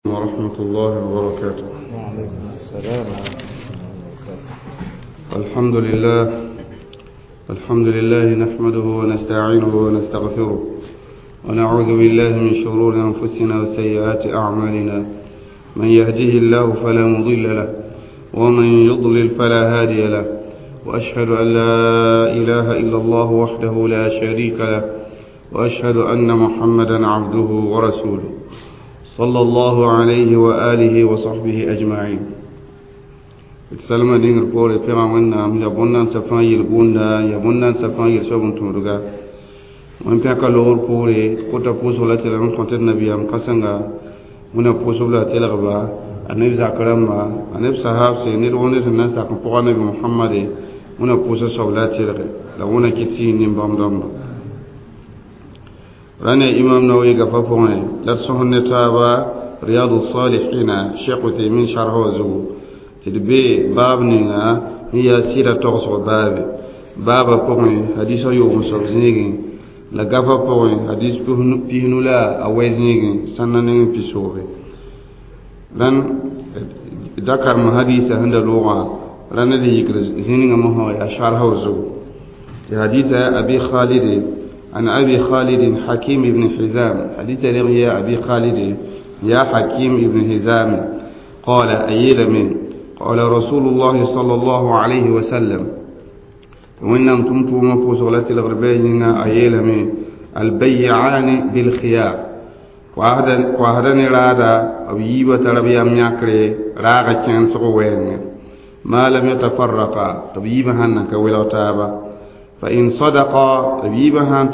ورحمة الله وبركاته. وعليكم السلام ورحمة الله وبركاته. الحمد لله نحمده ونستعينه ونستغفره، ونعوذ بالله من شرور أنفسنا وسيئات أعمالنا. من يهده الله فلا مضل له، ومن يضلل فلا هادي له، وأشهد أن لا إله إلا الله وحده لا شريك له، وأشهد أن محمدا عبده ورسوله صلى الله عليه وآله وصحبه أجمعين. Salma dĩngr poore pẽga Wẽnnaam ya bõn-nansã fãa yel-gũnda, ya bõn-nansã fãa yel-soab n tõodga. Wẽn pẽka logr poore kota pʋʋsg la tɩ n kõt d nabiyaam kãsenga, Wẽnna pʋʋsb la a telgba, a neb zak rãmba, a neb sahaabse, ned woo ned sẽn na n sak n pʋga nabi Mohamade, Wẽnna pʋʋsg soab la a telge la Wẽnna kɩt tɩ yĩ nin-bãmb dãmba. Rãna Imam Nawawi gafa pʋgẽ la d sõs ne taaba Riyadu Salihina, Sheikh Uthaymin sharh wã zugu, tɩ d be baab ninga n yaa sɩda togsg baabe. Baabã pʋgẽ hadisã yoog n soab zĩigẽ, la gafa pʋgẽ hadis pisnu la a wɛ zĩigẽ sãnda neng n pisooge. Rãn da karem hadisa sẽn da loogã, rãnd d yikd zĩ ninga mosã yaa sharha wã zugu, tɩ hadisa Abi Khalid, عن أبي خالد حكيم بن حزام، حديث يا أبي خالد يا حكيم بن حزام قال أيل من قال رسول الله صلى الله عليه وسلم، وإنهم تمتوا مفوس الغربين أيل من البيعان بالخيار، وهدن رادا أو يبا تربيا مياكري راغا كان سقوين ما لم يتفرقا، تبيبا هنك ولا تابا، فإن صدقا تبيبا هن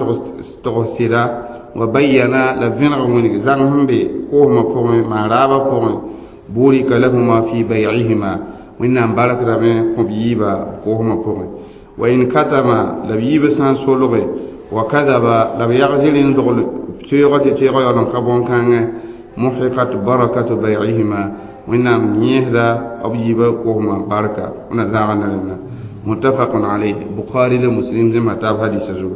تغسلا وبينا لفنغ من زغهم بي كوهما بوغي ما رابا بوغي بورك لهما في بيعهما، وإنهم بارك ربي كبيبا كوهما بوغي. وإن كتما لبيبا سان سولغي وكذب لبيغزل دغل تيغة تيغة يلن كبون كان محقت بركة بيعهما، وإنهم يهدى أبيبا كوهما بركة ونزاغنا لنا. متفق عليه، بخاري لمسلم زي ما تاب حديث زو.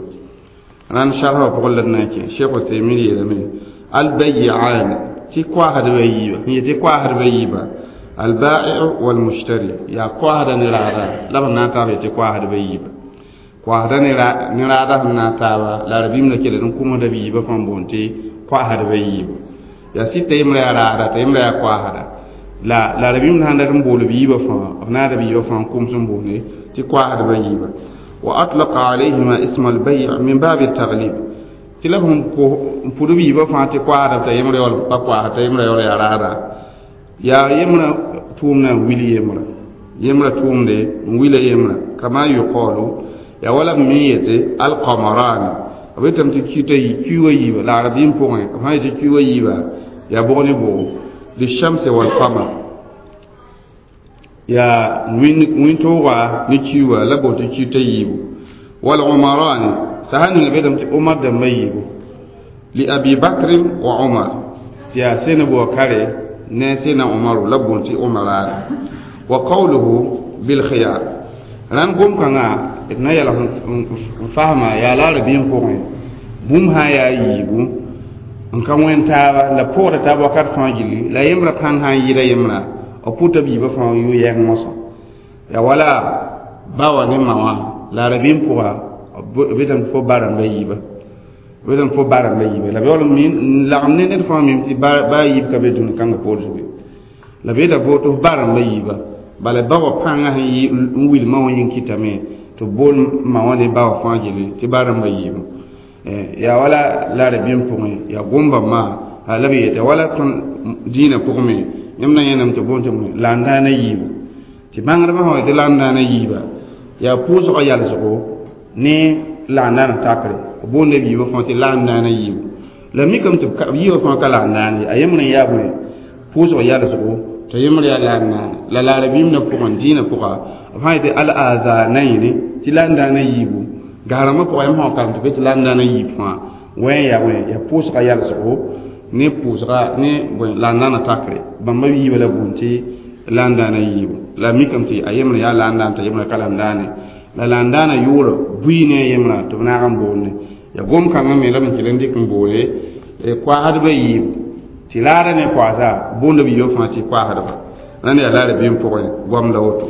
ران شرح بقول لنا كي شيخ تيمية يلمي البيعان تي كواهد بيبا، هي تي كواهد بيبا، البائع والمشتري، يا كواهد نرادا لا بنا تاب تي كواهد بيبا، كواهد نرادا نا تاب لا ربيم لكي لن كوما دبيبا فان بونتي كواهد بيبا، يا سي تيمرا رادا تيمرا كواهد لا لا ربيم نان بول بيبا فان نا دبيبا فان كوم سن بوني تي كواهد بيبا. وأطلق عليهما اسم البيع من باب التغليب، تلهم فدبي بفان تي كواهد تيمرا يول بكواهد تيمرا يول يا رادا يا يمرا تومنا ويلي يمرا يمرا تومني ويلي يمرا كما يقال يا ولا ميت القمران أبيتم تكيتا يكيوا يبا لا عربين فوقين كما يتكيوا يبا يا بغني بو للشمس والقمر يا وين وين توغا نكيوا لا بو تكيتا يبو. والعمران سهل أبيتم عمر دم يبو لأبي بكر وعمر يا سين بو كاري نسينا عمر لبونتي عمران. وقوله بالخيار ران قوم كنا اتنا يلا فهما يا لا ربين فوقين بوم ها يا يبو ان كان وين تابا لا بورا تابا كات فانجلي لا يمرا كان ها يرا يمرا او بوتا بيبا فان يو يان موسو يا ولا باوا ني ماوا لا ربين فوقا بيتم فو بارام بيبا بيتم فو بارام بيبا لا بيول مين لا امني نت فان ميم تي با يب كبي دون كان بول سوي لا بيتا بوتو بارام بيبا bala bawa pãngã sẽn yɩ n wil ma wã yĩng kɩtame tɩ bool ma wã ne bawa fãa gilli tɩ barãmbã yɩɩbo. Yaa wala la rabĩem pʋgẽ yaa gomba maa la b yeta wala tõnd dĩinã pʋgẽ me yãmb na yẽnam tɩ boond tɩ laandaana yiibu tɩ bãngdbã sã wa tɩ laandaana yiiba yaa pʋʋsgã yalsgo ne laandaana takre boonda b yiibã fãa tɩ laandaana yiibu la mikame tɩ yiibã fãa ka laandaana ye a yembrã n yaa bõe pʋʋsgã yalsgo tɩ yembre yaa laandaana la laarabĩim na pʋgẽ dĩinã pʋga b sã yetɩ al-azanaini tɩ laandaana yiibu gaarãmbã pʋga yãmb sã karem tɩ be tɩ laandaana yiib fãa wẽ yaa bõe yaa pʋʋsgã yalsgo ne pʋʋsga ne bõe laandaana takre bãmba yiibã la boond tɩ laandaana yiibu la mikame tɩ a yembre yaa laandaana t'a yembrã ka laandaane la laandaana yʋʋra bui ne a yembrã tɩ b naag n boonde yaa gom-kãngã me la b n kell n dɩk n boole koaadbã yiibu. Tɩ raada ne koasa boonda b yiibã fãa tɩ koasdba rãnd yaa la rabiim pʋgẽ goam la woto.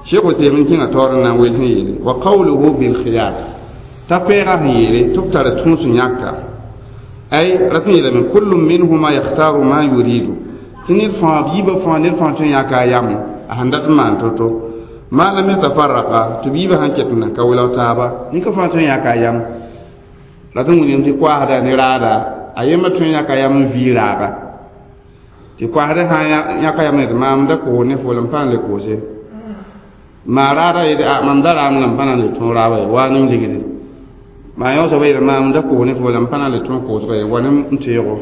Cheikh Uthaymin kẽnga taoor n na n wel sẽn yeele wa qawluhu bilkhiyar t'a koɛɛgã sẽn yeele tɩ b tara tũus n yãka ay rat n yeelame kullu minhuma yakhtaru ma yuridu tɩ ned fãa b yiibã fãa ned fãa tõe n yãka a yam a sẽn dat n maan to-to ma lam yatafarraqa tɩ b yiibã sãn ket n nan ka welg taaba nin-ka fãa tõe n yãka a yam rat n wilgem tɩ koasda ne raada a yembã tõe n yãka yam n vii raaga tɩ koasda sã n yãka yam ne tɩ maam da koos ne fo la m pa n le koose maa raada yetɩ a mam da raam la m pa na n le tõog raaba ye waa nem ligdi maa yõ soaba yeela maam da koos ne fo la m pa na n le tõog koosga ye wa ne n teego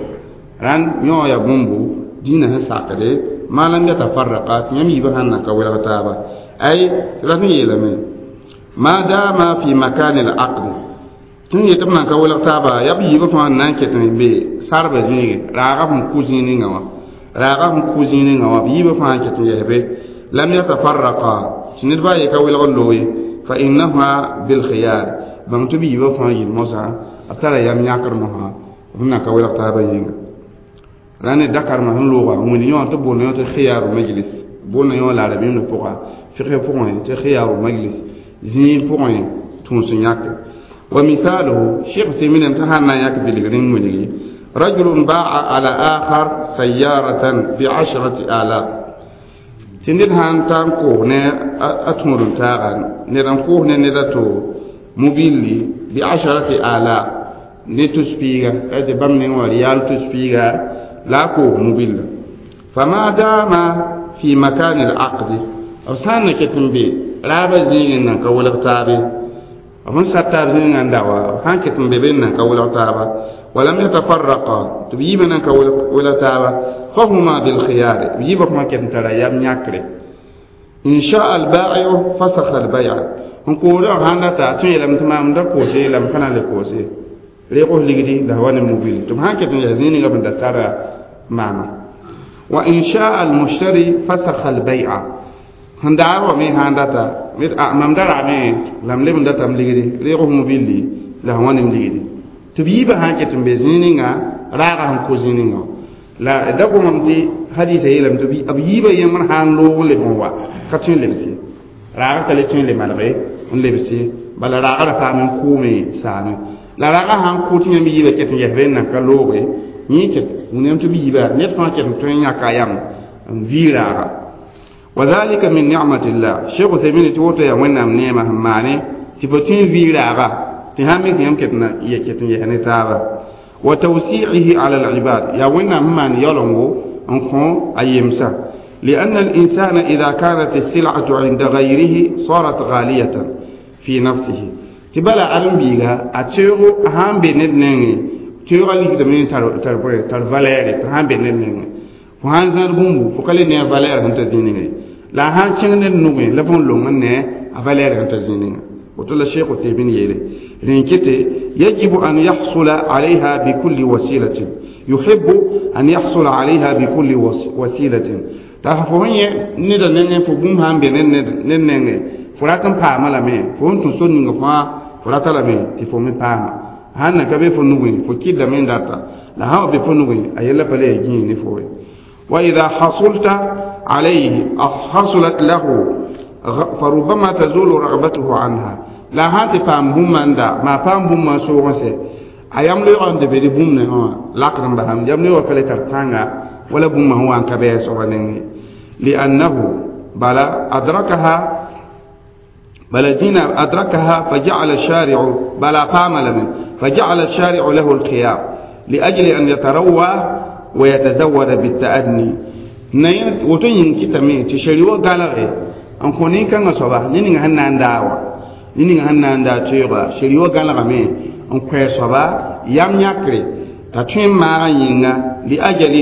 rãnd yõ yaa bũmbu dĩinã sẽn sakde maa lam yatafarraqa tɩ yãmb yiibã sãn nan ka welg taaba ay tɩ rat n yeelame ma dama fi makani al aqd tɩ n yetɩ b nan ka welg taaba yaa b yiibã fãa n na n ket n be sarbã zĩige raaga sẽn kʋ zĩig ninga wã raaga sẽn kʋ zĩig ninga wã b yiibã fãa n ket n yɛs be lam yatafarraqa tɩ ned baa ye ka welg n looge fa innaha bilkhiyar bãng tɩ b yiibã fãa yɩl mosã b tara yam yãkr mosã b nan ka welg taabã yĩnga rãnd ne dakarmã sẽn looga wẽnd yõ tɩ boonda yõ tɩ khiyaru majlis boonda yõ la rabiimdã pʋga fiqh pʋgẽ tɩ khiyaru majlis zĩig pʋgẽ tũus n yãke wa mithaluhu Cheikh Uthaymin tɩ sãn na n yãk bilgr n wilgi rajulun baa ala akhar sayaratan bi 10,000 tɩ ned sãn ta n koos ne a tũud n taaga ned n koos ne ned a to mobilli bi 10,000 ne tus piiga tɩ bãmb neng wã riyaal tus piiga la a koos mobilla fama dama fi makani al aqdi b sã n na ket n be raabã zĩig n nan ka welg taabe b sẽn sar taab zĩigã n da wa b sã n ket n be be n nan ka welg taaba walam yatafarraqa tɩ b yiibã nan ka welg taaba fahuma bilkhiyar b yiibã fãa ket n tara yam yãkre in shaa albaiu fasakha albaya n koodã sãn data a tõe yeelame tɩ maam da koose la m pa na n le koose reeg ligdi la wa ne mobil tɩ b sãn ket n yaa zĩig ninga b da sara maana wa in shaa almushtari fasakha albai'a sẽn daar wa me sãn data mam da raame la m leb n datame ligdi reeg f mobilli la sẽn wa nem ligdi tɩ b yiibã sãn ket n be zĩig ninga raaga sẽn ko zĩig ninga la da gomame tɩ hadisa yeelame tɩ b yiibã yẽmbr sãn loog n leb n wa ka tõe n lebse raaga ka le tõe n le malge n lebse bala raaga ra paam n kʋʋme saame la raaga sãn kʋ tɩ yãmb yiibã ket n yɛs be n nan ka looge yẽ ket wũniyam tɩ b yiibã ned fãa ket n tõe n yãka yam n vii raaga wa dhalika min ni'matillah Cheikh Uthaymin tɩ woto yaa wẽnnaam neemã sẽn maane tɩ fo tõe n vii raaga tɩ sãn me tɩ yãmb ket n yɛs ne taaba wa tawsi'ihi ala al-ibad yaa wẽnnaam sẽn maan yaolengo n kõ a yemsã لأن الإنسان إذا كانت السلعة عند غيره صارت غالية في نفسه تبلا أرم بيغا أتيرو أهم بنت نيني تيرو ليك دمين تار تار تار فالير تهم بنت نيني فهان زار بومبو فكالي نيا فالير هنت زيني لا هان كين نوغي لا فون لون ني فالير هنت زيني وتلا الشيخ تيمين يلي رينكتي يجب أن يحصل عليها بكل وسيلة يحب أن يحصل عليها بكل وسيلة t'a fo sẽn yẽ neda nengẽ fo bũmb sã n be ned nengẽ fo rat n paama lame fo sẽn tũ sor ninga fãa fo rata lame tɩ fo me paama sãn na ka be fo nugẽ fo kɩdlame n data la sã wa be fo nugẽ a yella pa le yaa gĩig ne fo ye wa ida hasulta alayhi hasulat lahu farubama tazulu ragbatuhu anha la sãn tɩ paam bũmb n da maa paam bũmb n soog n sɛ a yam loeegã n de be dɩ bũmb ne wã lakd n basam yam loeegã ka le tar pãnga wala bũmb sẽn wa n ka bɩ a soaba nengẽ لأنه بلا أدركها بلا زينة أدركها فجعل الشارع بلا قام لمن فجعل الشارع له الخيار لأجل أن يتروى ويتزود بالتأدني نين وتين كتامي تشريوا قالغي أن كونين كان صباح نين هن داوا نين هن دا تيغا شريوا قالغ مي أن كوي صباح يام يكري تاتين ما ينغا لأجل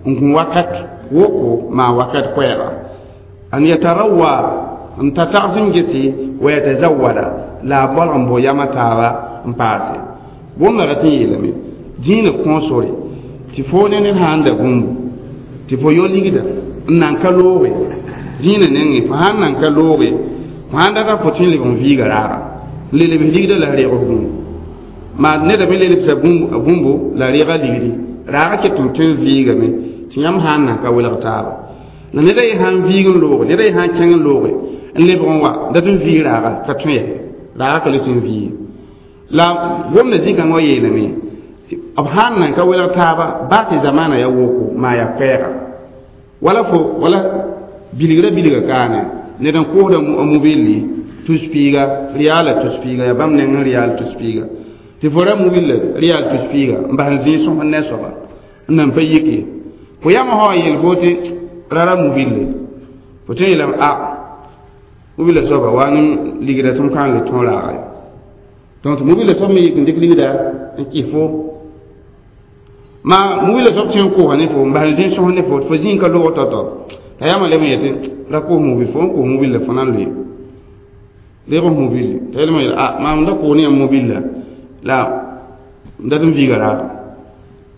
أن وقت woko ma wakat koɛɛga an yatarawa n ta tags n gese wa yatazawada la a bolg n bʋ yama taaba n paase bũmb rat n yeelame dĩinã kõo sore tɩ fo ne ned sã n da bũmbu tɩ fo yo ligda n nan ka looge dĩinã nengẽ fo sãn nan ka looge fo sãn data fo tõe n leb n viiga raaga n le lebs ligda la reeg bũmbu maa neda me le lebsa bũmbu la reega ligdi Raaga ket n tõe n vɩɩgame tɩ yãmb sã n nan ka welg taaba. La ned a ye sã n viig n looge, ned a ye sã n kẽng n looge n lebg n wa dat n vɩɩg raaga ka tõe ye. Raaga ka le tõe n vɩɩge. La gomda zĩ-kãngã wa yeelame tɩ b sã n nan ka welg taaba baa tɩ zamaana ya woko maa yaa koɛɛga. Wala fo wala bilgra bilga kaane ned n koosda a mobilli tus piiga riaala tus piiga yaa bãmb neng n riaal tus piiga tɩ fo ra mobilla riaal tus piiga n bas n zĩig sõs ne soaba n nan pa yik ye. Fo yãmb sã wa yeel fo tɩ ra mobille fo tõe n yeelame a mobilla soaba wa ne ligda tɩ m kãng le tõog raaga ye. Donc tɩ mobilla soab me yik n dɩk ligda n kɩs fo maa mobilla soab tõe n koosã ne fo n bas n zĩig sõs ne fo tɩ fo zĩig ka loog tao-tao t'a yãmb leb n yetɩ ra koos mobil fo n koos mobilla fo na n loe leeg f mobil t'a yeelame yeel a maam da koos ne yãmb mobilla la n dat n viiga raaga.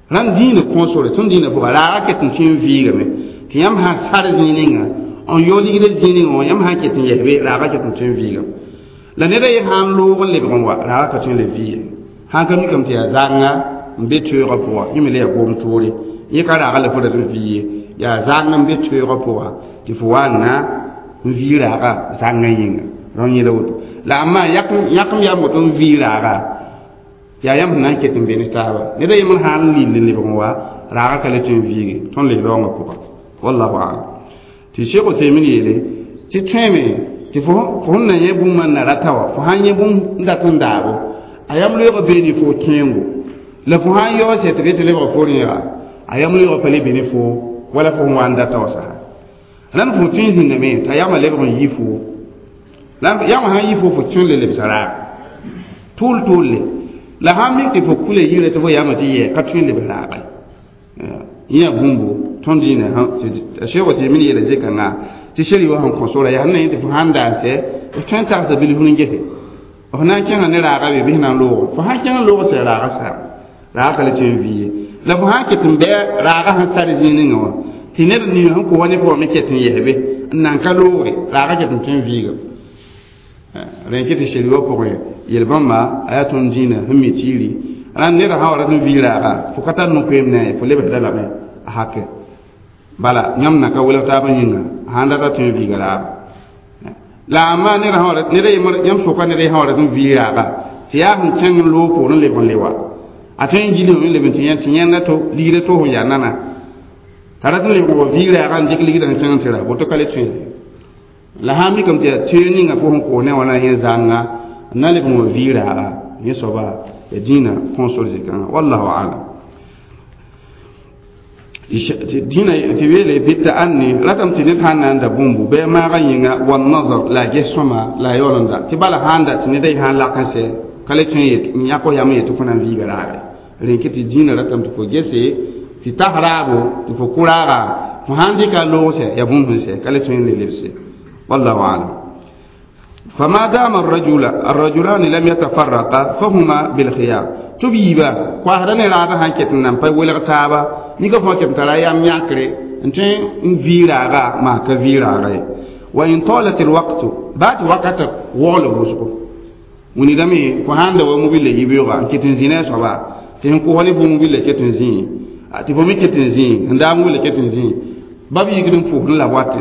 Rãnd zĩig kõo sore tõnd dĩinã pʋga raaga ket n tõe n viigame tɩ yãmb sã n sar zĩig ninga n yao ligdã zĩig ninga wã yãmb sã n ket n yɛs be raaga ket n tõe n viigame. La ned a ye sã n loog n lebg n wa raaga ka tõe n le vɩɩ sã n ka mikame tɩ yaa zãnga n be toeegã pʋga yẽ me le yaa gom toore yẽ ka raaga la fo dat n vɩ ye yaa zãng n be toeegã pʋga tɩ fo wa n na n vɩ raaga zãngã yĩnga rão yẽla woto. La amma yãkem yaa moto n vɩ raaga yaa yãmb sẽn na n ket n be ne taaba ned a yembr sã n lill n lebg n wa raaga ka le tõe n vɩɩge tõnd le raoongã pʋga wallahu alam. Tɩ Sheikh Uthaymin yeele tɩ tõeme tɩ fo sẽn na yẽ bũmb n na rata wã fo sã n yẽ bũmb n dat n daabo a yam loeegã beene fo kẽengo la fo sã n yaoog sɛ tɩ be tɩ lebga fo rẽega a yam loeegã pa le be ne fo wala fo sẽn wa n data wã sasa. Rãnd fo tõe n zĩndame t'a yamã lebg n yi fo yãmb sã n yi fo fo tõe n le lebsa raag tʋʋl tʋʋlle la sã n mik tɩ fo kule yirã tɩ fo yamã tɩ yɛ ka tõe n lebs raaga yẽ yaa bũmbo tõnd dĩinã a Sheikh Uthaymin yeela zĩ-kãngã tɩ sheri wã sẽn kõ sora yaa sẽn na yẽ tɩ fo sã n daa n sɛ f tõe n tagsa bilf n gese f na n kẽnga ne raaga be bɩs na n loog fo sã n kẽng n loog sɛ raaga saam raaga ka le tõe n vɩ ye. La fo sã n ket n bɩ raaga sẽn sar zĩig ninga wã tɩ ned ning sẽn kos ne fo wã me ket n yɛs be n nan ka looge raaga ket n tõe n vɩɩgame. Rẽn kɩ tɩ sheri wã pʋgẽ yel-bãmba a yaa tõnd dĩinã sẽn mi tiiri rãnd ned sã wa rat n vɩ raaga fo ka tar no-koeem ne a ye fo lebsda lame a hake bala yãmb na ka welg taabã yĩnga sã n rata tõe n vɩɩga raaga. La amma ned sã wa ned yãmb sʋka ned sã wa rat n vɩ raaga tɩ yaa sẽn kẽng n loog poor n lebg n le wa a tõe n gilg n leb n tɩ yẽ tɩ yẽnda to ligda to sẽn yaa nana t'a rat n lebg wa vɩ raaga n dɩk ligda sẽn kẽng n tɩ ra woto ka le tõe. La sã n mikame tɩ yaa toeer ninga fo sẽn koos ne wã na yẽ zãnga n na lebg n wa vɩ raaga yẽ soaba ya dĩinã kõo sor zĩ-kãngã wallahu alam. Dĩinã tɩ weele bɩ-ta'anni ratame tɩ ned sã n na n da bũmbu bɩ a maagã yĩnga wannazar la a ges sõma la a yaool n da tɩ bala sã n da tɩ ned a ye sã n lak n sɛ ka le tõe n yãk f yam n yet tɩ fo na n viiga raage rẽn kɩ tɩ dĩinã ratame tɩ fo gese tɩ tas raabo tɩ fo kʋ raaga fo sã n dɩka a loog sɛ yaa bũmb sẽn sɛ ka le tõe n le lebse wallahu alam. فما دام الرجلان لم يتفرقا فهما بالخيار تبيبا كواهدا ne raaga sã n ket n nan pa welg taaba nika fõ ket n tara yam yãkre n tõe n vɩ raaga maa ka vɩ raaga ye. Wa in talat alwaqtu baa tɩ wakata waool wʋsgo wilgame fo sã n da wa mobile yibeoogã n ket n zĩ ne a soaba tɩ sẽn kʋsg ne fo mobile ket n zĩ tɩ fo me ket n zĩ n daa mobile ket n zĩ ba b yikd n pʋʋsd la wat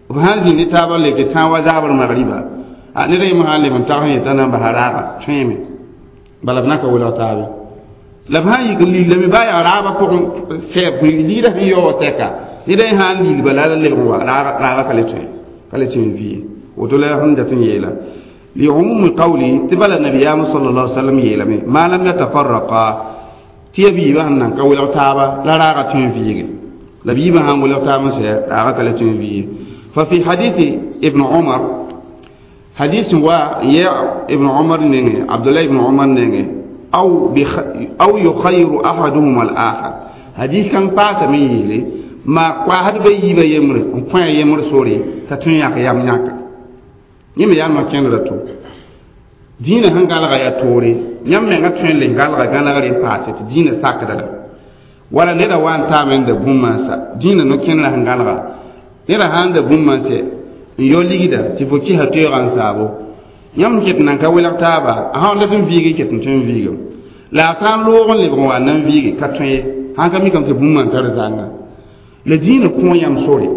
b sã n zĩ ne taabã leke tãag wa zaabr magriba a ned a yembr sã n leb n tag sẽn yetã na n basa raaga tõeeme bala b na ka welg taabe la b sã n yik n lillame baa yaa raabã pʋgẽ sɛɛb liidã sẽn yaoog tɛka ned a ye sã n lil bala la lebg n wa raaga ka le tõe n vɩ woto la sẽn dat n yeela لعموم قولي تبل النبي صلى الله عليه وسلم يلمي ما لم يتفرقا تيبي بان كول تابا لا راغة تنفيغ لبي بان ولا تابا سي راغة لا تنفيغ. ففي حديث ابن عمر حديث وا يا ابن عمر نيني عبد الله ابن عمر نيني أو يخير أحدهما الآخر حديث كان باس من يلي ما واحد بيجي يمر كان يمر سوري تتنيا يام نياك yẽme yaa no-kẽndrã to dĩinã sẽn galga yaa toore yãmb menga tõe n le galga gãnegr n paase tɩ dĩinã sakda la wala neda wa n taame n da bũmb mansã dĩinã no-kẽndrã sẽn galga neda sã n da bũmb mansɛ n yao ligda tɩ fo kɩsa toeegã n saabo yãmb ket n nan ka welg taaba a sã n dat n viigi ket n tõe n viigem la a sã n loog n lebg n wa n na n viigi ka tõe ye Sãn ka mikame tɩ bũmb n tar zãnga la dĩinã kõ yãmb sore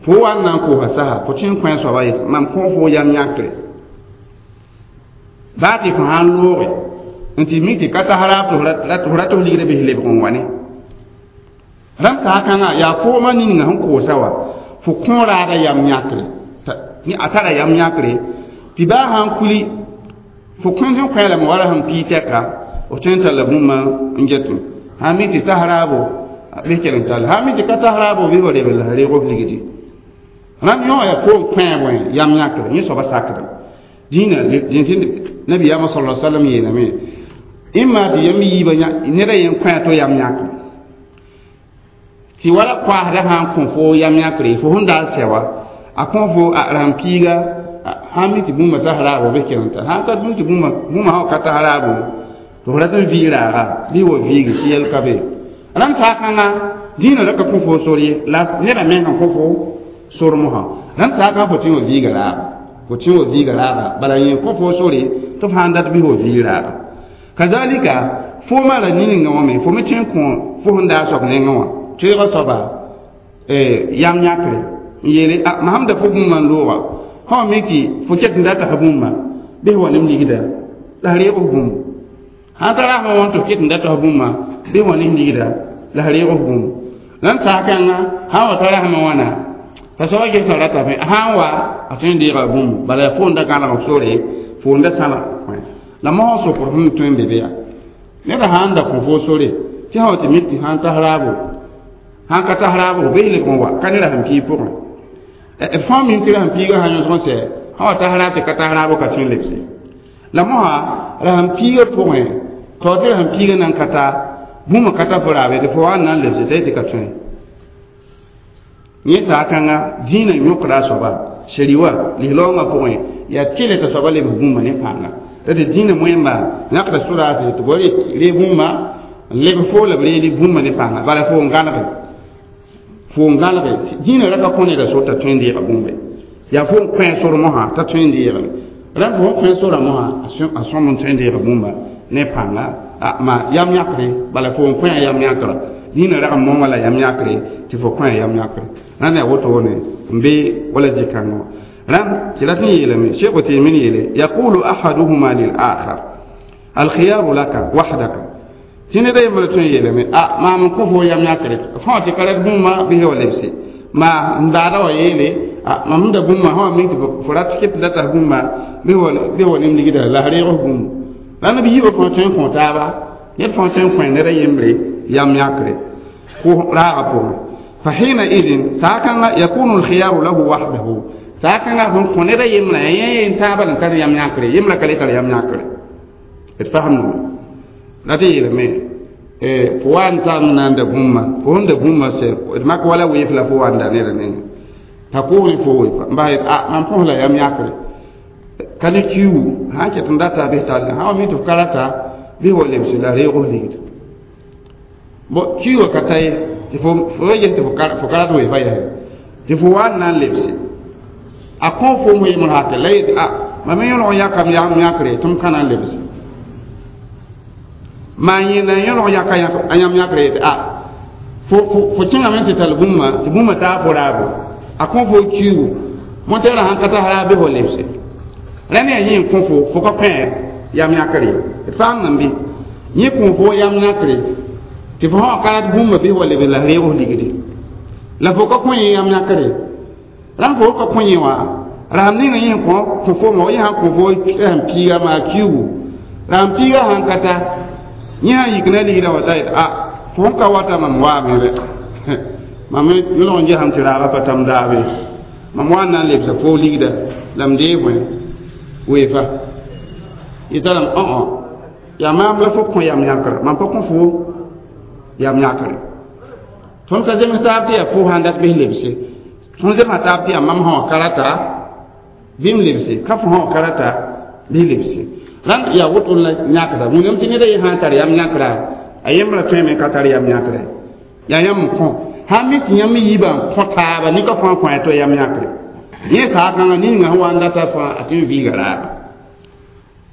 fo wa n na n koosã sasa fo tõe n kõ a soaba yetɩ mam kõ fo yam yãkre baa tɩ fo sã n looge n tɩ mik tɩ ka tas raab tɩ f rat f ligda bɩs lebg n wa ne rãmb saha-kãngã yaa foomã ninga sẽn koosa wa fo kõ raada yam yãkre a tara yam yãkre tɩ baa sã n kuli fo kõnd n kõ lame wala sẽn pii tɛka f tõe n talla bũmba n getẽ sã mi tɩ tas raabo bɩ kell n tall sã mi tɩ ka tas raabo bɩ fo lebg la reeg f ligdi rãmb yõ yaa fo n kõ bõe yam yãkre yẽ soaba sakdem dĩinã nabiyaamã sala sallam yeelame ĩmma tɩ yãmb yiibã neda yen kõ to yam yãkre tɩ wala koasda sã n kõ fo yam yãkre fo sẽn daa sɛ wa a kõ fo a rãmb piiga sãn mi tɩ bũmba tas raabo bɩ kell n tar sãn ka mi tɩ bũmba sã ka tas raabo tɩ f rat n vɩɩg raaga bɩ wa viigi tɩ yɛl ka be rãmb saakãngã dĩinã ra ka kõ fo sor ye la nedã meng sẽn kõ fo sor mosã rãmb saakã fo tɩ wa viiga raaga fo tɩ wa viiga raaga bala yẽ kõ fo sore tɩ f sãn dat bɩ wa viig raaga kazalika foomã ra niningã wã me fo me tõe n kõ fo sẽn daa soab nengẽ wã toeegã soaba yam yãkre n yeele a mam sẽn da fo bũmba n looga fõ mi tɩ fo ket n dat tɩ bũmba bɩ wa nem ligda la reeg f bũmb sãn ta rasmã wã tɩ f ket n dat tɩ bũmba bɩ wa ne ligda la reeg f bũmb rãmb saha-kãngã sã n wa ta rasmã wãna t'a soaba gesã ratame sã n wa a tõe n deega bũmb bala yaa fo n da gãneg f sore fo n da sãlg la mosã sokr sẽn tõe n be be yaa neda sã n da kõ fo sore tɩ sã wa tɩ mik tɩ sã n tas raabo sãn ka tas raabo bɩ lebg n wa ka ne rasem piig pʋgẽ d fãa mim tɩ rasem piigã sã yõsg n sɛ sã wa tas raab tɩ ka tas raabo ka tõe n lebse la mosã rasem piigã pʋgẽ tao tɩ rasem piigã nan ka ta bũmb ka ta fo raabe tɩ fo wa n na n lebse t'a yetɩ ka tõe yẽ saakãngã dĩinã yõkda a soaba shariwa lislaoongã pʋgẽ yaa tɩle t'a soaba lebs bũmba ne pãnga t'a tɩ dĩinã wẽmba yãkda sodaase tɩ b ree bũmba n leb fo la b reed bũmba ne pãnga bala fo n gãlge fo n gãlge dĩinã ra ka kõ neda sor t'a tõe n deega bũmbe yaa fo n kõ sor mosã t'a tõe n deegame rãmb fo n kõ sora mosã a sõm n tõe n deega bũmba ne pãnga ma yam yãkre bala fo n kõ yam yãkra dĩinã rag n monga la yam yãkre tɩ fo kõ yam yãkre rãnd yaa wotone n be wala zĩ-kãngã wã rãmb tɩ rat n yeelame sheikh Uthaymin yeele yaqulu ahaduhuma lil-akhar alkhiyaru laka wahdaka tɩ neda yembr tõe n yeelame a maam n kõ fo yam yãkre fõ tɩ ka rat bũmba bɩ wa lebse ma n daada wa yeele a mam sẽn da bũmba sã wa mik tɩ fo rat ket la tas bũmba bɩ wa nem ligda la reeg f bũmb rãnd b yiibã fõ tõe n kõ taaba ned fõ tõe n kõ neda yembre yam yãkre ko raaga pʋgẽ fa hina idin saakãngã yakunu alkhiyaru lahu wahdahu saakãngã sẽn kõ neda yembrã yẽ yen taaba n tar yam yãkre yembrã ka le tar yam yãkre d fasemdame la tɩ yeelame fo wa n tar n na n da bũmba fo sẽn da bũmba sɛ d mak wala weef la fo wa n da neda nengẽ t'a koosẽ fo weefa n bas yet a mam põs la yam yãkre ka ne kiugu sã n ket n data bɩs tall sã wa mi tɩ f ka rata bɩ wa lebse la reeg f ligd bo kiugã ka ta ye tɩ fo ges tɩ fo ka rat weefa yaa tɩ fo wa n na n lebse a kõ fo m yemr hakɛ la yet a mam yõlg n yãkam yam yãkre tɩ m ka na n lebse maa yẽnda yõlg yãka a yãmb yãkre yetɩ a fo kẽngame tɩ tall bũmba tɩ bũmba taa fo raabo a kõ fo kiugu montɛɛrã sãn ka tas raab bɩ fo lebse rẽnd yaa yẽ n kõ fo fo ka kõ yam yãkre d faam nan bɩ yẽ kõ fo yam yãkre tɩ fo sã ka rat bũmba bɩ wa leb la reeg f ligdi la fo ka kõ yẽ yam yãkre rãmb fo ka kõ yẽ wã rasem ninga yẽ kõ kõ fo ma yẽ sã kõ fo rasem piiga maa kiugu rasem piiga sãn ka ta yẽ sã yik na ligda wa ta yet a fo sẽn ka wata mam waame rɛ mam yõlg n gesame tɩ raaga pa tam daabe mam wa n na n lebsa fo ligda la m dee bõe weefa yeta lame õ yaa maam la fo kõ yam yãkra mam pa kõ fo yam yãkre tõnd ka zems taab tɩ yaa fo sãn dat bɩs lebse tõnd zemsa taab tɩ yaa mam sã wã ka rata bɩ m lebse ka fo sã wã ka rata bɩ lebse rãnd yaa woto la yãkra wĩnam tɩ neda ye sã n tar yam yãkra a yembrã tõeme ka tar yam yãkre yaa yãmb n kõ sãn mi tɩ yãmb yiibã n kõ taaba nika fãa kõ a to yam yãkre yẽ saakãngã ninga sẽn wa n data fãa a tõe n viiga raaba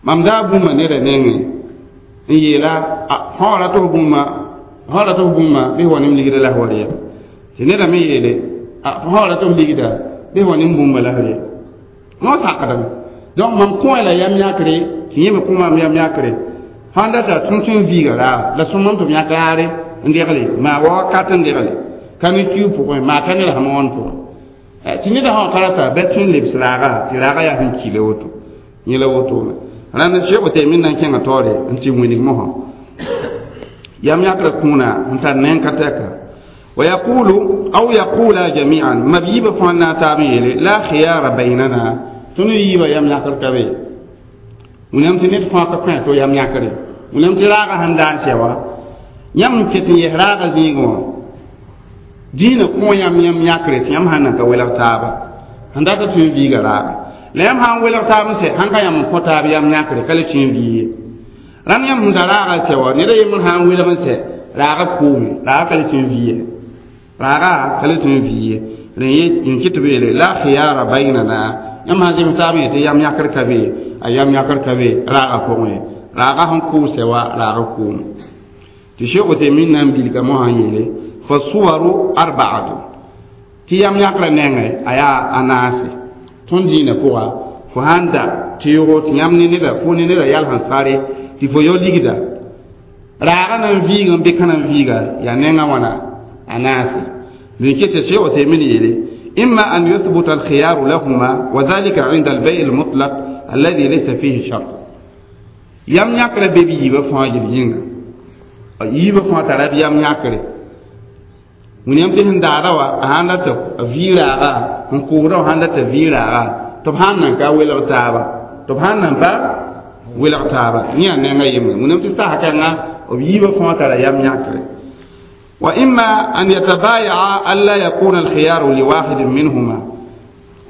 mam daa bũmba neda nengẽ n yeela fõ wa rat f bũmba Sã rat f bũmba bɩ f wa ne m ligda la f wa reeg tɩ neda me yeele fo sã rat f ligda bɩ f wa ne m bũmba la f reeg wã sakdame donc mam kõ la yam yãkre tɩ yẽ me kõ maam yam yãkre sãn data tũ tɩ n viiga raag la sõmam tɩ b yãk raare n degle maa wa wakat n degle ka ne kiu pʋgẽ maa ka ne rasem wãn pʋgẽ tɩ neda sã ka rata bɩ tũ n lebs raaga tɩ raaga yaa sẽn kile woto yẽ la wotone rãnd Sheikh Uthaymin na n kẽnga taoore n tɩ wilg mosã yam yãkrã kũuna n tar neng ka tɛka ويقول أو يقولا جميعا ما بيبا فانا تابي لا خيار بيننا تنو يبا يم ياكر كبي ونم تنيت فاك كان تو يم ياكر ونم تراغا هندان سوا يم كتن يهراغا زيغو دين كو يم يم ياكر يم هانا كويلا تابا هندا تون فيغا راغا la yam sãn welg taab n sɛ sãn ka yãmb n kõ taab yam yãkre ka le tũ n vii ye rãnd yãmb sẽn da raaga sɛ wa ned a yembr sã n welg n sɛ raaga koome raaga ka le tũ n vii ye raaga ka le tũ n vii ye rẽ ye n kɩ tɩ b yeele la khiyara baynana yãmb sãn zems taab n yetɩ yam yãkr ka be a yam yãkr ka be raaga pʋgẽ raaga sẽn kʋʋsɛ wa raaga koome tɩ Sheikh Uthaymin na n bilga mosã n yeele fa suwaru arbaatu tɩ yam yãkrã nengẽ a yaa a naase tõnd dĩinã pʋga fo sãn da teoogo tɩ yãmb ne neda fo ne neda yal sẽn sare tɩ fo yao ligda raaga na n viig n bɩ ka na n viiga yaa nengã wãna a naase n ket Sheikh Uthaymin yeele إما أن يثبت الخيار لهما وذلك عند البيع المطلق الذي ليس فيه شرط yam yãkrã be bɩ yiibã fãa yel yĩnga yiibã fãa tara bɩ yam yãkre wĩnam tɩ sẽn daada wa a sãn data vii raaga n kʋʋda wa sãn data vii raaga tɩ b sãn nan ka welg taaba tɩ b sãn nan pa welg taaba yẽ yaa nenga yembre wĩnam tɩ sasa kãnga b yiibã fãa tara yam yãkre وإما أن يتبايع ألا يكون الخيار لواحد منهما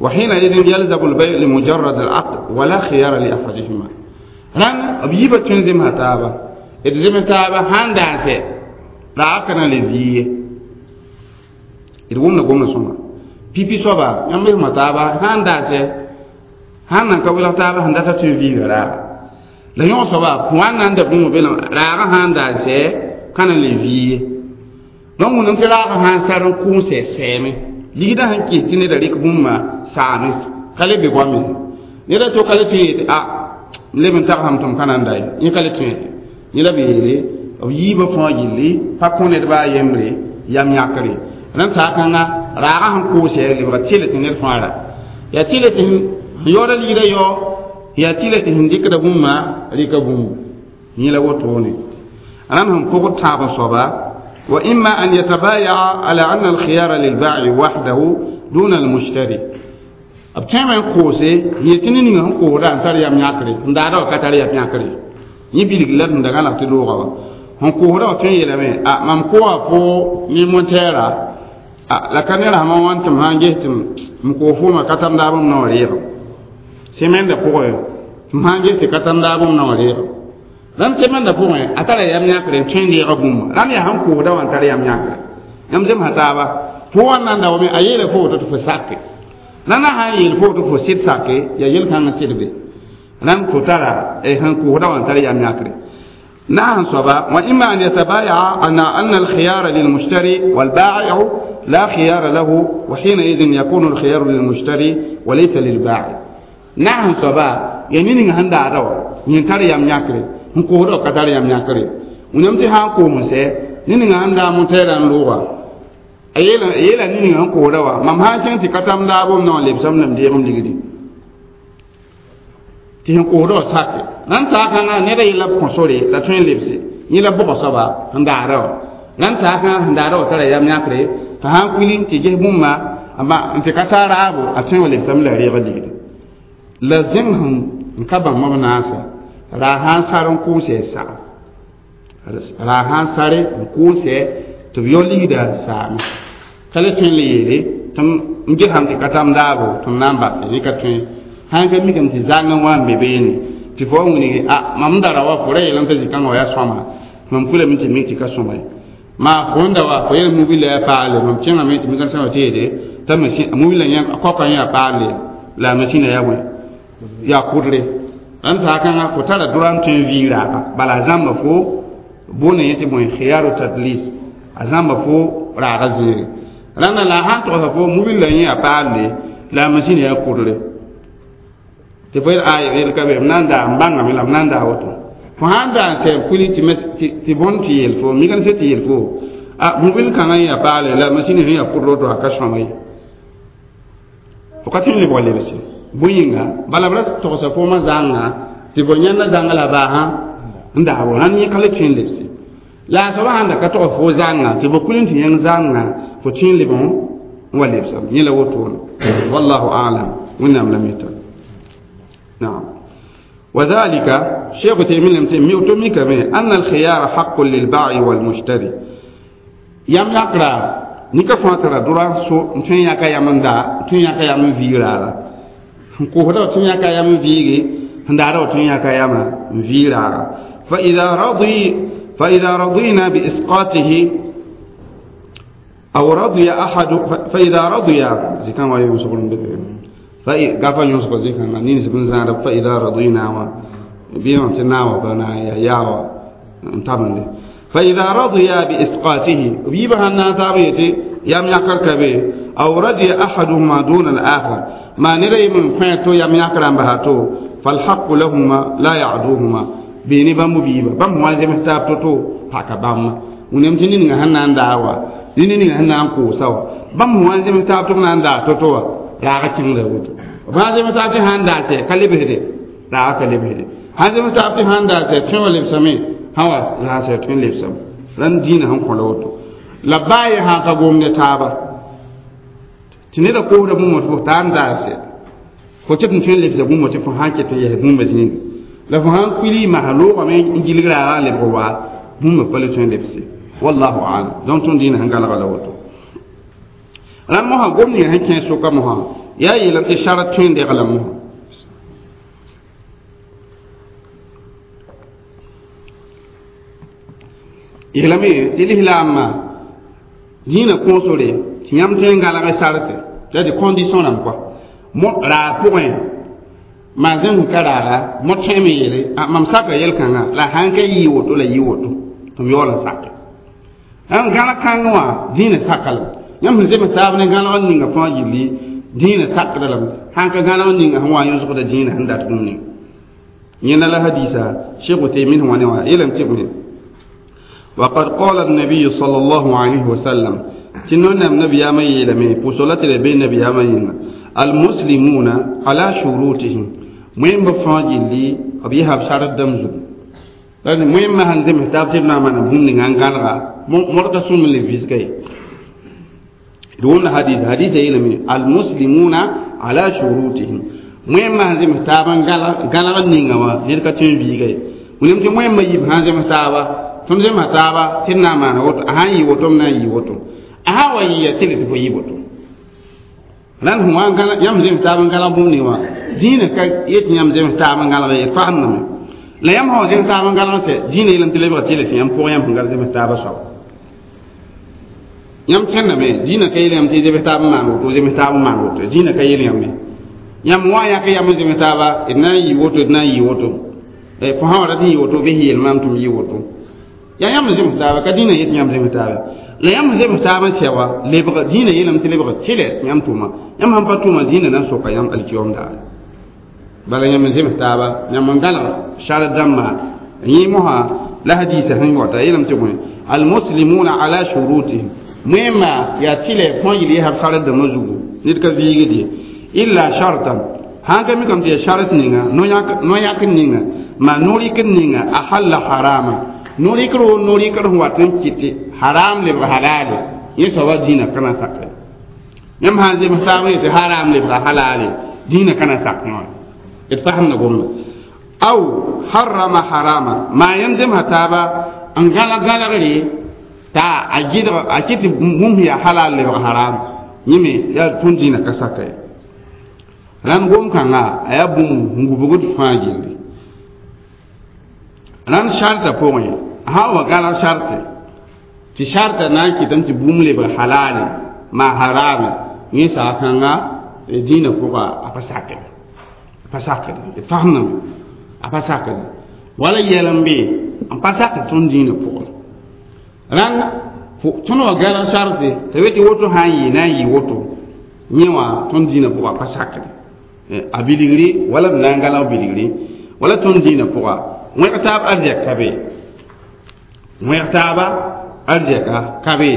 وحينئذ يلزم البيع لمجرد العقد ولا خيار لأحدهما ران b yiibã tõe n zemsa taaba d zems taaba sãn daan sɛ raaga ka na le vii ye d wʋmda gomda sõma pipi soaba yãmb sẽma taaba sãn daa sɛ sãn nan ka welg taaba sẽn data tõe n viiga raaga la yõg soaba pʋã n na n da bũmb be raaga sãn daa sɛ ka na le vii ye donc wẽnnaam tɩ raaga sãn sar n kʋʋn sɛ sɛɛme ligdã sẽn kɩs tɩ neda rɩk bũmba saame ka le be goame neda to ka le tõe yetɩ a n leb n tagsame tɩ m ka na n da ye yẽ ka le tõe yẽ la b yeele b yiibã fãa gilli pa kõ ned baa yembre yam yãkre rãnd saakãnga raaga sẽn kʋʋsɛ lebga tɩl tɩ ned fãa ra yaa tɩl tɩ sẽn yaooda ligda yao yaa tɩl tɩ sẽn dɩkda bũmba rɩka bũmb yẽ la wotone rãnd sẽn pʋgd tãab n soaba وإما أن يتبايع على أن الخيار للبائع وحده دون المشتري b tõeme n koose yetɩ ne ninga sẽn koosda n tar yam yãkre n daada wa ka tar yam yãkre yẽ bilg la sẽn da gãlag tɩ loogã wa sẽn koosda wa tõe n yeelame a mam kooa fo ne montɛɛra a la ka ne rasmã wãn tɩ m sã n ges tɩ m koos fooma ka tam daab m nao reego semẽndã pʋgẽ tɩ m sã n ges tɩ ka tam daab m nao reego rãmb semẽndã pʋgẽ a tara yam yãkre n tõe n deega bũmba rãmb yaa sẽn koosda wã n tar yam yãkre yãmb zemsa taaba fo wa n na n da wame a yeela fo woto tɩ fo sake rãndã sã n yeel fo tɩ fo sɩd sake yaa yel-kãngã sɩd be rãmb fo tara sẽn koosda wã n tar yam yãkre نعم صبا وإما أن يتبايع أن الخيار للمشتري والبائع لا خيار له وحينئذ يكون الخيار للمشتري وليس للبائع نعم صبا يعني هندا رو ينتر يام ياكري نكورو كتار يام ياكري ونمتي ها كومسه نين هندا متيران لوغا a yeela ne ninga sẽn koosda wa mam sã n kẽng tɩ ka tam daabom na wã lebsame la m deegem ligdi tɩ sẽn koosda wã sake rãnd saakãngã neda yella b kõ sore la tõe n lebse yẽ la bʋga soaba sẽn daara wã rãnd saakãngã sẽn daara wã tara yam yãkre t'a sã n kuili tɩ ges bũmba n tɩ ka taa raabo a tõe wa lebsame la a reega ligdi la zẽng sẽn n ka bãmb b naasa raag sã n sar n kʋʋsɛ saam raag sã n sare n kʋʋsɛ tɩ b yao ligda saame ka le tõe n le yeele tɩ m gesame tɩ ka tam daabo tɩ m na n base yẽ ka tõe sãn ka mikame tɩ zang n wa n be beene tɩ fo wa wilgi a mam dara wa fo ra yeelame t'a zĩ-kãngã wa yaa sõama mam kulame tɩ mik tɩ ka sõma ye maa fo n da wa fo yel mobila yaa paale mam kẽngame tɩ mikã sã wa tɩ yeele t'a mobila yã kɔkã yaa paale la a masĩna yaa wẽ yaa kʋdre rãnd saakãngã fo tara droa n tõe n vii raaga bala a zãmba fo Boonda yẽ tɩ bõe khiyaru tadlis a zãmba fo raaga zĩige rãnda la a sãn togsa fo mobil la yẽ a paalle la a masĩn yaa kʋdre tɩ fo yel a yel ka be m na n daa m bãngame la m na n daa woto fo sãn daa n sɛ kuli tɩ bõnd tɩ yel fo mécanicien tɩ yel fo a mobil kãngã yẽ a paale la masĩn sẽn yaa kʋdr woto a ka sõma ye fo ka tɩ n lebg lebse bõe yĩnga bala b ra togsa foomã zãnga tɩ fo yãnda zãnga la baasã n daabo rãnd yẽ ka le tõe n lebse la a soaba sãn da ka tog fo zãnga tɩ fo kuli n tɩ yãng zãnga fo tõe n lebg n wa lebsame yẽ la wotone wallahu alam wẽnnaam la mita naam وذلك شيخ تيمين لم تيمي أن الخيار حق للبائع والمشتري يم يقرأ nika fãa tara dʋra so n tõe n yãka yam n daa tõe n yãka yam n viig raaga n kosda w tõe n yãka yam n viige n daada w tõe n yãka yama n viig raaga فإذا رضينا بإسقاطه أو رضي أحد فإذا رضي زكان فإذا يوسف زكان نين سبن زان فإذا رضينا بيان تناوى بنا يا ياوا انتبه فإذا رضي بإسقاطه بيبها الناتابيتي يم يكر كبي أو رضي أحدهما دون الآخر ما نري من فاتو يم يكر بهاتو فالحق لهما لا يعدوهما بيني بامو بيبا بامو وانزي محتاب توتو هكا بام ونمتني نغا هنان داوا نيني نغا هنان كوساوا بامو وانزي محتاب تو نان دا توتو راغا كين لوتو وانزي محتاب تي هان داسي كالي بهدي راغا كالي بهدي هانزي محتاب تي هان داسي تشو لبسمي hawa la se tõe n lebsame rãnd dĩinã sẽn kõ la woto la baa ye sã ka gom ne taaba tɩ neda koosda bũmb tɩ fo tar n daase fo ket n tõe n lebsa bũmb tɩ fo sãn ket n yɛs bũmba zĩiga la fo sãn kuili masã loogame n gilg raagã n lebg waa bũmba pa le tõe n lebse wallahu alam donc tõnd dĩinã sẽn galga la woto rãnd mosã gom ninga sẽn kẽ soka mosã yaa yeelame tɩ sara tõe n degla mosã yeelame tɩ lislaambã dĩinã kõosore tɩ yãmb tõe n galg sarte t'a tɩ condition rãmb kɔa raag pʋgẽ maa zẽm ka raaga mo tõeme yeele mam saka yel-kãngã la sãn ka yɩ woto la yɩ woto tɩ m yaool n sake n gãlag kãngẽ wã dĩinã saka lame yãmb sẽn zems taab ne gãlag n ninga fãa gilli dĩinã sakda lame sãn ka gãlag n ninga sẽn wa yõsgda dĩinã sẽn dat bũmb ning yẽnda la hadisa Cheikh Uthaymin sẽn wa ne wã yeelame tɩ bõe وقد قال النبي صلى الله عليه وسلم تنون النبي يا مي بوصلت لبي النبي يا مي المسلمون على شروطهم مهم بفاجي لي أبيها بشارة دمزو لأن مهم ما هنزم هتاب تبنا من بوم نغانغالغا مرتا سوم اللي فيزكاي دون حديث حديث يلمي المسلمون على شروطهم مهم ما هنزم هتاب غالغا نينغوا نيركا تين فيزكاي ونمتي مهم ما يب هنزم هتابا tõnd zemsa taaba tɩ d na n maana woto a sãn yɩ woto m na n yɩ woto a sã wa yɩya tɩ tɩ fo yɩ woto rãnd sẽn wa yãmb zems taab n gãlag bũmb ning wã dĩinã ka yet tɩ yãmb zems taab n gãlg ye fagemdame la yãmb sã wa zems taab n gãlag sɛ dĩinã yeelame tɩ lebga tɩ tɩ yãmb pʋgẽ yãmb sẽn gal zems taabã soaba yãmb kẽndame dĩinã ka yeel yãmb tɩ zems taab n maan woto zems taab n maan woto dĩinã ka yeel yãmb ye yãmb wã yãk yãmb n zems taaba d na n yɩ woto d na n yɩ woto fo sã wa rat n yɩ woto bɩ sẽn yeel maam tɩ m yɩ woto ya yãmb zems taaba ka dĩinã yet yãmb zems taaba la yãmb zems taab n sɛ wa lebg dĩinã yeelame tɩ lebg tɩlɛ tɩ yãmb tʋma yãmb sãn pa tʋma dĩinã na n soka yãmb alkiyoom daare bala yãmb n zems taaba yãmb n gãleg sar dãmbã yẽ mosã la hadiisa sẽn wata yeelame tɩ bõe almuslimuna ala shurutihim moẽmma yaa tɩlɛ fõa yel yesab sar dãmbã zugu ned ka viigd ye illa shartan sãn ka mikame tɩ yaa sart ninga no-yãk ninga ma no-rɩk ninga a halla harama no-rɩkr wo no-rɩkr sẽn wat n kɩtɩ haram lebg halale yẽ soaba dĩinã ka na sake yãmb sãn zems taab n yetɩ haram lebga halale dĩinã ka na sak wã d fasemda gomda aw harama harama maa yãmb zemsa taaba n gãlag gãlgre t'a a gɩdg a kɩt tɩ bũmb yaa halal lebg haram yẽ me yaa tõnd dĩinã ka saka ye rãnd gom-kãnga a yaa bũmb n gubgd fãa gilli rãnd sartã pʋgẽ sã wa gãlag sarte tɩ sartã na n kɩtame tɩ bũmb lebg halale maa harame yẽ saag-kãnga dĩinã pʋga a pa sakd a pa sakd d fasemdame a pa sakd wala yɛl n be n pa sak tõnd dĩinã pʋgẽ rãnd tõnd wa gãlg sarte t'a be tɩ woto sã n yɩ na n yɩ woto yẽ wã tõnd dĩinã pʋga pa sakde a bilgri wala b na n gãlg bilgri wala tõnd dĩinã pʋga wẽg taab arzɛk ka be wẽg taaba arzɛka ka be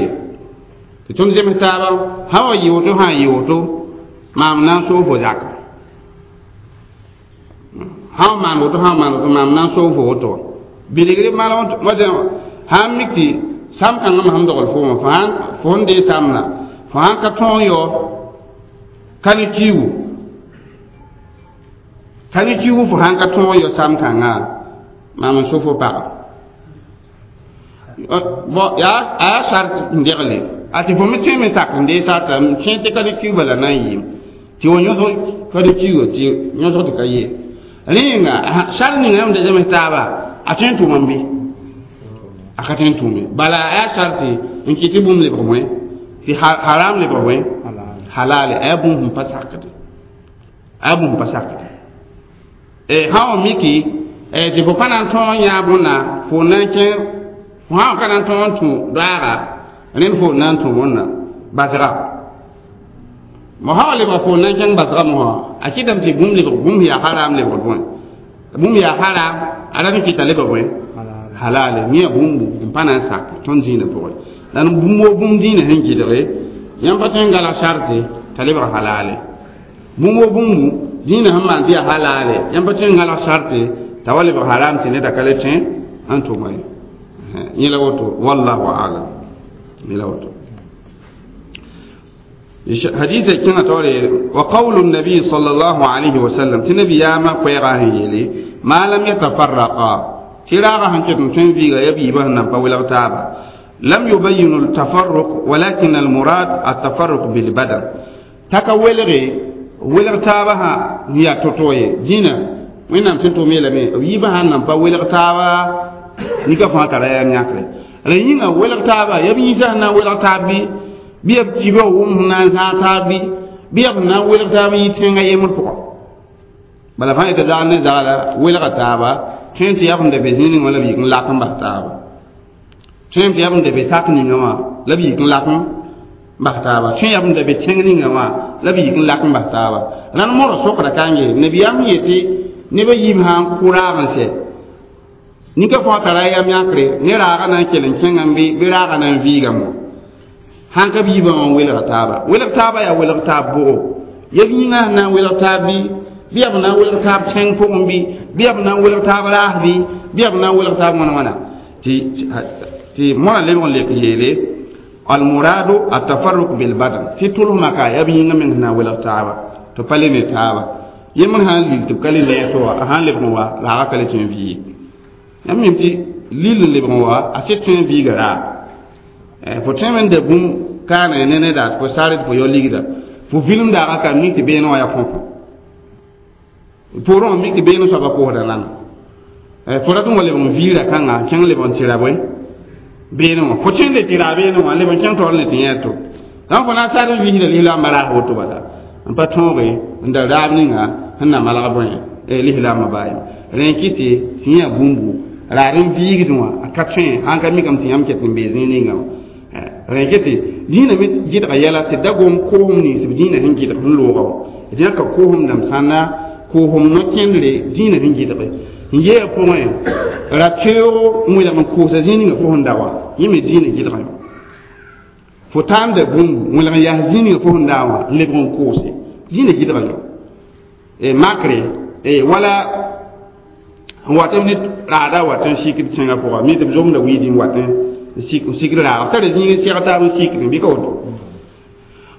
tɩ tõnd zems taaba sã wa yɩ woto sã n yɩ woto maam na n soog fo zaka sã n maan woto sã n maan woto maam na n soog fo woto bilgri malg sã n mik tɩ sam kãngã me sẽn dogl fo wã fo sẽn dee samna fo sãn ka tõog yao ka ne kiigu ka ne kiigu fo sãn ka tõog yao sam kãngã maam n so fo paga bon yaa a yaa sart n degle a tɩ fo me tõe me sak n dee sarta n kẽ tɩ ka ne kiig bala na n yɩɩm tɩ wa yõsg ka ne kiigo tɩ yõsg tɩ ka yee rẽ yĩnga sart ninga yãmb da zems taaba a tõe n tʋma n bɩ a ka tõe n tʋʋme bala a yaa sarte n kɩ tɩ bũmb lebg bõe tɩ haram lebg bõe halale a yaa bũmb sẽn pa sakde a yaa bũmb pa sakde sã wa miki tɩ fo pa na n tõog yãa bõnna fo na n kẽ fo sã n ka na n tõog n tũ doaaga rẽnd fo na n tũ bõnna basga mo sã wa lebga fo na n kẽng basga mosã a kɩtame tɩ bũmb lebg bũmb yaa haram lebg bõe bũmb yaa haram a rat n kɩta lebg bõe halale yẽ bũmbu n pa na n sak tõnd dĩinã pʋgẽ la bũmb wo bũmb dĩinã sẽn gɩdge yãmb pa tõe n galg sarte t'a lebg halale bũmb wo bũmbu dĩinã sẽn maan tɩ yaa halale yãmb pa tõe n galg sarte t'a wa lebg haram tɩ neda ka le tõe n tʋma ye yẽ la woto wallahu alam yẽ la woto حديث كنا توري وقول النبي صلى الله عليه وسلم تنبي ياما قيغا هيلي ما لم يتفرقا تراغا هنكتن تنفيغا يبي بهنا بولا تابا لم يبين التفرق ولكن المراد التفرق بالبدن تكولغي ولغ تابها هي تطوي جينا وين تنتو ميلا مي يبها نان با تابا نيكا فا ترى يا نياكري رينا ولغ تابا يبي يسهنا ولغ تابي بيب تيبو وم نان سا تابي بيب نان ولغ تابي يتنغا يمر بو بلا فا يتزال نزالا ولغ تابا tõe tɩ yab n da be zĩig wã la b yik n lak n bas taaba tõe tɩ yab n da be sak ninga wã la b yik n lak n bas taaba tõe yab n da be tẽng ninga wã la b yik n lak n bas taaba rãnd modg sokda ka n yee nabiyaam yetɩ nebã yiib sã n kʋ raag n sɛ nika fãa tara yam yãkre ne raaga na n kell n kẽngame bɩ raaga na n viigame sãn ka b yiibã wã n welga taaba welg taaba yaa welg taab bʋgo yeb yĩngã sẽn na n welg taab bɩ bɩ yaa b na n welg taab tẽng pʋgẽ bɩ bɩ yaa b na n welg taab raas bɩ bɩ yaa b na n welg taab wãna wãna tɩ mõra lebg n lek yeele almuradu atafarruk bilbadan tɩ tʋlsmã ka yaa b yĩngã meng sẽn na n welg taaba tɩ pa le ne taaba yembr sã n lil tɩ b ka le lɛɛg tɩ wa a sã n lebg n wa raaga ka le tõe n vɩɩ yãmb mim tɩ lil n lebg n wa a sɩd tõe n viiga raag fo tõe me n da bũmb kaana ne neda tɩ fo sar tɩ fo yao ligda fo vilem daaga ka mik tɩ beene wã yaa fõfõ poorẽ wã mik tɩ beene soaba koosda nana fo rat n wa lebg n viira kãnga kẽng lebg n tɩ ra bõe beene wã fo tõe n le tɩ raa beene wã lebg n kẽng taoor le tɩ yẽ to dãmb fo na n sar n visda lislaambã raas woto bala n pa tõoge n da raab ninga sẽn na malg bõe lislaambã baa yem rẽ kɩ tɩ sẽn yã bũmbu raad n viigd wã a ka tõe sãn ka mikame tɩ yãmb ket n bee zĩig ninga wã rẽ kɩ tɩ dĩinã me gɩdga yɛla tɩ da gom koosem nins b dĩinã sẽn gɩdg sẽn looga wã d yãka koosem dãmb sãnna koosem no-kẽndre dĩinã sẽn gɩdge n yee pʋgẽ ra-teoogo n welg n koosa zĩig ninga fo sẽn da wã yẽ me dĩinã gɩdgã fo tãamda bũmbu welg n yaas zĩig ninga fo sẽn daa wã n lebg n koose dĩinã gɩdgã yo makre wala n wat ne raada wat n sikd tẽngã pʋga mi tɩ b zomda wiidi n wat n sikd raaga b tara zĩig n seg taab n sikd bɩ ka woto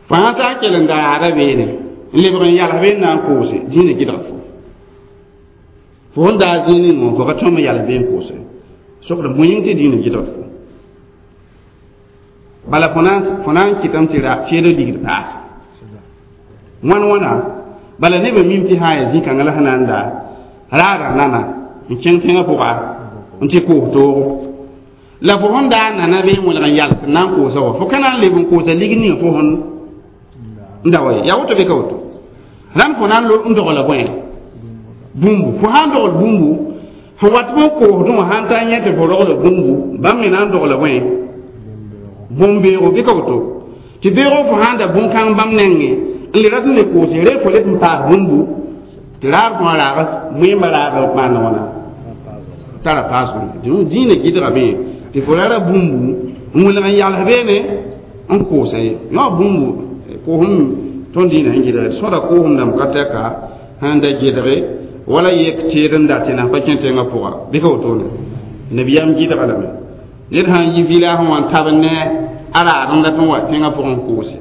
fo sã taa kell n da raada beene n lebg n yals bee n na n koose dĩinã gɩdga fo fo sẽn daa zĩig ning wã fo ka tõem n yals bee n koose sokd bõe yĩng tɩ dĩinã gɩdgd fo bala fo na n kɩtame tɩ teedg ligd paase wãn wãna bala nebã mim tɩ sã n yaa zĩ-kãngã la sẽn na n daa raada nana n kẽng tẽngã pʋga n tɩ koos toogo la fo sẽn daa nana bee n welg n yals n na n koosa wa fo ka na n leb n koosa ligd ninga fo sẽn n da wa ye yaa woto bɩ ka woto rãnd fo na n dogla bõe bũmbu fo sã n dogl bũmbu Sẽn wat bõ koosdẽ wã sãn ta yẽ tɩ fo rogla bũmbu bãmb me na n dogla bõe bũmb-beoogo bɩ ka woto tɩ beoog fo sãn da bũn-kãng bãmb nengẽ n le rat n le koose re fo leb n paas bũmbu tɩ raar fõa raag wẽemba raag maan wãna tara paasem dĩinã gɩdgame tɩ fo rara bũmbu n wilg n yals beene n koosa ye yõ bũmbu koosem tõnd dĩinã sẽn gɩdge sõda koosem dãmb ka tɛka sẽn da gɩdge wala yek teed n dat tɩ na pa kẽ tẽngã pʋga bɩ ka wotone nabiyaam gɩdga lame ned sãn yi village wã n tab ne a raad n dat n wa tẽngã pʋgẽ koose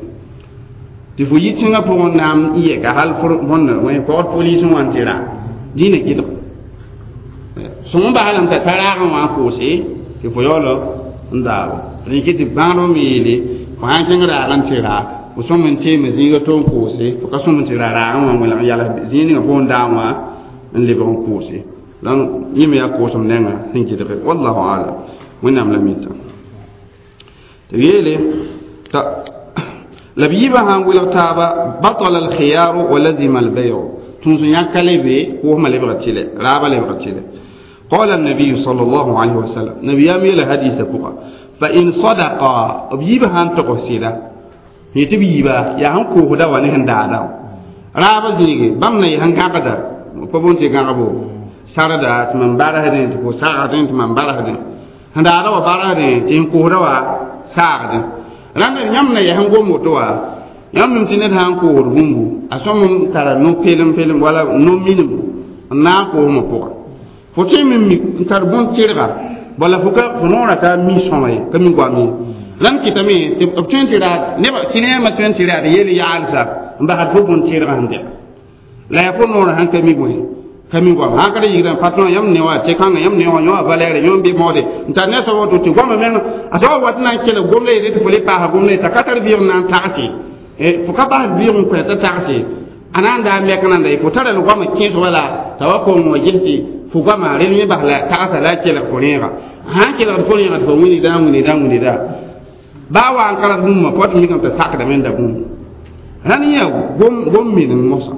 tɩ fo yi tẽngã pʋgẽ naam n yɛka hal bõnd pɔgd polis wã n tɩ ra dĩinã gɩdg sõng bas lame t'a ta raagẽ wã n koose tɩ fo yaool n daabo rẽn tɩ bãadb me yeele fo sãn kẽng raag n tɩ ra fo sõm n teeme zĩiga to n koose fo ka sõm n tɩ ra raagẽ wã n welg n yals zĩig ninga fo n daam wã n lebg n koose donc yẽ me yaa koosem nengã sẽn gɩdge wallahu alam wẽnnaam la mita tɩ yeele t'a la b yiibã sãn wilg taaba batala alkhiyaru wa lazima albayu tũus n yãk ka le be koosmã lebga tɩlɛ raabã lebga tɩlɛ قال النبي صلى الله عليه وسلم نبي يامي الحديث بقى فإن صدقا بيبا هان تقصيدا يتبيبا يا هان كوهدا ونهن دادا رابا زيغي بامنا يهن كاقدا فبونتي كاقبو ساردا تمن بارهدين تكو ساغدين تمن بارهدين هن دادا وبارهدين تين كوهدا وساغدين راندا يامنا يهن غوموتوا يامن تنت هان كوهد بومبو أسوم ترى نو بيلم بيلم ولا نو مينم نا كوهما بوغا fo tõe me mi n tar bõn-tɩrga bala fo ka fo noorã ka mi sõma ye ka mi goam ye la n kɩtame tɩ b tõe n tɩ raad nebã kɩnɛɛmã tõe n tɩ raad yel yaalsa n basd fo bõn-tɩrgã sẽn dɛga la yaa fo noorã sãn ka mi bõe ka mi goam sãn ka da yigrã patron yãmb ne wã tɩ kãngã yãmb ne wã yõ a valɛɛre yõ n be moode n tar ne soab woto tɩ goamã meng a soabã wat na n kelg gomda yele tɩ fo le paasa gomda ye t'a ka tar vɩɩg n na n tagse fo ka bas vɩɩg n kõ t'a tagse a na n daa mɛk nanda ye fo tara la goamã kẽes wala t'a wa kong wã ges tɩ fo goamã rel yẽ bas la tagsa la a kelg fo rẽega sãn kelgd fo rẽega tɩ fo wĩnigda wĩnigda wĩnigda baa wa n kard bũmba fo tɩ mikame t'a sakdame n da bũmb rãnd yã gom minim mosã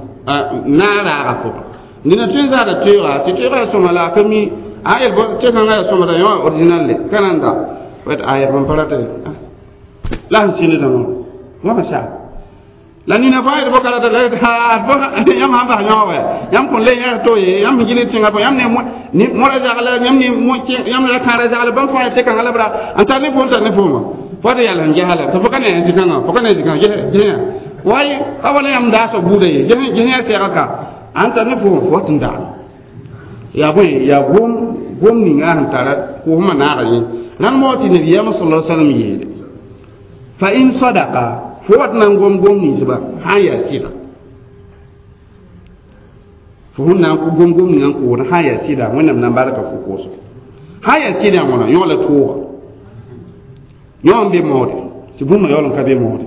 na n raaga pʋgã dĩnã tõe n zaada toeega tɩ toeega yaa sõma la a ka mi a yel tɩ kãngã yaa sõmda yõ original le ka na n da a yɛl bõn pa rata la sẽn sĩndda wã goamã saa la nina fãa yel bõka rata la yãmb sãn bas yõ wɛ yãmb kõn le yãs to ye yãmb sẽn gilg tẽngã pʋgẽ yãmb ne mõra zagla yãmb ne yãmb ra kãara zagla bãmb fãa yaa tɩ kãngã la b ra n tar ne fo n tar ne fooma fo tɩ yal sẽn gesa la tɩ fo ka ne zĩ-kãngã fo ka ne zĩ-kãngã ges way ka wala yãmb daasã buuda ye ges yã sɛga ka n tar ne fooma fo tɩ n daam yaa bõe yaa gom ninga sẽn tara koosmã naaga yẽ rãnd moo tɩ nabiyaamã sala sallam yeele fa in sadaka fo wat na n gom gom ninsba sãn yaa sɩda fo sẽn na n gom gom ninga n koosd sãn yaa sɩda wẽnnaam na n barka fo koosgo sãn yaa sɩda wãna yõ la tooga yõ n be moode tɩ bũmba yaool n ka be moode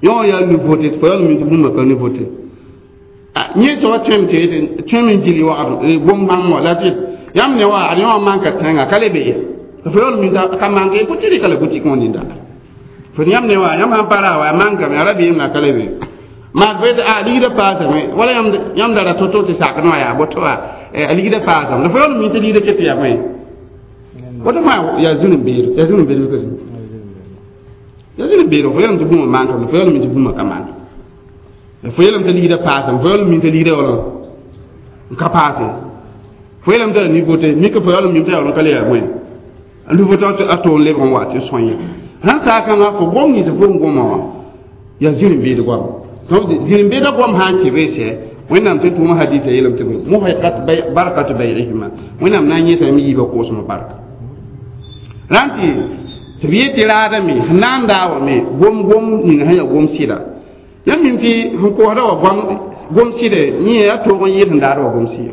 yõ yaa nouveauté tɩ fo yaool n mi tɩ bũmba ka nouveauté yẽ soaba tõem tɩ tõem n gili wagd gom bãmb wã la tɩ yãmb ne wa ad yõ wã manka tẽnga ka le be ye fo yaool mi ka manke fo tɩ rɩka la boutique wã ninda fo yãmb ne wa yãmb sãn pa ra wa mankame a ra beem na ka le be maa fo yetɩ a ligdã paasame wala yãmb da ra to-to tɩ sakd wã yaa boto wa a ligdã paasame la fo yaool mi tɩ ligdã ket yaa bõe woto fãa yaa zũn-beedo yaa zũn-beedo ka zũ yaa zũn-beedo fo yeelame tɩ bũmba mankame fo yaool mi tɩ bũmba ka mank fo yeelame tɩ ligdã paasame fo yaool mi tɩ ligdã yaool n ka paase fo yeelame tɩ la nouveauté mika fo yaool mi tɩ yaool n ka le yaa bõe a nouveauté a toon lebg n wa tɩ sõe sãn saakãngã fo gom nins fo n goma wã yaa zĩr-n-beed goam donc zĩr-n-beedã goam sã n kẽ be sɛ wẽnnaam tɩ tʋʋma hadisa yeelame tɩ muhiqat barkat bay'ihima wẽnnaam na n yẽtame yiibã koosmã barka rãnd tɩ b yet tɩ raadame sẽn na n daa wa me gom gom ning sẽn yaa gom sɩda yãmb mim tɩ sẽn koosda wa gom sɩda yẽ yaa toog n yɩɩd sẽn daad wa gom sɩda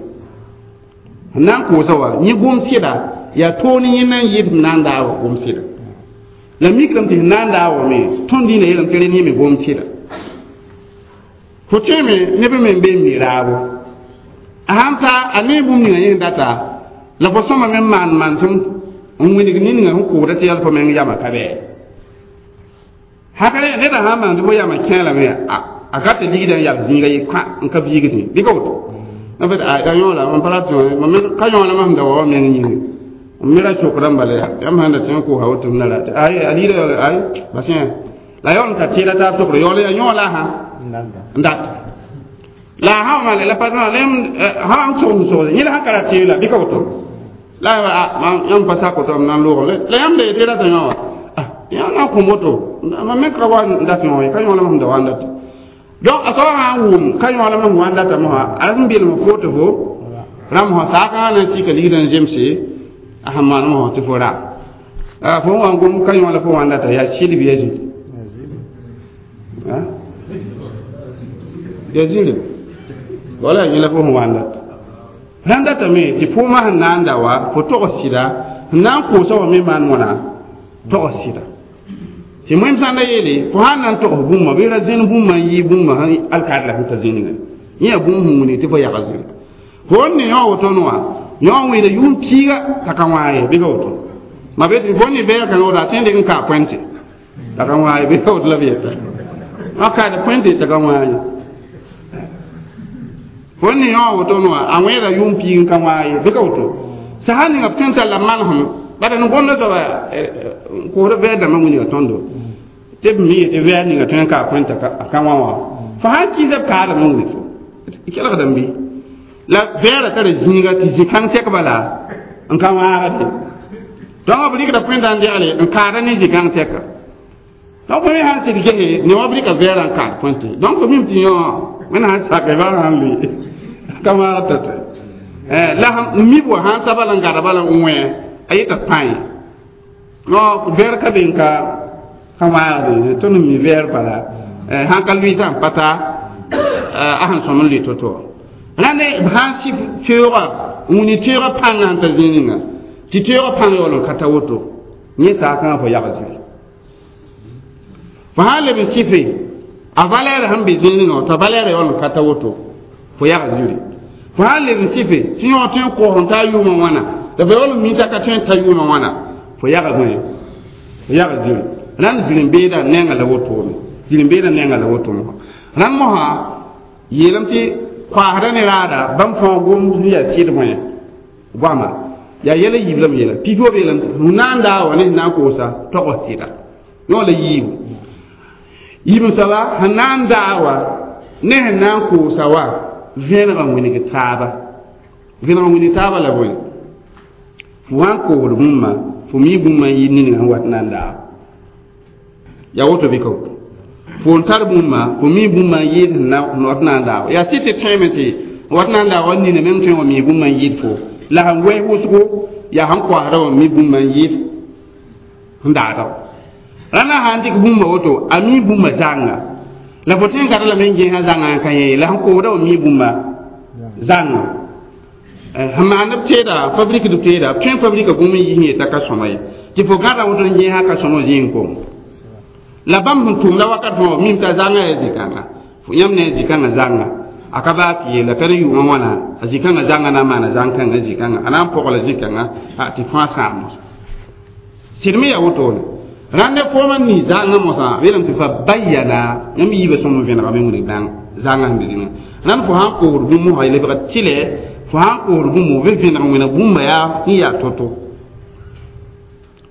sẽn na n koosa wa yẽ gom sɩda yaa toog ne yẽ na n yɩɩd sẽn na n daa wa gom sɩda la mikdame tɩ sẽn na n daa wa me tõnd dĩinã yeelame tɩ rẽnd yẽ me gom sɩda fo tõeme neb me n be n mi raabo a sãn ta a ne bũmb ninga yẽ data la fo sõma me n maan mansem n wilg ne ninga sẽn koosda tɩ yal fo meng yamã ka bɩ hakale neda sãn maan tɩ fo yamã kẽ lame a ka tɩ ligdã n yals zĩiga ye kã n ka viigdẽ bɩ ka woto En fait a yõ la mam pa rat mam ka yõ la mam da wa meng yĩnge m me ra sokdã n bala yaa yãmb sãn da tẽ n kosa woto m na ra ay a liida yaool ay bas yẽ la yaool n tar tɩɩla taab togre yaool yaa yõ la sã n dat la sã wã la patron la sã n sogem sogse yẽ la sã ka ra tɩɩla bɩ ka woto la yãmb pa sak woto m na n loogem la yãmb da yetɩ rata yõ wã yã na n kõ woto mam me ka wa n dat yõ ye ka yõ la mam da wa n dat donc a soaba sã n wʋm ka yõ la mam wa n datame wã a rat n belem fo tɩ fo rãmb wã saakã na n sika ligdã n zemse a sẽn maan wã tɩ fo ra fo n wa n gom ka yõ la fo wa n data yaa sɩd bɩ yaa zĩri yaa zĩri wala yẽ la fo sẽn wa n data rãn datame tɩ foomã sẽn na n da wa fo togs sɩda sẽn na n koosã wã me maan wãna togs sɩda tɩ wẽnd sã n da yeele fo sãn na n togs bũmba bɩ ra zẽn bũmba n yɩ bũmba sẽn alkaad la sẽn ta zĩnigã yẽ yaa bũmb sẽn wilg tɩ fo yaga zĩri fo n ne yõ woto wã yõ n wẽeda yʋʋm piiga t'a ka wãa ye bɩ ka woto ma be tɩ fo ne vɛɛg kãngã woto a tõe n dɩk n kaa poẽnte t'a ka wãa ye bɩ ka woto la b yeta a kaad poẽnte t'a ka wãa ye fo n ne yõ woto wã a wẽeda yʋʋm piig n ka wãa ye bɩ ka woto sã ninga b tõe n talla manesem bala n gomda soaba n koosd vɛɛg dãmbã wilga tõndo tɩ b me yetɩ vɛɛg ninga tõe n kaa poẽnte a ka wã wã fo sãn kɩɩsa b kaadame wilg fo kelgdame bɩ la vɛɛra tara zĩiga tɩ zĩ-kãng tɛk bala n ka wãagde donc b rɩkda poẽntã n degle n kaada ne zĩ-kãng tɛka donc fo me sãn tɩ d gese ne wã b rɩka vɛɛrã n kaad poẽnte donc fo mim tɩ yõ wẽnna sãn sake ba sãn lʋɩ ka wãag tata la mib wã sãn ta bala n gada bala n wẽ a yeta pãe no vɛɛr ka be n ka wãagde tõnd n mi vɛɛr bala sãn ka lʋɩsã n pa ta a sẽn sõm n lʋɩ to-to rãnd sãn sɩf teoogã n wini teoogã pãngã sẽn ta zĩig ninga tɩ teoogã pãng yaool n ka ta woto yẽ saakãngã fo yag zĩri fo sãn leb n sɩfe a valɛɛr sẽn be zĩig ninga t'a valɛɛrã yaool n ka ta woto fo yag zĩri fo sãn leb n sɩfe tɩ yõ tõe n koos n taa yʋʋmã wãna la fo yaool n mi t'a ka tõe n ta yʋʋmã wãna fo yag bõe fo yag zĩri rãnd zĩr-n-beedã nengã la wotone zĩr-n-beedã nengã la wotone rãnd mosã yeelame tɩ koasda ne raada bãmb fãa gom sẽn yaa tɩd bõe goama yaa yɛla yiib la m yeela pipi b yeelame tɩ na n daa wa ne sẽn na n koosa togs sɩda yõ la yiibu yiib n soaba sẽn na n daa wa ne sẽn na n koosa wa vẽenegã wilg taaba vẽenegã wilg taaba la bõe fo sã n koosd bũmba fo mi bũmba n yɩ ninga sẽn wat na n daa yaa woto bɩ ka woto fo n tar bũmba fo mi bũmba n yɩɩd sẽn wat na n daa yaa sɩd tɩ tõeme tɩ wat na n daa wa nina meng tõe n wa mi bũmba n yɩɩd fo la sẽn wɛs wʋsgo yaa sẽn koasda wã mi bũmba n yɩɩd sẽn daada rãndã sã n dɩk bũmba woto a mi bũmba zãnga la fo tõe n gata lame n gẽesã zãngã n ka yẽ la sẽn koosda wã mi bũmba zãnga sẽn maand b teeda fabrike d teeda b tõe n fabrika bũmb n yis n yetã ka sõma ye tɩ fo gãda woto n gẽesã ka sõma zĩig kom la bãmb sẽn tʋmda wakat fãa mim t'a zãngã yaa zĩ-kãnga yãmb ne zĩ-kãngã zãnga a ka baa tɩ yeela ka ne yʋʋmã wãna a zĩ-kãngã zãnga na n maana zãng-kãngã zĩ-kãngã a na n pɔgla zĩ-kãngã tɩ fãa sãam mosã sɩd me yaa wotone rãnd ne foomã n nis zãngã mosã yeelame tɩ fa bayana yãmb yiibã sõm n vẽnegame wilg bãng zãngã sẽn be zĩnga rãnd fo sãn koosd bũmb mosã lebga tɩlɛ fo sãn koosd bũmb bɩ vẽneg wẽneg bũmba yaa n yaa to-to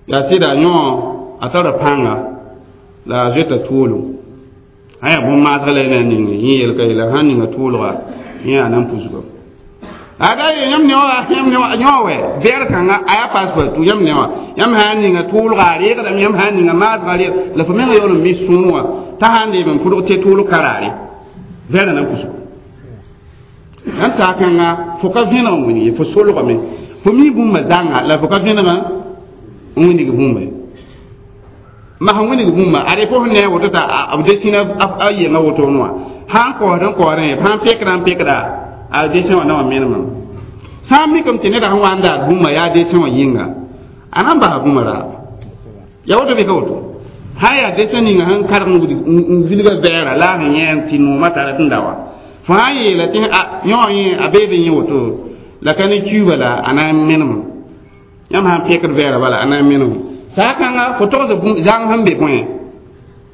yaa sɩda yõ a tara pãnga la a zoeta tuolum sã yaa bõn-maasg la y na n ning yẽ yelka yeela sãn ninga tʋʋlga yẽ yaa na n pusgame ada ye yãmb ne wã yãmb ne wã yõ wɛ vɛɛr kãnga a yaa passeport yãmb ne wã yãmb sã n ninga tʋʋlga a reegdame yãmb sã n ninga maasga reeg la fo menga yaool n mi sõor wã t'a sã n deem n pʋdg tɩ tʋʋlg karaare vɛɛrã na n pusgo rãnd saak-kãnga fo ka vẽneg n wilg ye fo solgame fo mi bũmba zãnga la fo ka vẽneg n wilg bũmba ye ma sẽn wilg bũmba ad fo sẽn ne a woto t'a b desina a yenga wotone wã sã n koosd n koosdẽ sã n pekda n pekda a desẽ wã na wã menemame sã n mikame tɩ neda sẽn wa n daad bũmba yaa desẽ wã yĩnga a na n basa bũmba raaba yaa woto bɩ ka woto sã n yaa desẽ ninga sẽn karg n vilga vɛɛra la a sẽn yẽ tɩ noomã tara tɩ n da wa fo sã n yeela tɩ yõ yẽ a beebe yẽ woto la ka ne kiuuba la a na n menemame yãmb sã n pekd vɛɛra bala a na n menemame saakãnga fo togsd zãng sẽn be bõe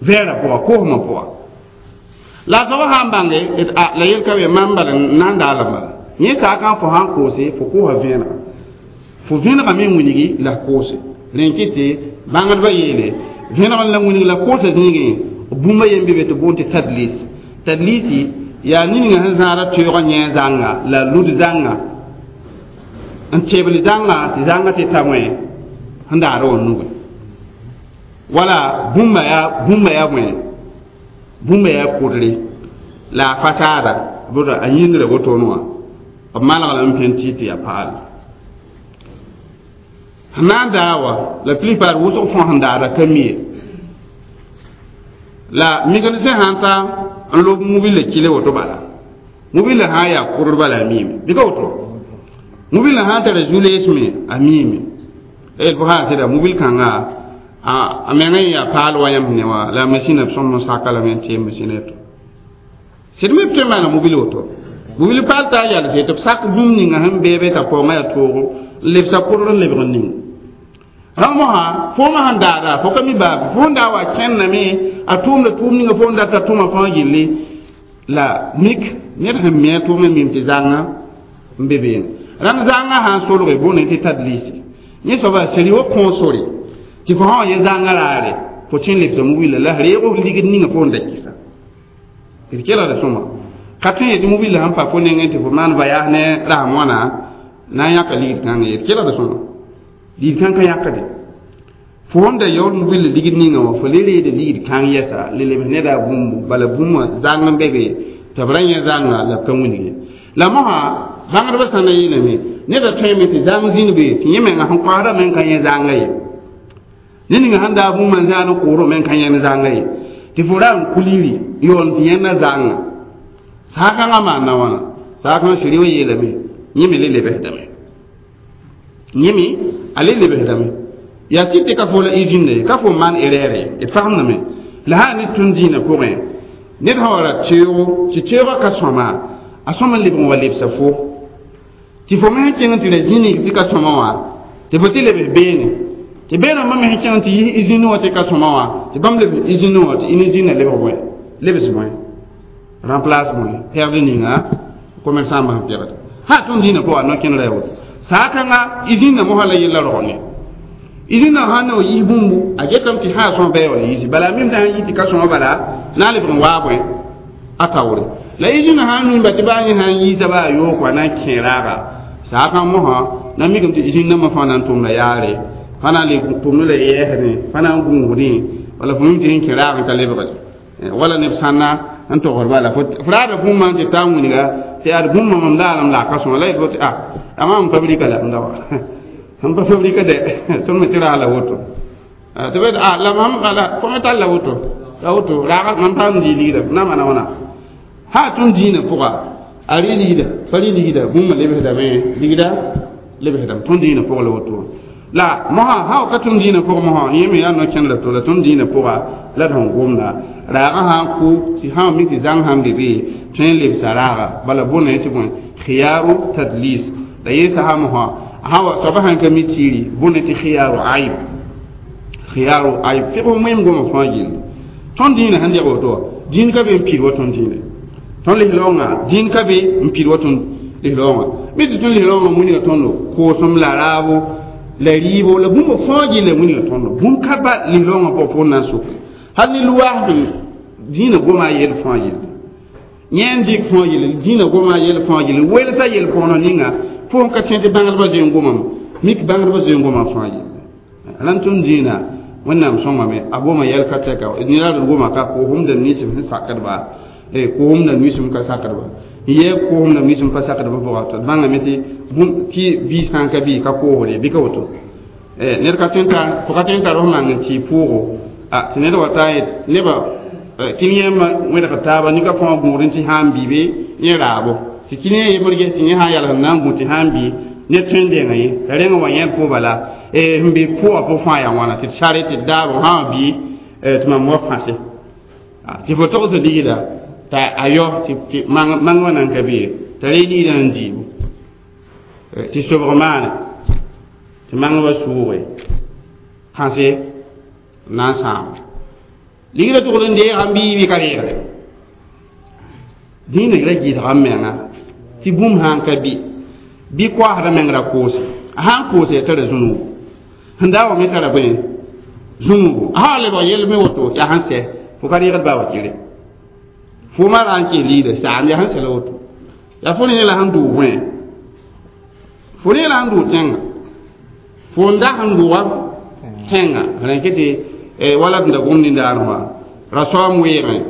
vɛɛrã pʋga koosmã pʋga la a soaba sã n bãnge la yel ka be mam bala n na n daalem bala Yẽ saakã fo sãn koose fo kosa vẽenega fo vẽenega me wilgi la koose rẽn kɩ tɩ bãngdbã yeele vẽeneg la wilg la koosa zĩigẽ bũmba yen be be tɩ boond tɩ tadlis tadlisi yaa ninga sẽn zãada teoogã yẽ zãnga la lud zãnga n tebl zãnga tɩ zãnga tɩ ta wẽ sẽn daada wã nugẽ wala bũmba yaa bõe bũmba yaa kʋdre la a fasaada bʋta a yĩngrã wotone wã b maneg lame pẽn tɩ tɩ yaa paal sẽn na n daa wa la plupart wʋsg fõa sẽn daada ka mi ye la mécanicien sãn ta n lob mobile kile woto bala mobile sã n yaa kʋdr bala a miime bɩ ka woto mobile sãn tara zu-lees me a miime la fo sã n sɩda mobil kãnga a mengã yaa paal wa yãmb ne wã la masĩna b sõm n saka lame n tee masĩna yeto sɩd me b tõe n maana mobil woto mobil paal t'a yalse tɩ b sak bũmb ninga sẽn beebe t'a paoongã yaa toogo n lebsa kʋdr n lebg n ning rãmb mosã foomã sẽn daada fo ka mi baa fo n daa wa kẽnname a tʋʋmda tʋʋm ninga fo n data tʋma fãa gilli la mik ned sẽn mi a tʋʋm n mim tɩ zãnga n be beene rãmb zãnga sã n solge bõne tɩ tadlisi yẽ soaba seri wa kõo sore tɩ fo sã wa yẽ zãnga raare fo tõe n lebsa mobila la reeg f ligd ninga fo n da kɩsa d kelgda sõma ka tõe n yetɩ mobila sãn pa fo nengẽ tɩ fo maan voyage ne rasem wãna na n yãka ligd kãngã ye d kelgda sõma ligd kãng ka yãkde fo sẽn da yaool mobila ligd ninga wã fo le reeda ligd kãng yɛsa le lebs neda bũmbu bala bũmb wã zãng n be be tɩ b ra yẽ zãnga la b ka wilg ye la mosã bãngdbã sã na yeelame neda tõeme tɩ zãng zĩnd be tɩ yẽ menga sẽn koasda me n ka yẽ zãnga ye ne ninga sẽn daa bũmb n zãad n kooro me n ka yẽnd zãnga ye tɩ fo ra n kuliri yoon tɩ yẽnda zãnga saakãngã maanda wãna saakãngã siri wa yeelame yẽ me le lebsdame yẽ me a le lebsdame yaa tɩ tɩ ka fo la usine ye ka fo maan erreur ye d fagemdame la sã ne tũn dĩinã pʋgẽ ned sã wa ra teoogo tɩ teoogã ka sõma a sõm n lebg n wa lebsa fo tɩ fo me sẽn kẽng tɩ ra zĩnig tɩ ka sõma wã tɩ fo tɩ lebs beene tɩ beenã me sẽn kẽng tɩ yis usine wã tɩ ka sõma wã tɩ bãmb lebs usine wã tɩ usine lebg bõe lebs bõe remplace bõe pɛgd ninga commerçant sẽn pɛgd sã tõnd dĩinã pʋga no-kẽnerã yaa woto saakãnga usine mosã la yella rogne usine sãn ne wa yis bũmbu a getame tɩ sã sõm bɩ wa yisi bala mim sã n yi tɩ ka sõma bala na n lebg n waa bõe a taoore la usine sãn mimba tɩ baa yẽ sãn yiisa baa yook wa na n kẽ raaga saakã mosã na mikame tɩ usine nambã fãa na n tʋmda yaare fãa na n le tʋmd la yɛɛsdẽ fãa na n gũusdẽ wala fo mim tɩ sẽn kẽ raag n ka lebgde wala neb sãnna n togr bala fo raada bũmba n tɩ taa wilga tɩ ad bũmba mam laalem la a ka sõma la yet fo tɩ a ama m fabrika la m da wa m pa fabrika de tõnd me tɩ raa la woto tɩ b a la mam la fo me tall la woto la woto raag mam paam dii ligda na maana wãna sã tõnd dĩinã pʋga a rɩ ligda pa rɩ ligda bũmba lebsdame ligda lebsdame tõnd dĩinã pʋg la woto la mosã sã wa ka tõnd dĩinã pʋg mosã yẽ me yaa no-kẽndra to la tõnd dĩinã pʋga la d sẽn gomda raagã sã n kʋ tɩ sã mi tɩ zãng sãn be be tõe n lebsa raaga bala bõne tɩ bõe khiyaru tadlis la yɩ sã mosã sã wa soaba sãn ka mi tiiri bõne tɩ khiyaru aib khiyaru aib fɩg wẽem goma fãa gilli tõnd dĩinã sẽn deg woto wã dĩin ka be n pid wa tõnd dĩinã tõnd lislaoongã dĩin ka be n pid wa tõnd lislaoongã mi tɩ tõnd lislaoongã wilga tõndo koosem la raabo la rɩɩbo la bũmb fãa gilla wilga tõndo bũmb ka ba lislaoongã pʋgã fo n na n soke hal ne luwaasd dĩinã goma a yel fãa gilli yẽ n dɩk fãa gilli dĩinã goma a yel fãa gilli welsa yel-põonã ninga fo n ka tẽ tɩ bãngdbã zoe n gomame mik bãngdbã zoe n goma fãa gilli rãnd tõnd dĩinã wẽnnaam sõngame a goma yɛl ka tɛka ned d goma ka koosem da ninsem sẽn sakdba koosem da ninsem ka sakdba n yɛ koosem da ninsem pa sakdba pʋga tɩ d bãngame tɩ tɩ biis sã n ka bɩ ka koosde bɩ ka woto ned ka tõe n tar fo ka tõe n tar f mang n tɩ pʋʋgo tɩ ned wa taa yet nebã kɩn-yẽmbã wẽdg taaba nika fãa gũud n tɩ sã n bɩ yẽ raabo tɩ kɩn-yẽ yembr ges tɩ yẽ sã n yals n na n gũ tɩ sã n bɩ ned tõe n denga ye la rẽngã wa yẽd fo bala n be pʋgã pʋg fãa yaa wãna tɩ d sare tɩ d daabo sã wã bɩ tɩ mam wa pãse tɩ fo togs ligda t'a a yao tɩ mang wã nan ka be t'a ree ligdã n diibu tɩ sobg maane tɩ mangba sʋʋge kãse na n sãam ligda tʋgd n deega n bii bɩ ka reegde dĩinã ra gɩdga m menga Tɩ bũmb sã n ka bɩ bɩ koasdã meng ra koose a sã n koose ya tara zũnugu sẽn daa wa me tara bõe zũnugu a sã wa lebg yell me woto yaa sẽn sɛ fo ka reegd baa wa kere fo ma ra n kẽ liida saam yaa sẽn sɛ la woto yaa fo ne la sẽn dʋʋg bõe fo ne la sẽn dʋʋg tẽngã fo n da sẽn dʋʋga tẽngã rẽn kɩ tɩ wala d da gom nindaar wã ra soam weegẽ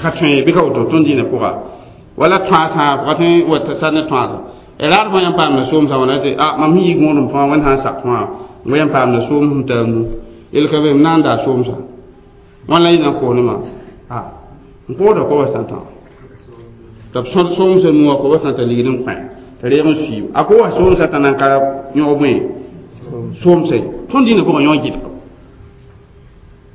ka tõe bɩ ka woto tõnd dĩinã pʋga wala tõasã fo ka tõe wa sar ne tõasã raad fõ yãmb paamda soomsã wãna tɩ a mam sẽn yi gõodem fãa wẽnd sã n sak fãa yãmb paamda soom sẽn taa nu yel ka be m na n daa soomsã wãn la yɩ na n koos ne maam a n kooda koba sã tã t'a b sõd soomsã nuwã koba sã t'a ligd n kõ t'a reeg n suiib a ko wa soomsã t'a nan ka yõg bõe soomsã ye tõnd dĩinã pʋgã yõ gɩdga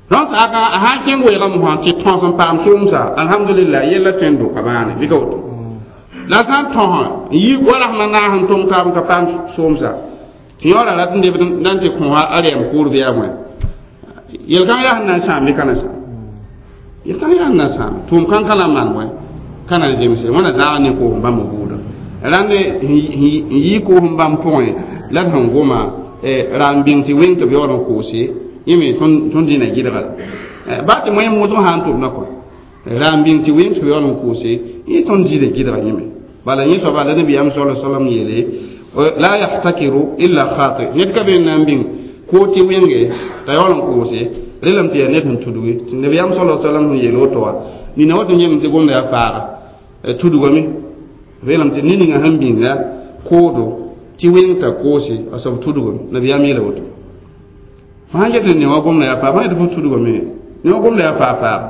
rãn saaka a sã n kẽng weegã mosã tɩ tõs n paam soomsa alhamdulillah yella tõe n doka bãane bɩ ka woto la sã n tõsã n yi warasmã naas n tõng taab n ka paam soomsa tɩ yõora rat n lebd n tɩ kõ a rɛɛm kʋʋr bɩ yaa bõe yel-kãng yaa sẽn na n sãam bɩ ka na sãam yel-kãng yaa sẽn na sãam tʋʋm kãng ka na n maan bõe ka na n zemse wẽna zãag ne koosem bãmb buudã rãnd n yi koosem bãmb pʋgẽ la d sẽn goma ra n bĩng tɩ wẽng tɩ b yaool n koose yẽ me tõnd dĩnã gɩdga baa tɩ wẽn wʋsg sã n tʋmda kɔ ra n bĩng tɩ wẽng tɩ b yaool n koose yẽ tõnd dĩnã gɩdga yẽ me bala yẽ soaba la nabiyaam sala salam yeele la yahtakiru illa khati ned ka be n na n bĩng koo tɩ wẽnge t'a yaool n koose relame tɩ yaa ned sẽn tudge tɩ nabiyaam sala salam sẽn yeel woto wã nina woto yẽm tɩ gomda yaa faaga tudgame relame tɩ ned ninga sẽn bĩnga koodo tɩ wẽng t'a koose a soab tudgame nabiyaam yeela woto fo sãn get n ne wã gomda yaa faa fo yetɩ fo tudgame ne wã gomda yaa faa faaga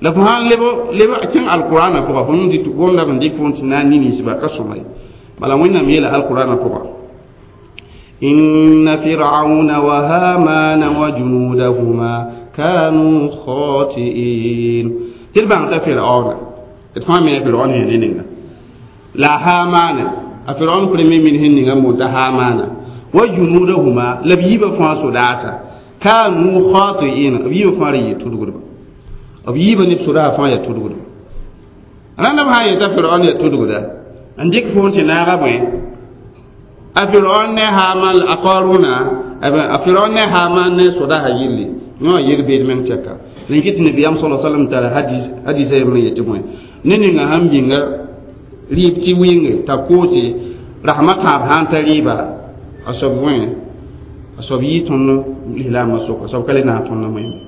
la fo sãn leb leb kẽng alqurana pʋga fo tɩ gomda b n dɩk fo tɩ na n ninsba ka sõma ye bala wẽnnaam yeela alqurana pʋga inna fir'auna wa hamana wa junudahuma kanu khati'in tɩ d bãng t'a fir'auna d fãa me fir'aun sẽn ne ninga la hamana a fir'aun premier ministre ninga n boonta hamana wa junudahuma la b yiibã fãa sodaasa kanu khati'in b yiibã fãa ra yɩ tudgdba b yiibã neb sodaasã fãa yaa tudgdba rãndb sã n yeta fir'aun yaa tudgda n dɩk fo tɩ naaga bõe a fir'aun ne haman a qaruna a fir'aun ne haman ne sodaasã yilli yõ yel beed meng tɛka rẽn kɩ tɩ nabiyaam sala salam tara hadis hadisa yembrã yetɩ bõe ne ninga sãn bĩnga rɩɩb tɩ wɩnge t'a koose rasmã tãab sã n ta rɩɩba a soab bõe a soab yɩ tõnd lislaambã soka soab ka le naag tõnd wẽnde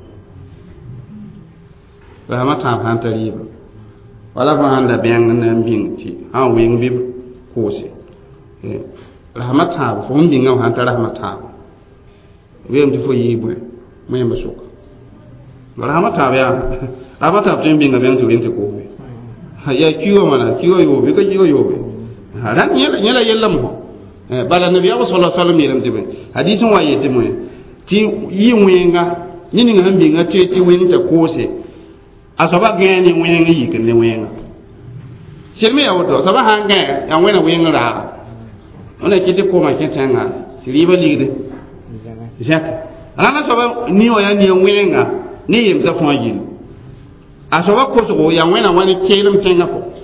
rasmã tãab sã n ta rɩɩba wala fo sãn da bẽng n na n bĩng tɩ sã n wɩng bɩ b koose rasmã tãab fo sẽn bĩngã sã n ta rasmã tãab weem tɩ fo yɩ bõe wẽmba soka rasmã tãab yaa rasmã tãab tõe n bĩnga bẽng tɩ wẽng tɩ koosbe yaa kiuugã wãna kiuugã yoobe ka kiuugã yoobe rãnd yẽ la yella mosã bala nabiyaam sala salam yeelame tɩ bõe hadis n wa yetɩ bõe tɩ yɩ wẽnga ne ninga sẽn bĩnga tɩ tɩ wẽng t'a koose a soaba gãe ne wẽng n yik ne wẽnga sel me yaa woto soaba sã n gãe yaa wẽna wẽng raaga wẽna kɩ tɩ koomã kẽ tẽngã tɩ rɩɩbã ligde zẽk rãndã soaba ni wã yaa nia wẽnga ne yemsã fãa yĩl a soaba kosgo yaa wẽna wã ne keelem tẽngã pʋgẽ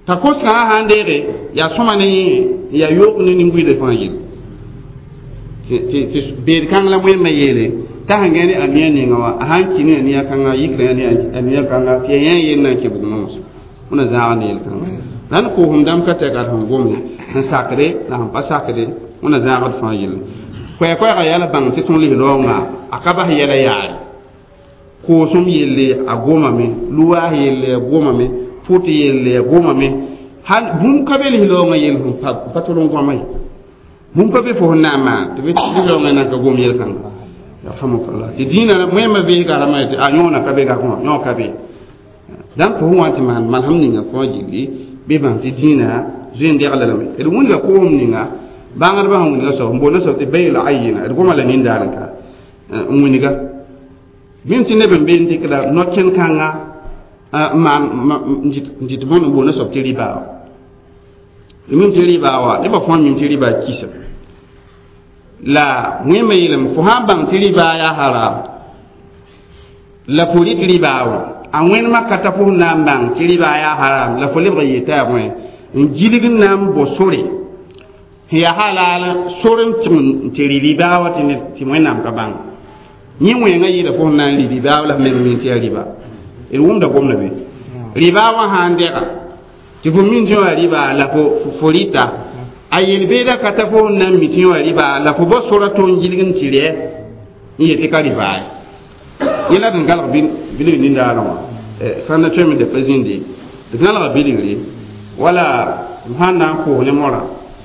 t'a kosgã sã n deege yaa sõma ne yẽ yaa yoog ne nin-buiidã fãa yĩl tɩ beed kãng la wẽnnaam yeele t'a sẽn gã ne a nia ninga wã a sãn kɩ ne a nia kãnga yikra ne a nia kãnga tɩ yaa yẽ yell na n kẽ bugmã wã wẽna zãag ne yel-kãnga rãnd koosem dãmb ka tɛka d sẽn gome sẽn sakde la sẽn pa sakde wẽna zãagd fãa yelle koɛɛ-koɛɛgã yaa la bãng tɩ tõnd lis-raoongã a ka bas yɛla yaare koosem yelle a gomame luwaas yelle a gomame pʋt yelle a gomame hal bũmb ka be lis-raoongã yell sẽn pa tol n gõma ye bũmb ka be fo sẽn na n maan tɩ lis-raoongã nan ka gom yel-kãnga yarhamukallah tɩ dĩinã wẽmã veesga rãmbã tɩ a yõona ka be gakõ yõ ka be dãmb fo sẽn wa tɩ maan manesem ninga fãa gilli bɩ bãng tɩ dĩinã zoe n degla lame d wĩnga koosem ninga bãngdbã sẽn wĩnga soab n boonda soab tɩ bayl ayina d goma la nindaar n ka n wĩnga bĩm tɩ neb n be n dɩkda no-kẽn-kãnga maan n dɩt bõnd n boonda soab tɩ rɩbaa mim tɩ rɩbaa wa nebã fãa mim tɩ rɩbaa kisa la wẽmã yeelame fo sã n bãng tɩ rɩbaa yaa haram la fo rɩk rɩbaa wã A wẽnemã ka ta fo sẽn na n bãng tɩ rɩba yaa haram la fo lebg n yeta yaa bõe n gilg n na n bo sore sẽn yaa halal sor n tɩg n tɩ rɩ rɩbaa wa tɩ wẽnnaam ka bãng yẽ wẽngã yɩɩda fo sẽn na n rɩ rɩbaa la f meng min tɩ yaa rɩba d wʋmda gomda be rɩbaa wã sã n dɛga tɩ fo min tɩ wã rɩba la fo rɩta a yel-beeda ka ta fo sẽn na n mi tɩ wã rɩba la fo bao sora to n gilg n tɩ rɛ n yetɩ ka rɩbaa ye yẽ la d n galg bilg nindaarã wã sãn na tõeme da pa zĩndi d gãlga bilgre wala m sãn na n koos ne mora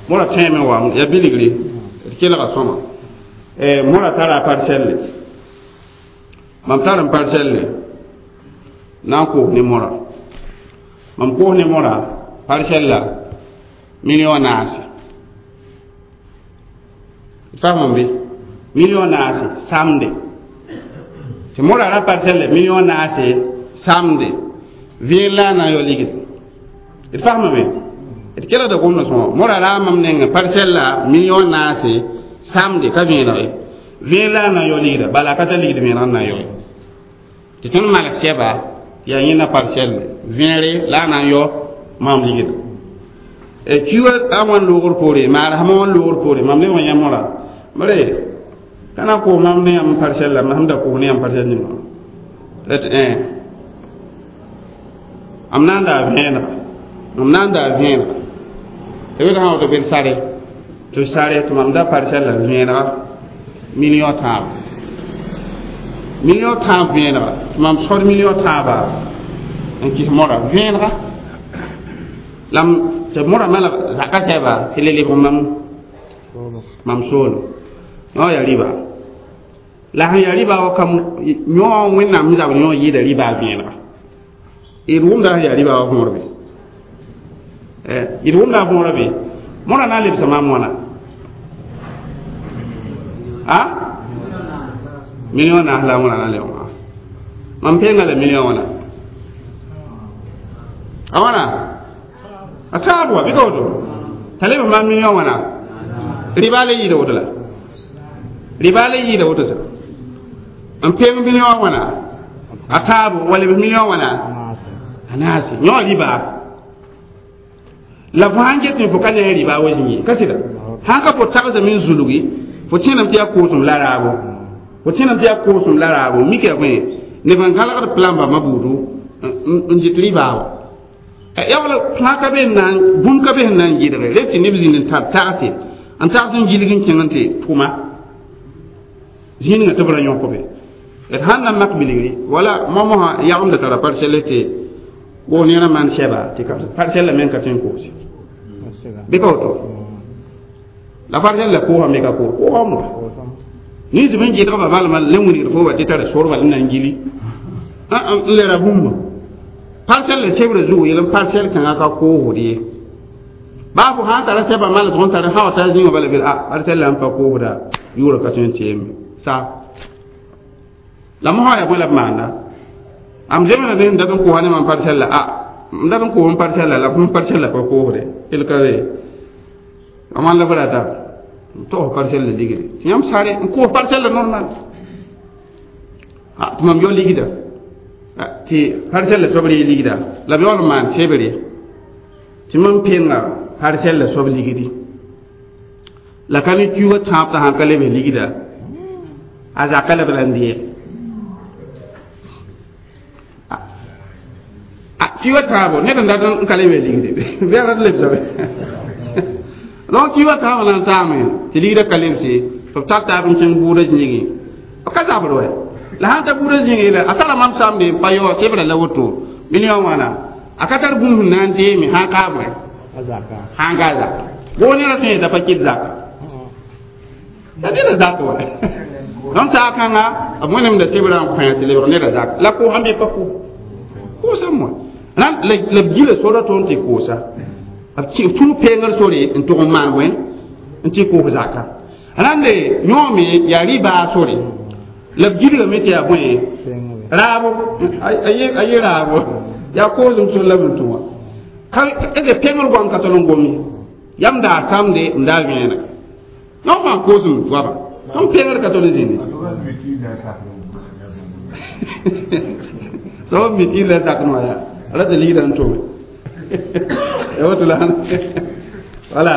mora tõeme wa ya bilgre d kelga sõma mora tara a parsɛlle mam tar n parsɛlle na n koos ne mora mam koos ne mora parsɛlla million naase faamam be million naase samde tɩ mora ra parsɛlle million naase samde vẽeg la a na n yao ligd d faamame d kelgda gomda sõma mora ra mam nengẽ parsɛlla million naase samde ka vẽeneg ye vẽeg la a na n yao ligda bala a ka tar ligd vẽeneg n na n yao ye tɩ tõnd malg sɛba yaa yẽnda parsɛlle vẽegre la a na n yao mam ligda kiuga a wãn loogr poore maara sãma wãn loogr poore mam lebg n yã mora bare ka na n koos mam ne yãmb parsɛlla sẽm da koos ne yãmb parsɛl ninga tɩ m na n daa vẽenega m na n daa vẽenega tɩ b sã woto bɩ d sare tɩ sare tɩ mam da parsɛlla vẽenega million tãab million tãab vẽenega tɩ mam sod million tãaba n kɩs mora vẽenega la tɩ mora malg zaka sɛba tɩ le lebg mam mam soolem yõ yaa rɩba la sẽn yaa rɩba wa kam yõ wẽnnaam zabr yõ yɩɩda rɩba vẽenega d wʋmda sẽn yaa rɩba wa võor be d wʋmda a võora be mora na n lebsa maam wãna a million naas la wãna na n lebg maam mam peenga la million wãna a wãna a taab wa bɩ ka woto t'a lebg maam million wãna rɩba le yɩɩda woto la rɩba le yɩɩda woto sã n peeng million wãna a taabo wa lebs million wãna a naase yõ rɩba la fo sãn get fo ka ne rɩba wa zĩig ye ka sɩda sãn ka fo tagsame n zulgi fo tẽename tɩ yaa koosem la raabo fo tẽename tɩ yaa koosem la raabo mika yaa bõe neb n gãlgd plan bãmba buudu n dɩt rɩbaa wa yaa wala plã ka be n na n bũmb ka be sẽn na n gɩdge rek tɩ neb zĩnd n tar tagse n tags n gilg n kẽng n tɩ tʋma zĩig ninga tɩ b ra yõk be d sãn na n mak bilgre wala moamosã yagemda tara parsɛl tɩ wo nera maan sɛba tɩ parsɛlla meng ka tõe n koose bɩ ka woto la parsɛlla koosame ka koos koosam wa nins b n gɩdgba balma le wilgd fo wa tɩ tara sorba n na n gili n le ra bũmba parsɛlla sebra zugu yel n parsɛl kãngã ka koosd ye baa fo sã n tara sɛba malsg n tar sã wa ta zĩngã bala bel a parsɛlla n pa koosda yʋʋra ka tõe n tɩ sa la mosã yaa bõe la b maanda am zemda ne n dat n kosa ne mam parsɛlla a m dat n koos n parsɛlla la m parsɛlla pa koosde el ka be a maan la b rata n togs parsɛlla ligde tɩ yãmb sare n koos parsɛlla normal tɩ mam yao ligda tɩ parsɛlla soab ree ligda la b yaool n maan sebre tɩ mam penga parsɛlla soab ligdi la ka ne kiuugã tãab t'a sãn ka lebs ligda a zaka la b ra n deeg kiuugã tãabo ned n dat n ka lebs ligde bɩ a rat lebsame donc kiuugã tãabã na n taame tɩ ligda ka lebse tɩ b tar taab n kẽng buudã zĩigẽ b ka zabr wɛ la sãn ta buudã zĩigẽ la a tara mam samde n pa yao sebra la woto million wãna a ka tar bũmb sẽn na n deeme sãn kaab wɛ sãn ka zaka woo nera tõe yeta pa kɩt zaka la neda zak wa donc saa kãnga b wẽnemda sebra n kõ tɩ lebg neda zak la koosã bɩ pa ko koosame wa la b gila sora tõnd tɩ koosa b fũ peengr sore n tʋg n maan bõe n tɩ koos zaka rãnde yõome yaa rɩbaa sore la b gilgame tɩ yaa bõe raabo a ye raabo yaa koosem sor la b n tũ wã ka pengr goam ka tol n gom ye yam daa samde n daa vẽenega yõ fãa koosem goaba tõnd pengr ka tol n zĩndi So mi ila zakno ya ala de lira nto e woto la wala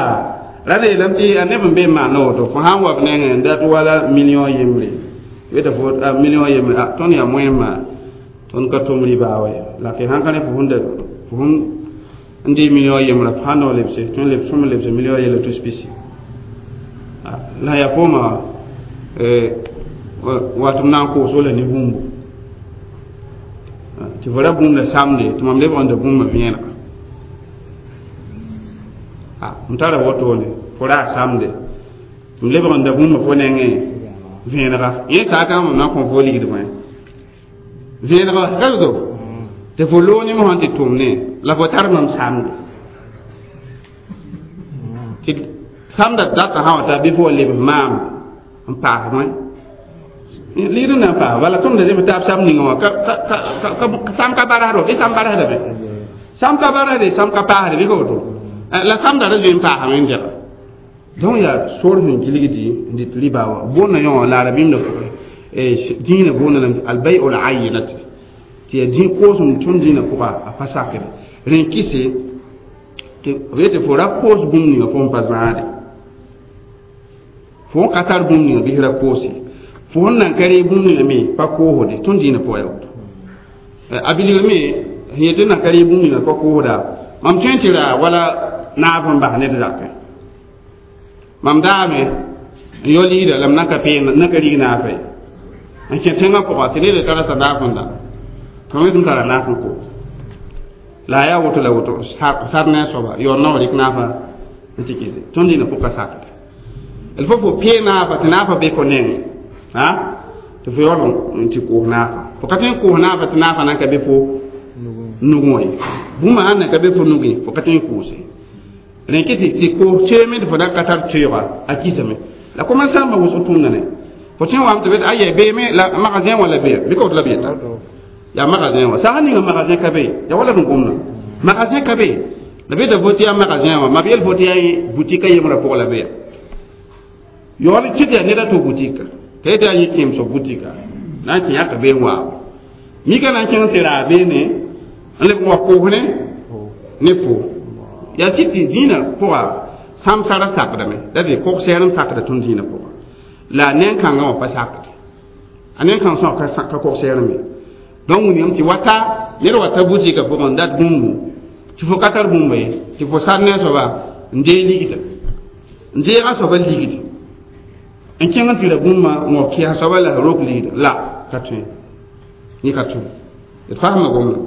rade lam ti aneb be ma no to fo han wab nenge dat wala million yembre weta fo a million yembre a ton ya moyema ton ka tom riba we la ke han kane fo hunde fo hun ndi million yembre fo han no lebse ton leb som lebse million yele to spécie la ya foma watum nan ko so le ni bumbu ti fo ra bũmb la samde tɩ mam lebg n da bũmba vẽenega m tara wotone fo ra samde m lebg n da bũmba fo nengẽ vẽenega yẽ saakã mam na n kõ fo ligd bõe vẽenega ka woto tɩ fo loog ne mosã tɩ tʋm ne la fo tar mam samde tɩ samda data sã wa ta bɩ fo wa lebs maam n paas bõe ligd n na n paas bala tõnd da zemb taab sam ninga wã sam ka barasd bɩ sam barasdame sam ka barasde sam ka paasde bɩ ka woto la samda ra zoe n paasame n dẽga donc yaa sor sẽn gilgdi n dɩt riba wã boonda yõ la arabĩmda pʋgẽ dĩinã boonda lame tɩ albai ul ayinati tɩ yaa dĩ koosem tõnd dĩinã pʋga a pa sakre rẽ kɩse tɩ b yetɩ fo ra koos bũmb ninga fo n pa zãade fo n ka tar bũmb ninga bɩs ra koose fo n nan ka ree bũmb ninga me pa koosde tõnd dĩinã pʋga yaa woto a bilg me sẽn yetɩ nan ka ree bũmb ninga pa koosda mam tõe n tɩ ra wala naaf n bas ned zakẽ mam daame n yao liida la m nan ka peen nan ka rig naafa ye n kẽ tẽngã pʋga tɩ ned tara t'a naaf n da tɩ m tara naaf n koos la a yaa woto la woto sar ne a soaba yaoor na wa rɩk naafa n tɩ kɩse tõnd dĩinã pʋka sakd il faut fo pee naafa tɩ naafa be fo nengẽ a tɩ fo yaool n tɩ koos naafa fo ka tõe n koos naafa tɩ naafa nan ka be fo nugẽ wã ye bũmba sãn nan ka be fo nugẽ fo ka tõe n koose rẽ kɩ tɩ koos teeme tɩ fo da ka tar teoogã a kisame la commerçant wʋsg tʋmda ne fo tõe n wame tɩ bet aya beeme la magasin wã la be bɩ ka woto la b yeta yaa magasin wã sã ninga magasin ka be ya wala n gomna magasin ka be la beta fo tɩ yaa magasin wã mab yel fo tɩ yaa boutique a yembrã pʋgã la be ya yaool kɩ tɩ yaa ned a to boutique t'a yetɩ yaa yẽ kẽemsg boutique na n kẽ yãka bee n waabo mika na n kẽng tɩ raa beene n leb n wa koos ne fo yaa sɩ tɩ dĩinã pʋga sãmsara sakdame la dɩ kog-sɛɛrem sakda tõnd dĩinã pʋga la neng-kãngã wã pa sakde a neng-kãng sõa ka kog-sɛɛrem ye donc wilgame tɩ wata ned wa ta butikã pʋgẽ n dat bũmbu tɩ fo ka tar bũmba ye tɩ fo sar ne a soaba n dee ligda n deega soaba ligdi n kẽng n tɩ ra bũmba n wa kɩsa soaba la rok ligda la ka tõe yẽ ka tõe d fasma gomda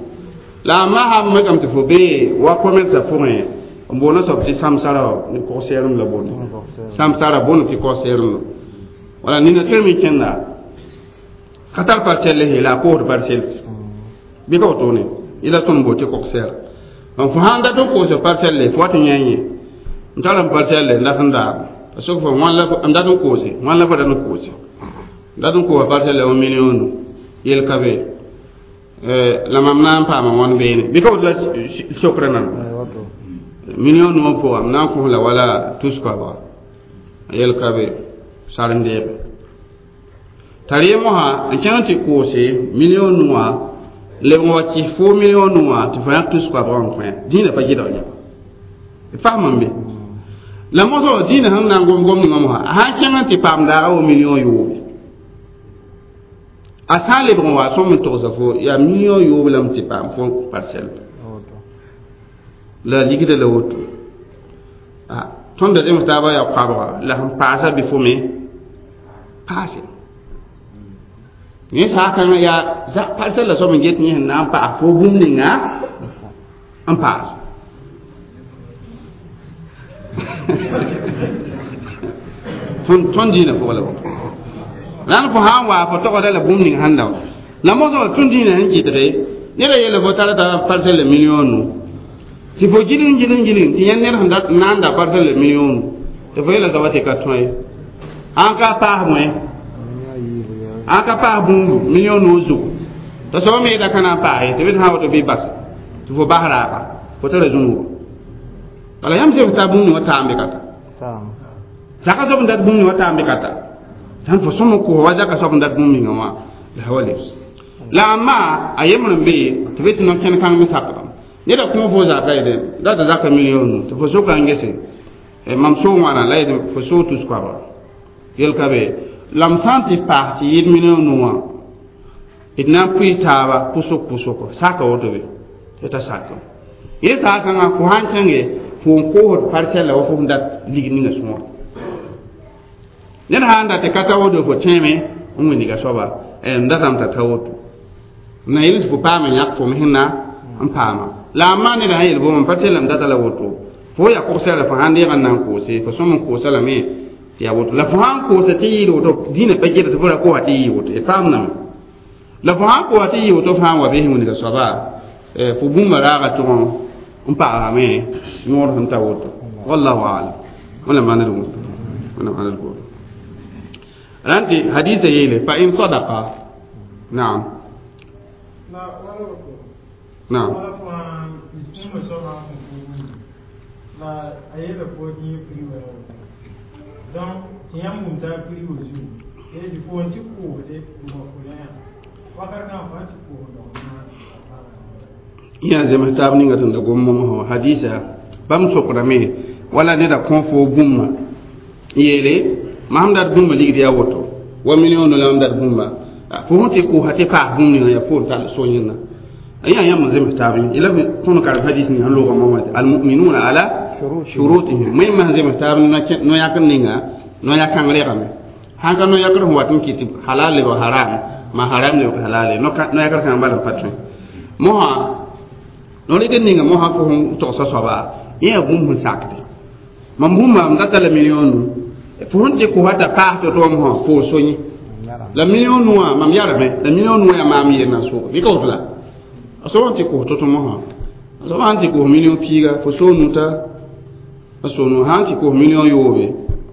la a masam mekame tɩ fo bee wa commerce pʋgẽ n boona soab tɩ samsara ne kog-sɛɛrem la boonda samsara boond tɩ kog-sɛɛrem la wala nina tõe me kẽnda ka tar parcelle he la a koosd parcelle bɩ ka wotone yẽla tõnd bool tɩ kog-sɛɛra donc fo sãn dat n koos parcelle fo wat n yã yẽ n tar n parcelle n dat n daabo a sok fo wãn la n dat n koose wãn la fo dat n koose n dat n koosa parcelle wã million nu yel ka be la mam na n paama wãn beene bɩ ka woto la sokra nan million nu wã pʋga m na n kõ la wala tus koabga yel ka be sar n deebe t'a ree mosã n kẽng tɩ koose million nu wã lebg n wa kɩs fo million nu wã tɩ fo yãk tus koabgã n kõ dĩinã pa gɩdg yã d fasma n be la mosã wã dĩinã sẽn na n gom gom ninga mosã a sã n kẽng n tɩ paam daaga wa million yoobe a sã n lebg n wa sõm n togsa fo yaa million yoob lame tɩ paam fo parcelle la ligda la woto tõnd da zems taabã yaa koabga la sẽn paasa bɩ fo me paase yẽ saakãngã yaa parcelle la soab n get yẽ sẽn na n paas fo bũmb ninga n paas tõnd dĩinã pʋgã la woto la n fo sã n waa fo togda la bũmb ning sãn da wa la mosã wa tõnd dĩinã sẽn kɩtge neda yeela fo tara tara parcelle million nu tɩ fo gilg gilg gilg tɩ yãnd ned sẽn na n da parcelle million nu tɩ fo yeela soaba tɩ ka tõe sãn ka paas bõe sãn ka paas bũmbu million nu zugu t'a soaba me da ka na n paas ye tɩ bɩ sã woto bɩ bas tɩ fo bas raaga fo tara zũnugo bala yãmb zems t'a bũmb wã taam bɩ ka ta zaka soab n dat bũmb wã taam bɩ ka ta tãn fo sõm n kos wa zaka soab n dat bũmb ninga wã la wa lebs La amma a yembr n be tɩ be tɩ no-kẽn kãng me sakdame neda kõ fo zaka yede la tɩ zaka million nu tɩ fo soka n gese mam soo wãna la yed fo soo tus koabga yel ka be la m sã n tɩ paas tɩ yɩɩd million nu wã d na n pʋɩs taaba pʋsg pʋsgo saka woto be tɩ ta sak yẽ saa kãngã fo sãn kẽnge fo n koosd parcelle la wa fo sẽn dat lig ninga sõor ned sã n dat tɩ ka ta woto fo tẽeme n wĩndiga soaba n datame t'a ta woto na yel tɩ fo paama yãk fo me sẽn na n paama la a maa neda sã yel bõmb pa tellame data la woto fo yaa kogsɛra fo sãn deeg n na n koose fo sõm n koosa lame tɩ yaa woto la fo sãn koosa tɩ yɩɩd woto dĩinã pa geta tɩ fo ra koosa tɩ yɩɩ woto y paamdame la fo sãn koosa tɩ yɩ woto fãa wa bɩ sẽn wĩnga soaba fo bũmba raaga tʋg n pagsame yõod sẽn ta woto wallahu alam wala maaned woto wala maaned woto rãn tɩ hadisa yeele fa in sadaqa naam naam la a yela fo tɩ prix wa donc tɩ yãmb wʋm t'a prix wa zugu tɩ fo n tɩ koosde tɩ wa fo yã wakat kãng fo tɩ koos yã zems taab ninga tɩ da gom momsã hadisa bãmb sokdame wala neda kõ fo bũmba n yeele mam dat bũmba ligd yaa woto wa million la mam dat bũmba fo sẽn tɩ koosã tɩ paas bũmb ninga yaa fo n tall so yẽnda yã yãmb n zems taab yẽ la tõnd karem hadis ninga sẽn loogã mama tɩ almuminuna ala shurutihim wẽnnaam sẽn zems taab no-yãkr ninga no-yã-kãng regame sãn ka no-yãkr sẽn wat n kɩt tɩ halal lebg haram ma haram lebg halale no-yãkr kãng bala n pa tõe mosã no rɩk n ninga mosã fo sẽn togsa soaba yẽ yaa bũmb sẽn sakde mam bũmba m data la million nu fo sẽn tɩ kosa t'a paas to-to mosã fo so yẽ la million nu wã mam yarame la million nu wã yaa maam yel na sʋʋg bɩ ka woto la a soab n tɩ kos to-to mosã a soab sãn tɩ kos million piiga fo soo nu t'a a so nu sãn tɩ kos million yoobe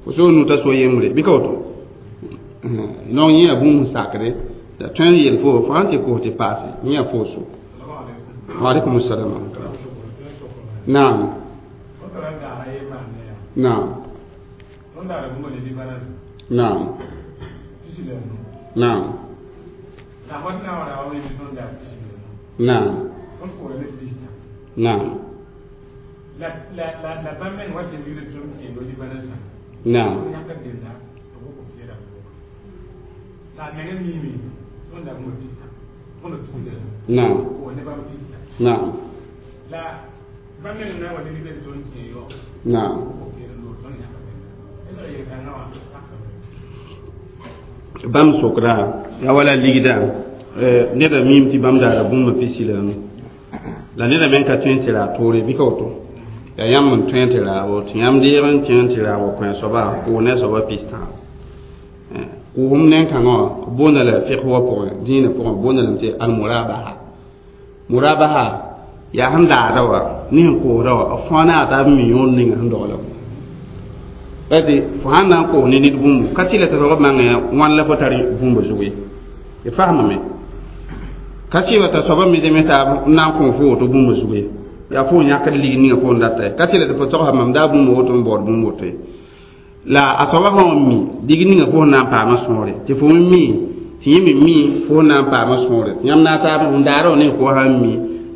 fo soo nu t'a so yembre bɩ ka woto donc yẽ yaa bũmb sẽn sakde la tõe n yel fo fo sãn tɩ kos tɩ paase yẽ yaa fo so وعليكم السلام ورحمة الله نعم نعم نعم نعم نعم نعم نعم نعم نعم نعم bãmb sokda yaa wala ligda neda miime tɩ bãmb daara bũmba pisi la nu la neda me n ka tõe n tɩ raa toore bɩ ka woto yaa yãmb n tõe n tɩ raabo tɩ yãmb deeg n tẽ n tɩ raabo kõ soaba kʋʋ ne soaba pistã kʋʋsem nen-kãngã wã boonda la fiq wã pʋgẽ dĩinã pʋgẽ boonda lame tɩ almurabaha murabaha yaa sẽn daada wa ne sẽn koosda wa b fãa ne a taab mi yõod ninga sẽn dogla tɩ fo sãn na n koos ne ned bũmbu ka tɩ la tɩ soab mangã wãn la fo tar bũmba zug ye y faamame ka sɩba t'a soaba me zems taab n na n kõ fo woto bũmba zug ye yaa fo n yãkd lig ninga fo n data ye ka tɩ la tɩ fo togsa mam daa bũmba woto n baood bũmb woto ye la a soaba sã n mi dig ninga fo sẽn na n paama sõore tɩ fo me mi tɩ yẽ me mi fo sẽn na n paama sõore tɩ yãmb na n taab n daara wa ne fo sã n mi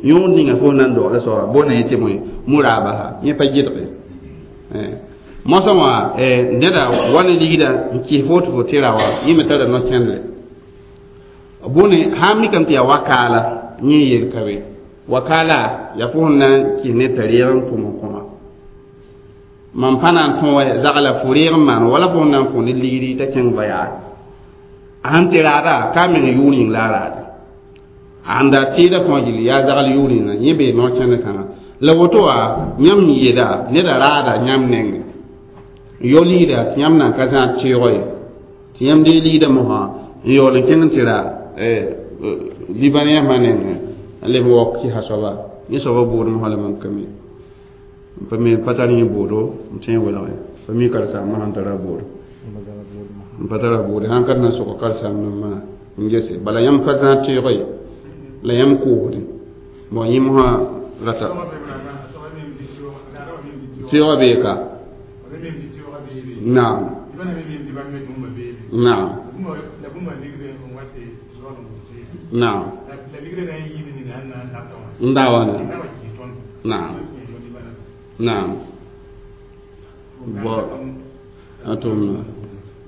yõod ninga fo sẽn na n dogla soaba boonda yẽ tɩ bõe murabaha yẽ pa gɩdge mosã wã neda wa ne ligda n kɩs fo tɩ fo tɩ ra wã yẽ me tara no-kẽndre bõne sãn mikame tɩ yaa wakaala yẽ yel ka be wakaala yaa fo sẽn na n kɩs ned t'a reeg n tʋm n kõma mam pa na n tõe wa zagla fo reeg n maan wala fo sẽn na n kõ ne ligri t'a kẽng voyage a sẽn tɩ raada ka meng yʋʋr yĩng la a raada a sẽn da tɩɩda fãa gilli yaa zagl yʋʋr yĩnga yẽ bee no-kẽnd kãngã la woto wã yãmb yeela neda raada yãmb nengẽ n yao ligda tɩ yãmb nan ka zãad teoog ye tɩ yãmb dee ligda mosã n yaool n kẽng n tɩ ra libanɛsmã nengẽ n leb n waook kɩsa soaba yẽ soaba bood mosã la mam ka mi pa me pa tar yẽ boodo n tõe n welge pa mi karen-saambã sãn tara boodo n pa tara boode sãn ka na sʋg karen-saambdãmbã n gese bala yãmb pa zãad teoog ye la yãmb koosde bon yẽ mosã rata teoogã bee ka naam naam Naam. N da wãne. Naam. Naam. Bo a tʋmna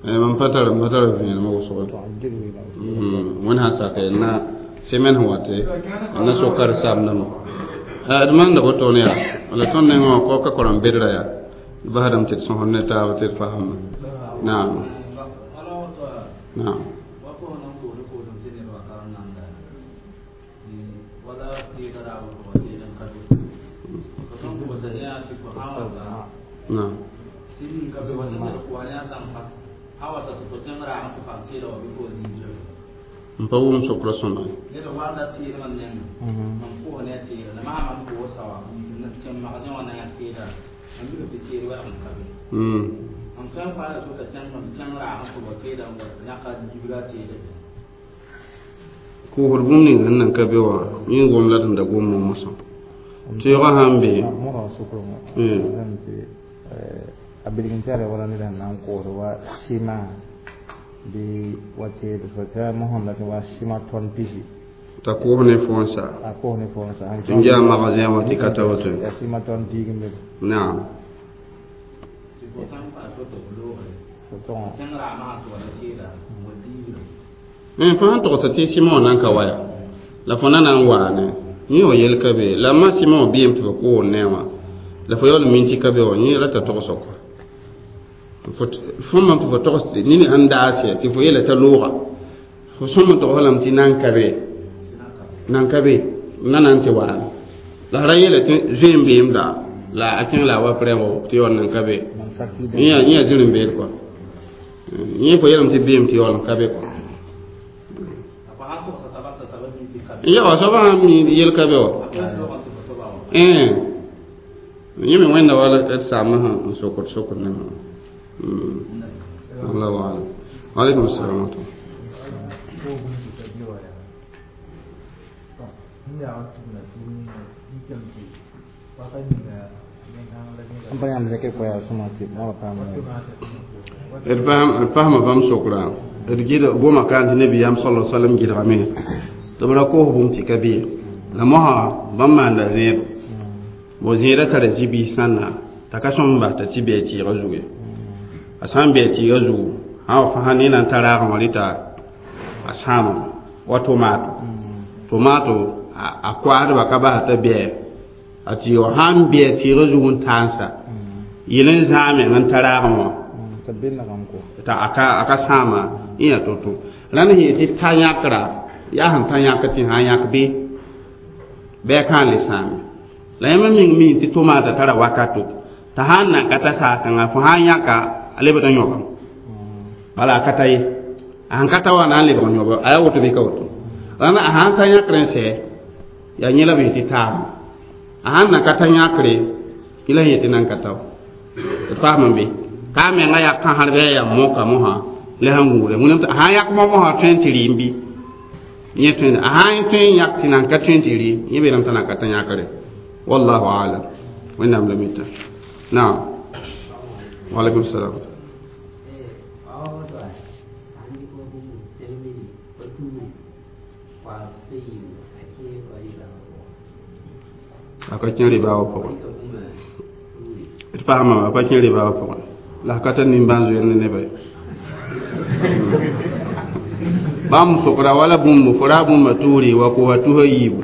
mam pa tar vẽenemã wʋsgo wẽnd sã n sake na semaine sẽn wate na sok karen-saambdãmbã d maanda woto ne yaa la tõnd nengẽ wã ka korem bedra yaa d basdame tɩ d sõsd ne taab tɩ d fasma. Naam, naam. Naam. N pa wʋm sokra sõma. Koosd bũmb ning sẽn nan ka be wã yẽ gom la d da gomã mosã tɩɩgã sãn be. A bilg n tara wala ned sẽn na n koosd wa sɩma bɩ wa teed fo tɩ mosẽm la tɩ wa sɩma tɔn pisi. T'a koos ne fo n sa. A koos ne fo n sa. N yaa magasin wã tɩ ka ta woto. Ya sɩma tɔn piig n be. Naam. Fo sãn togsa tɩ sɩma wã nan ka wa ya la fo na na n waane yẽ wa yel ka be la ma sɩma wã bɩɩm tɩ fo koos ne wã la fo yaool min tɩ ka be wã yẽ rata togsg fo mam tɩ fo togs nini sẽn daase tɩ fo yeela t'a looga fo sõm n togs lame tɩ nan ka be nan ka be na na n tɩ waame la ra yeela tɩ zoe n beem da la a kẽng la a wa prɛ tɩ yaool nan ka be yẽ yaa zĩr n beed kɔa yẽ fo yeelame tɩ beem tɩ yaool n ka be kɔa ya wa soaba sãn mi yel ka be wa yẽ me wẽnda wala d saamã sẽn sokd sokd ne allahu alam. Alaikum assalam wa rahmatullah. N pa yãmb zẽk koɛɛg sõma tɩ mogra paam. D fasma bãmb sokra d gɩd goma kaan tɩ nabiyaam sala sallam gɩdgame tɩ b ra koos bũmb tɩ ka be la mosã bãmb maanda zẽedo bo zẽedã tara zĩ-biis sãnna t'a ka sõm n bas t'a tɩ bɩ a tɩɩgã zugu ye a sã n bɩ a tɩɩgã zugu sã wa fãa ne na n ta raagẽ wã rɩta a sãamame wa tomato tomato a koasdba ka basa t'a bɩa a tɩɩgã wã sãn bɩ a tɩɩgã zug n taansa yel n zãag meng n ta raagẽ wã t'a a ka sãama yẽ yaa to-to rãnd sẽn yetɩ ta yãkra yaa sẽn ta yãk tɩ sã n yãk bɩ bɩ a kãan le sãame la yãmb meng mi tɩ tomata tara wakato t'a sãn nan ka ta saag-kãngã fo sã n yãka a lebd n yõbame bala a ka ta ye a sẽn ka ta wa na n lebg n yõba a yaa woto bɩ ka woto rãnd a sãn ta yãkr n sɛ yaa yẽ la b yetɩ taama a sãn nan ka ta yãkre yẽ la sẽn yetɩ nan ka ta wa d paasme be ka a menga yaa kãsr bɩ a yaa moka mosã la sẽn gũuda wẽnnaam a sãn yãk mosã tõe n tɩ rɩɩm bɩ yẽ tõe a sãn tõe n yãk tɩ nan ka tõe n tɩ rɩɩm yẽ beelame t'a nan ka ta yãkre wallahu alam wẽnnaam la mita. Naam, waalaikum salam. A ka kẽ rɩba wã pʋgẽ d paasma a pa kẽ rɩba wã pʋgẽ la ka tar nimbãan-zoeer ne neba ye bãmb sokra wala bũmb fo ra bũmba tuuri wa kosa tusa yiibu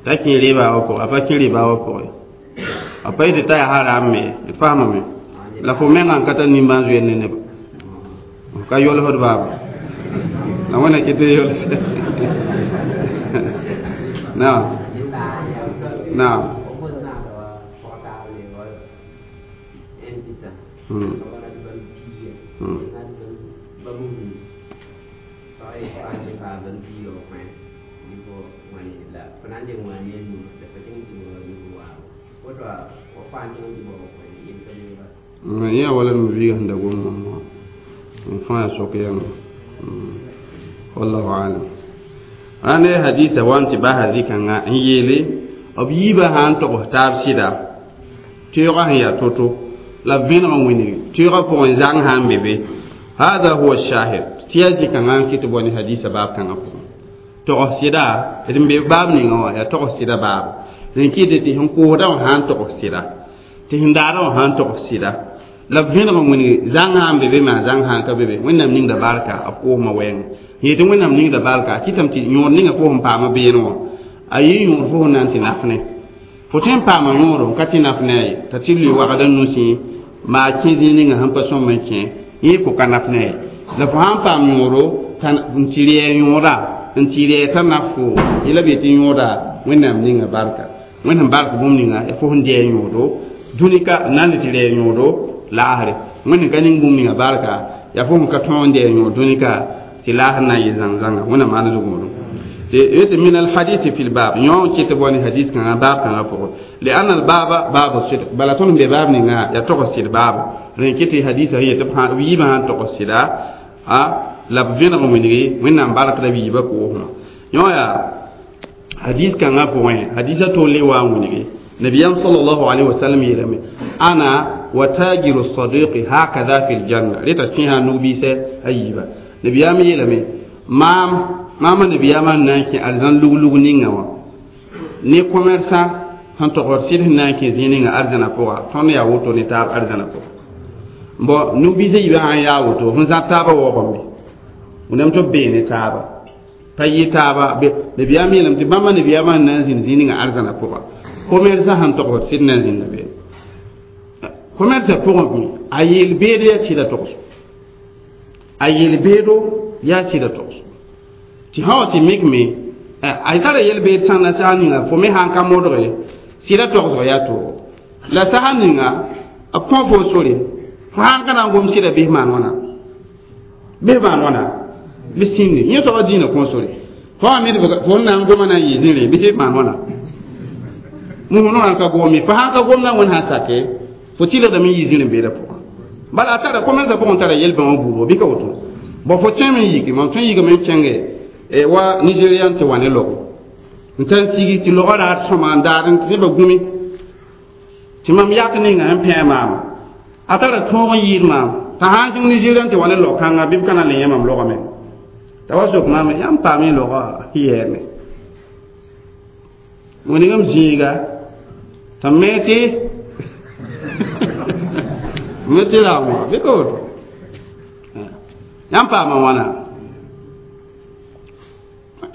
t'a kẽ rɩba wã pʋgẽ a pa kẽ rɩba wã pʋgẽ a pa yetɩ t'a yaa haram me d faamame la fo mengã n ka tar nimbãan-zoeer ne neba f ka yolsd baaba la wẽna kɩ tɩ yols. Naam, naam. Yẽ wala m viiga sẽn da gom wã n fãa sok yãmba wallahu alam ãne hadisa wa n tɩ basa zĩ-kãngã n yeele b yiibã sã n togs taab sɩda teoogã sẽn yaa to-to la b vẽneg n wĩnigi teoogã pʋgẽ zãng sã n be be hada huwa shahid tɩ yaa zĩ-kãngã n kɩ tɩ bao ne hadisa baab kãngã pʋgẽ tɩ Togs sɩda d n be baab ninga wã yaa togs sɩda baabo n kɩtɩ tɩ sẽn koosda wã sã n togs sɩda tɩ sẽn daada wã sã n togs sɩda la b vẽneg n wĩngi zãng sã n be be maa zãng sã n ka be be wẽnnaam ningda barka b koosmã wɛɛngẽ yetɩ wẽnnaam ningda barka a kɩtame tɩ yõod ninga fo sẽn paama beene wã a yɩ yõod fo sẽn na n tɩ naf ne fo tõe n paama yõodo n ka tɩ naf ne a ye t'a tɩ lʋɩ wagda nusẽ maa kẽ zĩig ninga sẽn pa sõm n kẽ yẽ fo ka naf ne a ye la fo sã n paam yõodo n tɩ rɛɛ yõoda n tɩ rɛɛ t'a naf fo yela b yetɩ yõoda wẽnnaam ninga barka wẽnnaam bark bũmb ninga fo sẽn dɩ a yõodo dũnika n na n le tɩ rɛɛ yõodo laasre wẽnd ka ning bũmb ninga barka yaa fo sẽn ka tõog n dɩ a yõod dũnika tɩ laasr na n yɩ zãng-zãnga wẽnnaam maan zugũudum من الحديث في الباب يوم كتبوني حديث كان باب كان فوق لأن الباب باب الصدق بلا تون بباب نينا يا تقصد باب رين كتي حديث هي تبقى ويما تقصد ا لا بفين غمني وين بارك ربي يبكو يوم يا حديث كان فوق حديث تولي وامني نبي صلى الله عليه وسلم يلمي أنا وتاجر الصديق هكذا في الجنة ريتا تيها نوبيسة أيبا نبي يلمي maama nabiyama n na n kẽ arzãn lug-lug ninga wã ne commerçant sẽn togd sɩd sẽn na n kẽ zĩig ninga arzãna pʋga tõnd yaa woto ne taab arzãna pʋga bon nug-biisã yiibã sãn yaa woto sẽn zã taabã waoogame wẽnnaam tɩ b bee ne taaba pa yɩ taaba nabiyaam yeelame tɩ bãmba nabiyaamã sẽn na n zĩnd zĩig ninga arzãna pʋga commerçant sẽn togd sɩd na n zĩnda be commerçant pʋgẽ a yel-beedo yaa sɩda togs a yel-beedo yaa sɩda togs tɩ sã wa tɩ mikme a tara yel-beed sãnda sã ninga fo me sãn ka modge sɩda togsg yaa toogo la sasa ninga b kõ fo sore fo sãn ka na n gom sɩda bɩs maan wãna bɩs maan wãna bɩ sĩndi yẽ soaba dĩinã kõ sore fo wã me fo n na n goma na n yɩ zĩrĩ bɩs maan wãna musẽ ka gome fo sãn ka gomda wẽnd sã sake fo tɩlgdame n yɩ zĩr n beeda pʋgã bala a tara commerce pʋgẽ tara yel-bãmba buudgo bɩ ka woto bõ fo tõeme n yiki mam tõe n yikame n kẽnge wa nigerian tɩ wa ne logo n tar sigi tɩ logã raad sõma n daad n tɩ nebã gũmi tɩ mam yak ninga n pẽe maama a tara tõog n yɩɩd maam t'a sã n kẽng nigerian tɩ wa ne log-kãnga bɩ b ka na n le yẽ mam logame t'a wa sok maam yãmb paam y logã yɛɛme wẽnegame zĩiga t'a me tɩ me tɩ raoongã bɩ ka woto yãmb paama wãna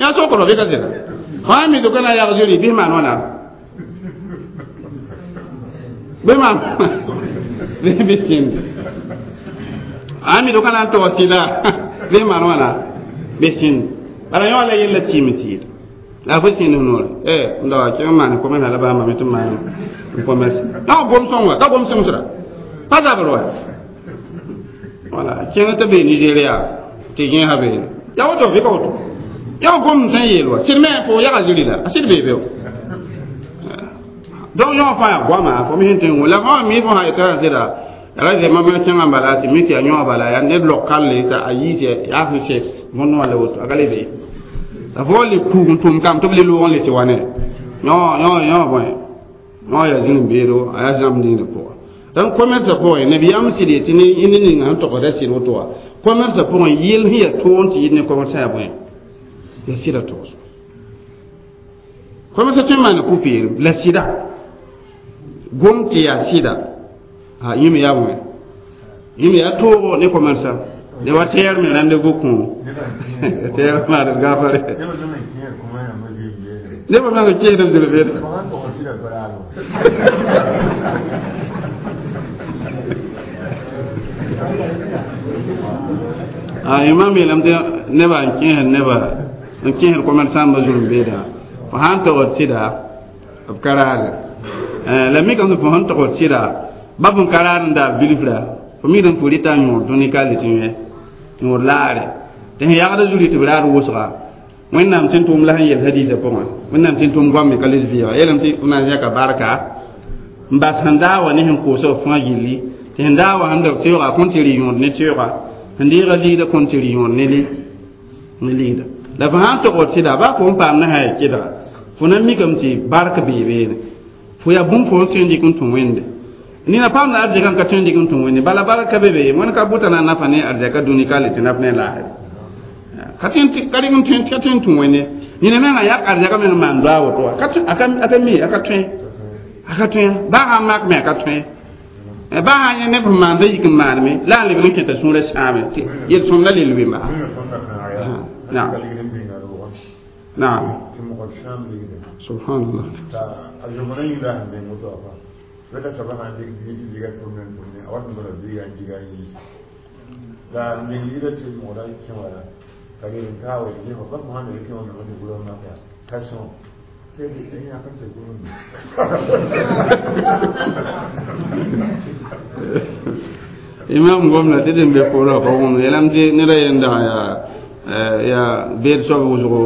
ya sokoro bɩ ka zẽra fãa mi doka na yag zuri bɩ maan wãna bɩ maan bɩ sĩnd a mi doka na n tog sɩda bɩ maan wãna bɩ sĩnd bala yõ la yella tɩɩm tɩɩd la fo sĩnd noore n da wa kẽng maan commerce la bãmba me tɩ maan n commerce la gom sõng wa ka gom sõngsra pa zabr wa wala kẽng tɩ be Nigeria tɩ yẽesa be ya woto bɩ ka woto ya gom sẽn yeel wa sɩd me fo yaga ziri la a sɩd bee be donc yõ fãa yaa goama fo me sẽn tõe n la fãa mi fo sã yetã sɩda ra zɛ mam kẽngã bala tɩ mi tɩ yaa yõ bala yaa ned log kalle t'a a yiis yaa sẽn sɛ võnd wã la woto a ka le be la fo le kuug n tʋm kam tɩ b le loog n le tɩ wa ne yõ yõ yõ bõe yõ yaa zĩn beedo a yaa zãmb ningdã pʋga donc commerce pʋgẽ nabiyaam sɩd yetɩ ne ninga sẽn togda sɩd woto wã commerce pʋgẽ yel sẽn yaa toog tɩ yɩ ne commerce yaa bõe ya sɩda togs commerce tõe n maana pʋ-peelem la sɩda gom tɩ yaa sɩda a yẽme yaa bõe yẽme yaa toogo ne commerce ne wa tɛɛr me rendez-vous kõ tɛɛr maad gafare nebã meng n kẽesd b zĩr beeda a yẽma yeelame tɩ nebã n kẽesd nebã n kẽesd commerçant ma zulum beeda fo sãn togd sɩda b ka raade la mikame fo sẽn togd sɩda ba fõn ka raad n daab bilfra fo mikdame fo rɩta n yõod dũni ka le tɩ yẽ yõod laare tɩ sẽn yagda zuri tɩ b raad wʋsga wẽnnaam tɩ n tʋʋm la sẽn yel hadiisã pʋgẽ wẽnnaam tɩ n tʋʋm goame ka les vɩɩga yeelame tɩ b na n zẽka barka n bas sẽn daa wa ne sẽn koosg fãa gilli tɩ sẽn daa wa sẽn da teoogã kõn tɩ rɩ yõod ne teoogã sẽn deega ligda kõn tɩ rɩ yõod ne ligda la fo sãn togd sɩda baa fo n paam ne sã ya kɩdga fo na mikame tɩ bark bee beene fo yaa bũmb fo n tõe n dɩk n tũ wẽnde nina paam la arzɛka n ka tõe n dɩk n tũ wẽnde bala barka be be wẽnd ka bʋta na nafa ne arzɛka dũni ka le tɩ naf ne laasre ka tõe n tũ wẽnde Yẽna menga yak arzɛka meng n maan doa woto wã a ka mi a ka tõe a ka tõe baa sã n mak me a ka tõe baa sã yẽ neb sẽn maanda yik n maaneme la a lebg n kẽta sũurã sãame yel-sõmd la lel wemba. Naam naam subhanallah. Imam gomna tɩ dẽn be pʋʋra pa wõm yeelame tɩ neda yẽnda yaa yaa beed soab wʋsgo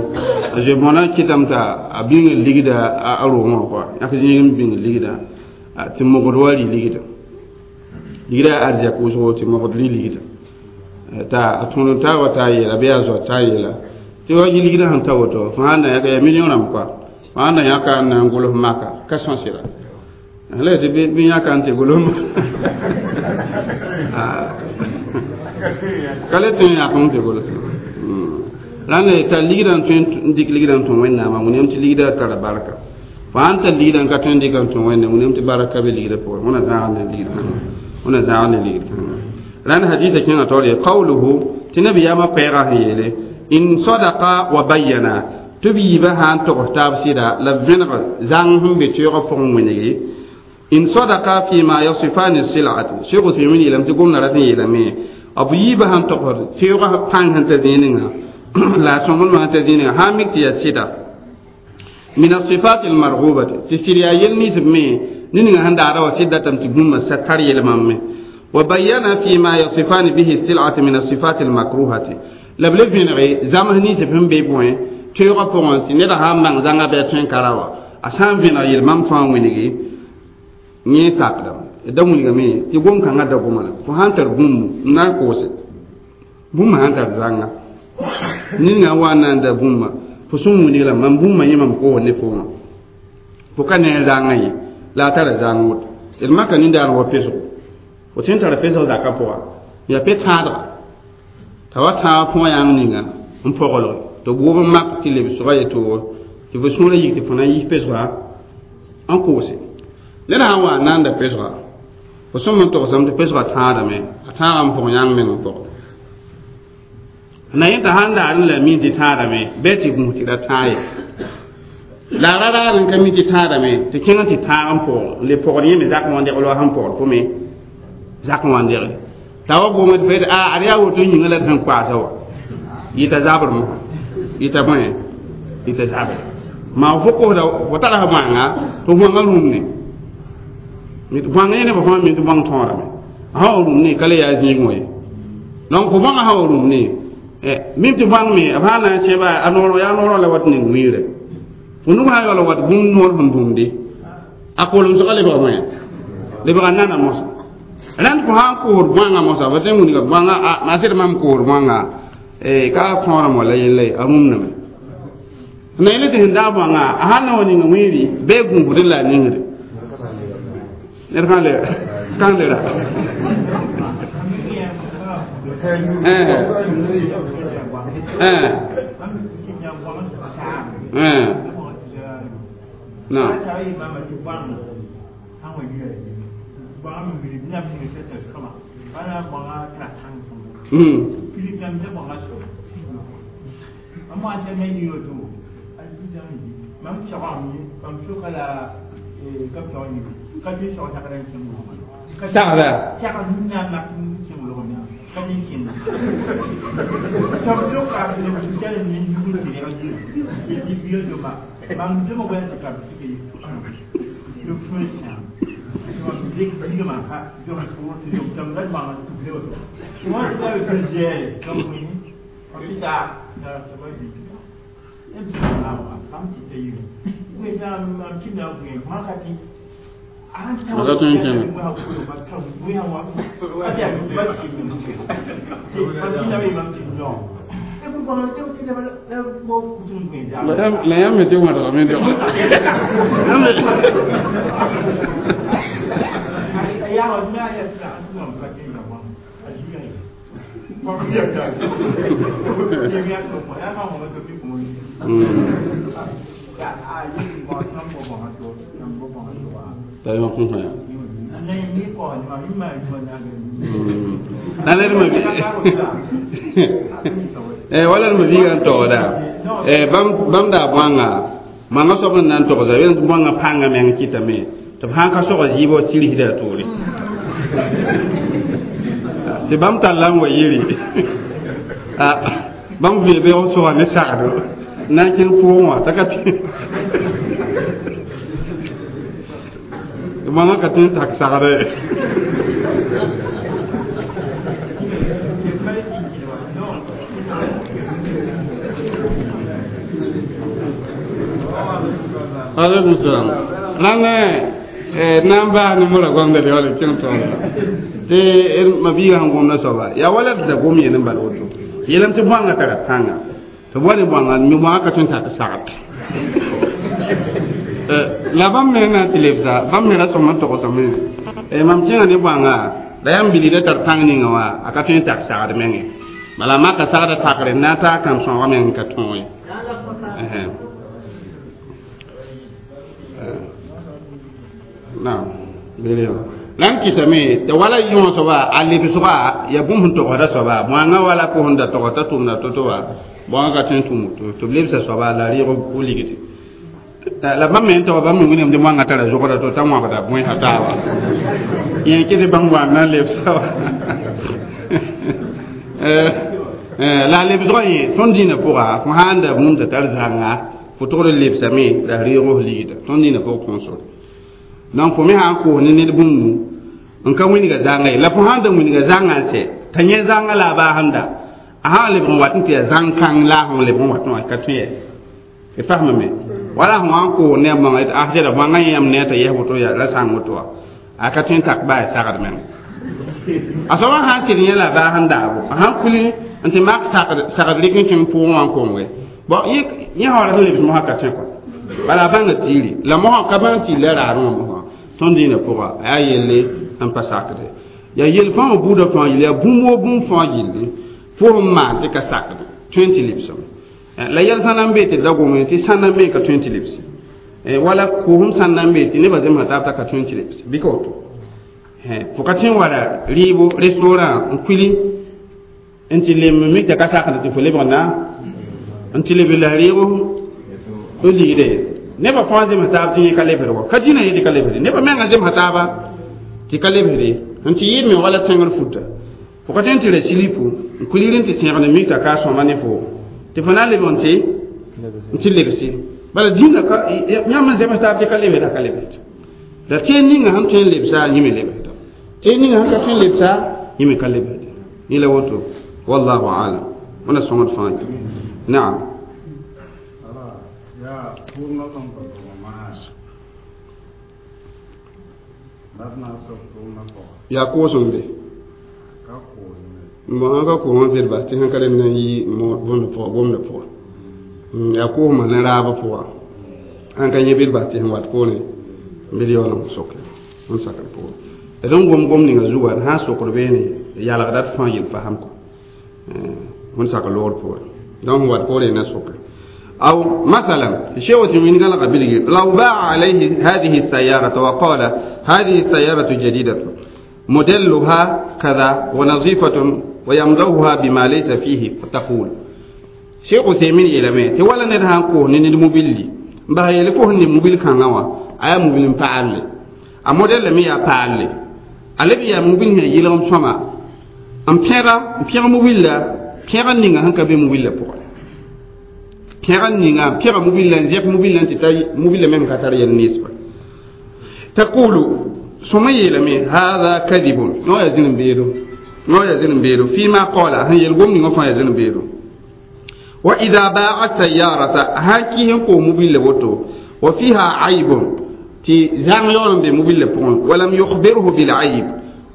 a zoe-bõna kɩtame t'a a bĩng ligda a roogẽ wã kɔa yãk zĩig n bĩng ligda tɩ mogd wa rɩ ligda ligda yaa arzɛk wʋsgo tɩ mogd rɩ ligda t'a a tõd n taa wa t'a yeela bɩ yaa zoa t'a yeela tɩ wa yɩ ligdã sẽn ta woto fo sãn na yãka yaa million rãmb kɔa fo sãn na yãka n na n gʋls maka ka sõsɩra la tɩ bɩ yãka n tɩ gʋls ka le tõe n yãk n tɩ gʋls rãnd tar ligdã n tõe n dɩk ligdã n tõe wẽnnaamã wẽnem tɩ ligdã tara barka fo sãn tar ligdã n ka tõe n dɩka n tõe wẽnna wẽnem tɩ barka be ligdã pʋgẽ wẽna zãag ne ligd kãngã wẽna zãag ne ligd kãngã rãnd hadisa kẽngã taoor ye qawluhu tɩ nabiyaamã koɛɛgã sẽn yeele in sadaqa wa bayyana tɩ b yiibã sã n togs taab sɩda la b vẽneg zãng sẽn be teoogã pʋgẽ wẽnege in sadaqa fima yasifani silati Sheikh Uthaymin yeelame tɩ gomdã rat n yeelame b yiibã sãn togsd teoogã pãng sẽn ta zĩig la a sõmblmã sẽn ta zĩig sã n mik tɩ yaa sɩda min asifat almargubati tɩ sɩd yaa yel nins b me ne ninga sẽn daada wa sɩd datame tɩ bũmba sa tar yel-mam me wa bayyana fima yasifani bihi silati min asifat almakruhati la b le vẽnege zãms nins b sẽn be bõe teoogã pʋgẽ tɩ neda sã n mang zãnga bɩ a tõe n ka ra wa a sã n vẽneg yel-mam fãa wẽnege yẽ sakdame da wilgame tɩ gom-kãngã da goma la fo sã n tar bũmb n na n koose bũmb sã n tar zãnga ninga wa n na n da bũmba fo sẽn wilg la mam bũmba yẽ mam koos ne fo wã fo ka ne a zãngã ye la a tara zãng woto d maka nindaar wa pesgo fo tõe n tara pesg zakã pʋga yaa pe-tãadga t'a wa tãag fõ yãng ninga n pɔgelge tɩ b wʋb n mak tɩ lebsgã yetoogo tɩ fo sũurã yik tɩ fo na n yis pesga n koose ned sã n wa n na n da pesga fo sõm n togsame tɩ pesgã tãadame a tãagã n pʋg yãng meng n pɔg na yẽ t'a sãn daar n la mi tɩ tãadame bɩ tɩ gũus tɩ ra tãag ye la a ra raar n ka mi tɩ tãadame tɩ kẽng tɩ tãag n pʋg n le pɔgd yẽ me zak n wa n degl wa sẽn pɔgd fo me zak n wa n degl t'a wa gom tɩ fa a ad yaa woto yĩngã la d sẽn koaasa wa yɩta zabr mosã yɩta bõe yɩta zabr maa fo kosda fo tara f bãnga tɩ bõanga rũmne bõanga yẽ nebã fãa mi tɩ bõng tõorame a sã wa rũmne ka le yaa zĩig wã ye donc fo bõngã sã wa rũmne mim tɩ bõang me b sã na n sẽba a noor yaa noorã la wat ning wiire fo nug sã yaool wat bũmb noor sẽn bũmde a kolemsgã lebga bõe lebga nana mosa rãnd fo sã n koosd bõanga mosa fo tõe n wilga bõanga a sɩd mam koosd bõanga ka tõorame wala yella ye a rũmname na yẽl tɩ sẽn daag bõanga a sãn na wa ninga wiiri bɩ gũusdẽ la a ningre ned kãn le kãn le ra na sagda la yãmb me tɩ wẽdgame dog Wala ma biiga n togda bãmb daa bõanga manga soab n na n togsa bõanga pãnga meng kɩtame tɩ b sãn ka sog zɩɩbã tɩrsda a toore tɩ bãmb talla n wa yiri bãmb vẽe beoog sʋga ne sagdo n na n kẽng pʋʋgẽ wã t'a ka tɩ manga ka tõe n tak sagda ye. Alaikum salam. Nan nan ba ni mura gwamna da wala kin to te ma biga han gwamna so ba ya wala da gomi ne bal woto yelam te bwanga tara panga to bwani bwanga mi mo aka tun ta sagat la bam me na tilebza bam me ra so man to ko so me e mam tinga ne bwanga da yam bili da tar pang ni ngawa aka tun ta sagat menge mala ma ka sagat takre na ta kam so wa men ka ton ye naam bele lan kitame te wala yon soba ali bisoba ya bum hun to da soba mwanga wala ko hunda to ta tumna to to wa bonga ka tin tumu to to lebsa soba la ri ko uligiti la ba men to ba men ngene mwanga tara zokora to tamwa ba da moy hatawa yen kiti bangwa na lebsa la lebso yi ton dina pura ko handa bum ta tar zanga fo to lebsa mi la ri ko ligita ton dina ko console donc fo me sã n koos ne ned bũmbu n ka wĩnga zãnga ye la fo sãn da wĩnga zãngã n sɛ t'a yẽ zãnga la a baasẽnda a sã n lebg n wat n tɩ yaa zãng-kãng la a lebg n wat wã ka tõe yɛ y fasmame wala fo sã n koos ne a bãnga a sɛda bãngã yãmb ne t'a yɛs woto la sãng woto wã a ka tõe n tak baa sagd meng a soabã sã n sɩd yẽ la a baas n daabo a sãn kuli n tɩ mak sagd rɩk n kẽng pʋʋgẽ wã n konge bon yẽ sã wala sẽn lebs mosã ka tõe kɔ bala a bãnga tiiri la mosã ka bãng tiiri la raarẽ wã mosã tõnd dĩinã pʋga a yaa yelle n pa sakde yaa yel fãa wã buudã fãa yelle yaa bũmb woo bũmb fãa gilli fo n maan tɩ ka sakde tõe n tɩ lebsem la yɛl sã na n bee tɩ da gome tɩ sã na n bee ka tõe n tɩ lebse wala koosem sã na n bee tɩ nebã zemsã taab t'a ka tõe n tɩ lebse bɩ ka woto fo ka tõe n wala rɩɩbo restaurant n kuili n tɩ lemb mik t'a ka sakd tɩ fo lebg na n tɩ leb la rɩɩbo n ligde nebã fãa zemsa taab tɩ yẽ ka lebsd wa ka dĩnã ye tɩ ka lebsde nebã mengã zemsa taaba tɩ ka lebsde n tɩ yɩɩd me wala tẽngr futa fo ka tõe n tɩ ra silipu n kuilir n tɩ sẽgd mik t'a ka sõma ne fo tɩ fo na n lebg n tɩ lebse bala dĩnã yãmb n zems taab tɩ ka lebsd a ka lebsd la tẽen ninga sẽn tõe n lebsa yẽ me lebsda tẽen ninga sẽn ka tõe n lebsa yẽ me ka lebsd yẽ la woto wallahu alam wẽna sõngd fãa naam. Yaa koosem be n sã ka koosmã vɩd bas tɩ sẽn ka rem na n yi gomdã pʋga yaa koosmã ne raabã pʋga sãn ka yẽ bɩd bas tɩ sẽn wat poorẽ bɩ d yaool n soke n sakr pʋgẽ d n gom gom ninga zuga d sã n sokd beene yalgda d fãa yel fasem kɔ wẽnd sak loogr poorẽ donc sẽn wat poorẽ na soke. أو مثلا الشيء من قال قبل لو باع عليه هذه السيارة وقال هذه السيارة جديدة موديلها كذا ونظيفة ويمضوها بما ليس فيه فتقول شيخ عثيمين إلى ما تولى ندهان كو نين الموبيل بها يلكو هن موبيل كان نوا أي موبيل فعل الموديل مي فعل ألبي يا موبيل هي يلهم سما أم بيرا بيرا موبيل لا بيرا نينغا هنكا بي موبيل لا بوغ pẽg ninga pẽga mobil la n zɛp mobil la n tɩ ta mobil la meng ka tar yɛl nesba taqulu sõma yeelame hada kadibun no yaa zĩn beedo no yaa zĩn beedo fima qala sẽn yel gom ninga fãa yaa zĩn beedo wa ida baa sayarata sãn kɩs n koos mobil la woto wa fiha aibun tɩ zãng yaool n be mobil la pʋgẽ walam yukhbirhu bilayib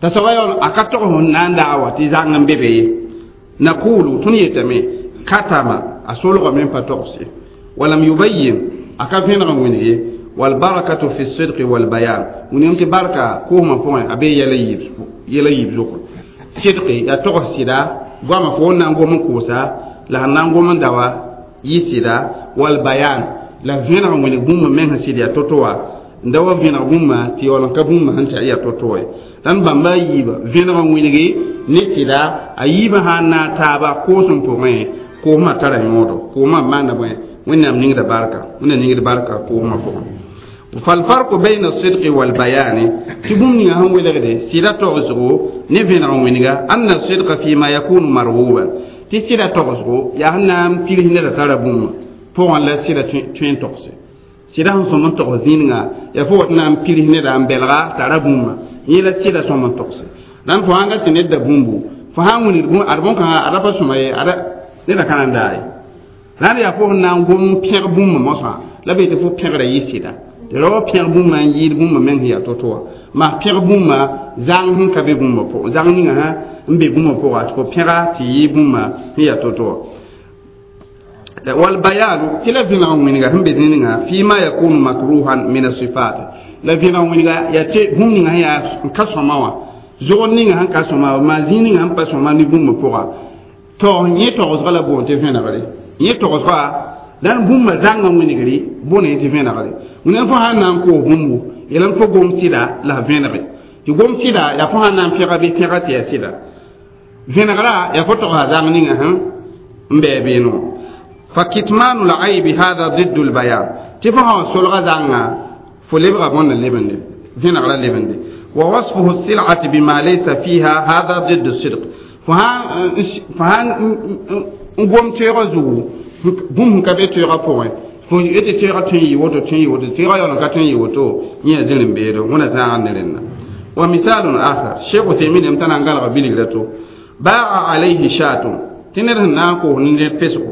t'a soaba yaool a ka tog sẽn na n daa wa tɩ zãng n be be ye naqulu tõnd yetame katama a solgame n pa togs ye walam yubayyin a ka vẽneg n wĩneg ye walbarakatu fi sidqi walbayan wĩnegem tɩ barka koosmã pʋgẽ a bee yɛla yiib zʋgre sidqi yaa togs sɩda goamã fo wẽn na n gom n koosa la sẽn na n gom n dawa yɩ sɩda wal bayan la vẽneg wẽneg bũmb meng sẽn sɩd yaa to-to wã n da wa vẽneg bũmba tɩ yaool n ka bũmba sẽn tɩ yaa to-to ye dãn bãmba a yiiba vẽneg n wẽnege ne sɩda a yiibã sã n naag taaba koosem pʋgẽ koosmã tara yõodo koosmã maanda bõe wẽnnaam ningda barka wẽnnaam ningd barka koosmã pʋgẽ فالفرق بين الصدق والبيان تبوم نيغا هن ولغدي سيدا توغسغو ني فينا وينغا أن الصدق فيما يكون مرغوبا تي سيدا توغسغو يا هنام تيله ندا تارا بوم فوغان لا سيدا توين توغسي سيدا هن سومن توغس دينغا يا فو نام تيله ندا ام بلغا تارا بوم يلا سيدا سومن توغسي نان فو هانغا تي بومبو فو هان وني بوم اربون كان ارابا سوماي ارا ندا كان داي نان يا فو نان غوم بيغ بوم موسا لا بيت فو بيغ يسيدا rao pẽg bũmba n yɩɩd bũmba meng sẽn yaa to-to wã maa pẽg bũmba zãng sẽn ka be bũmba pʋgẽ zãng ninga sã n be bũmba pʋga tɩ fo pẽga tɩ yɩɩ bũmba sẽn yaa to-to wã والبيان تلا فينا وينغا هم بزينغا فيما يكون مكروها من الصفات لا فينا وينغا يا تي بوم نيغا يا كاسوما وا زو نيغا هن كاسوما ما زينغا هن باسوما ني بوم بوغا تو ني تو غلا بون تي فينا غري ني تو غلا dan bũmba zãngã wẽnegre bõne tɩ vẽnegre wẽnnaam fo sã n na n koos bũmbu yelame fo gom sɩda la vẽnege tɩ gom sɩda yaa fo sã n na n pẽga bɩ pẽga tɩ yaa sɩda vẽnegra yaa fo togsa zãng ninga sẽn n bɩ beeno fa kitmanu laibi hada ضد البيان tɩ fo sã wa solga zãnga fo lebga bõnda lebende vẽnegra lebende wa wasfuhu sil'ati bima laysa fiha hada ضد الصدق fo sã n gom toeegã zugu bũmb ka be toeegã pʋgẽ fo yetɩ toeegã tõe n yɩ woto tõe n yɩ woto toeegã yaool n ka tõe n yɩ woto yẽ yaa zĩr n beedo wẽna zãag ne rẽnda wa misalun akhar sheikh Uthaymin yam t'a na n gãlga bilgra to baa alayhi shatun tɩ ned sẽn na n koos ne ned pesgo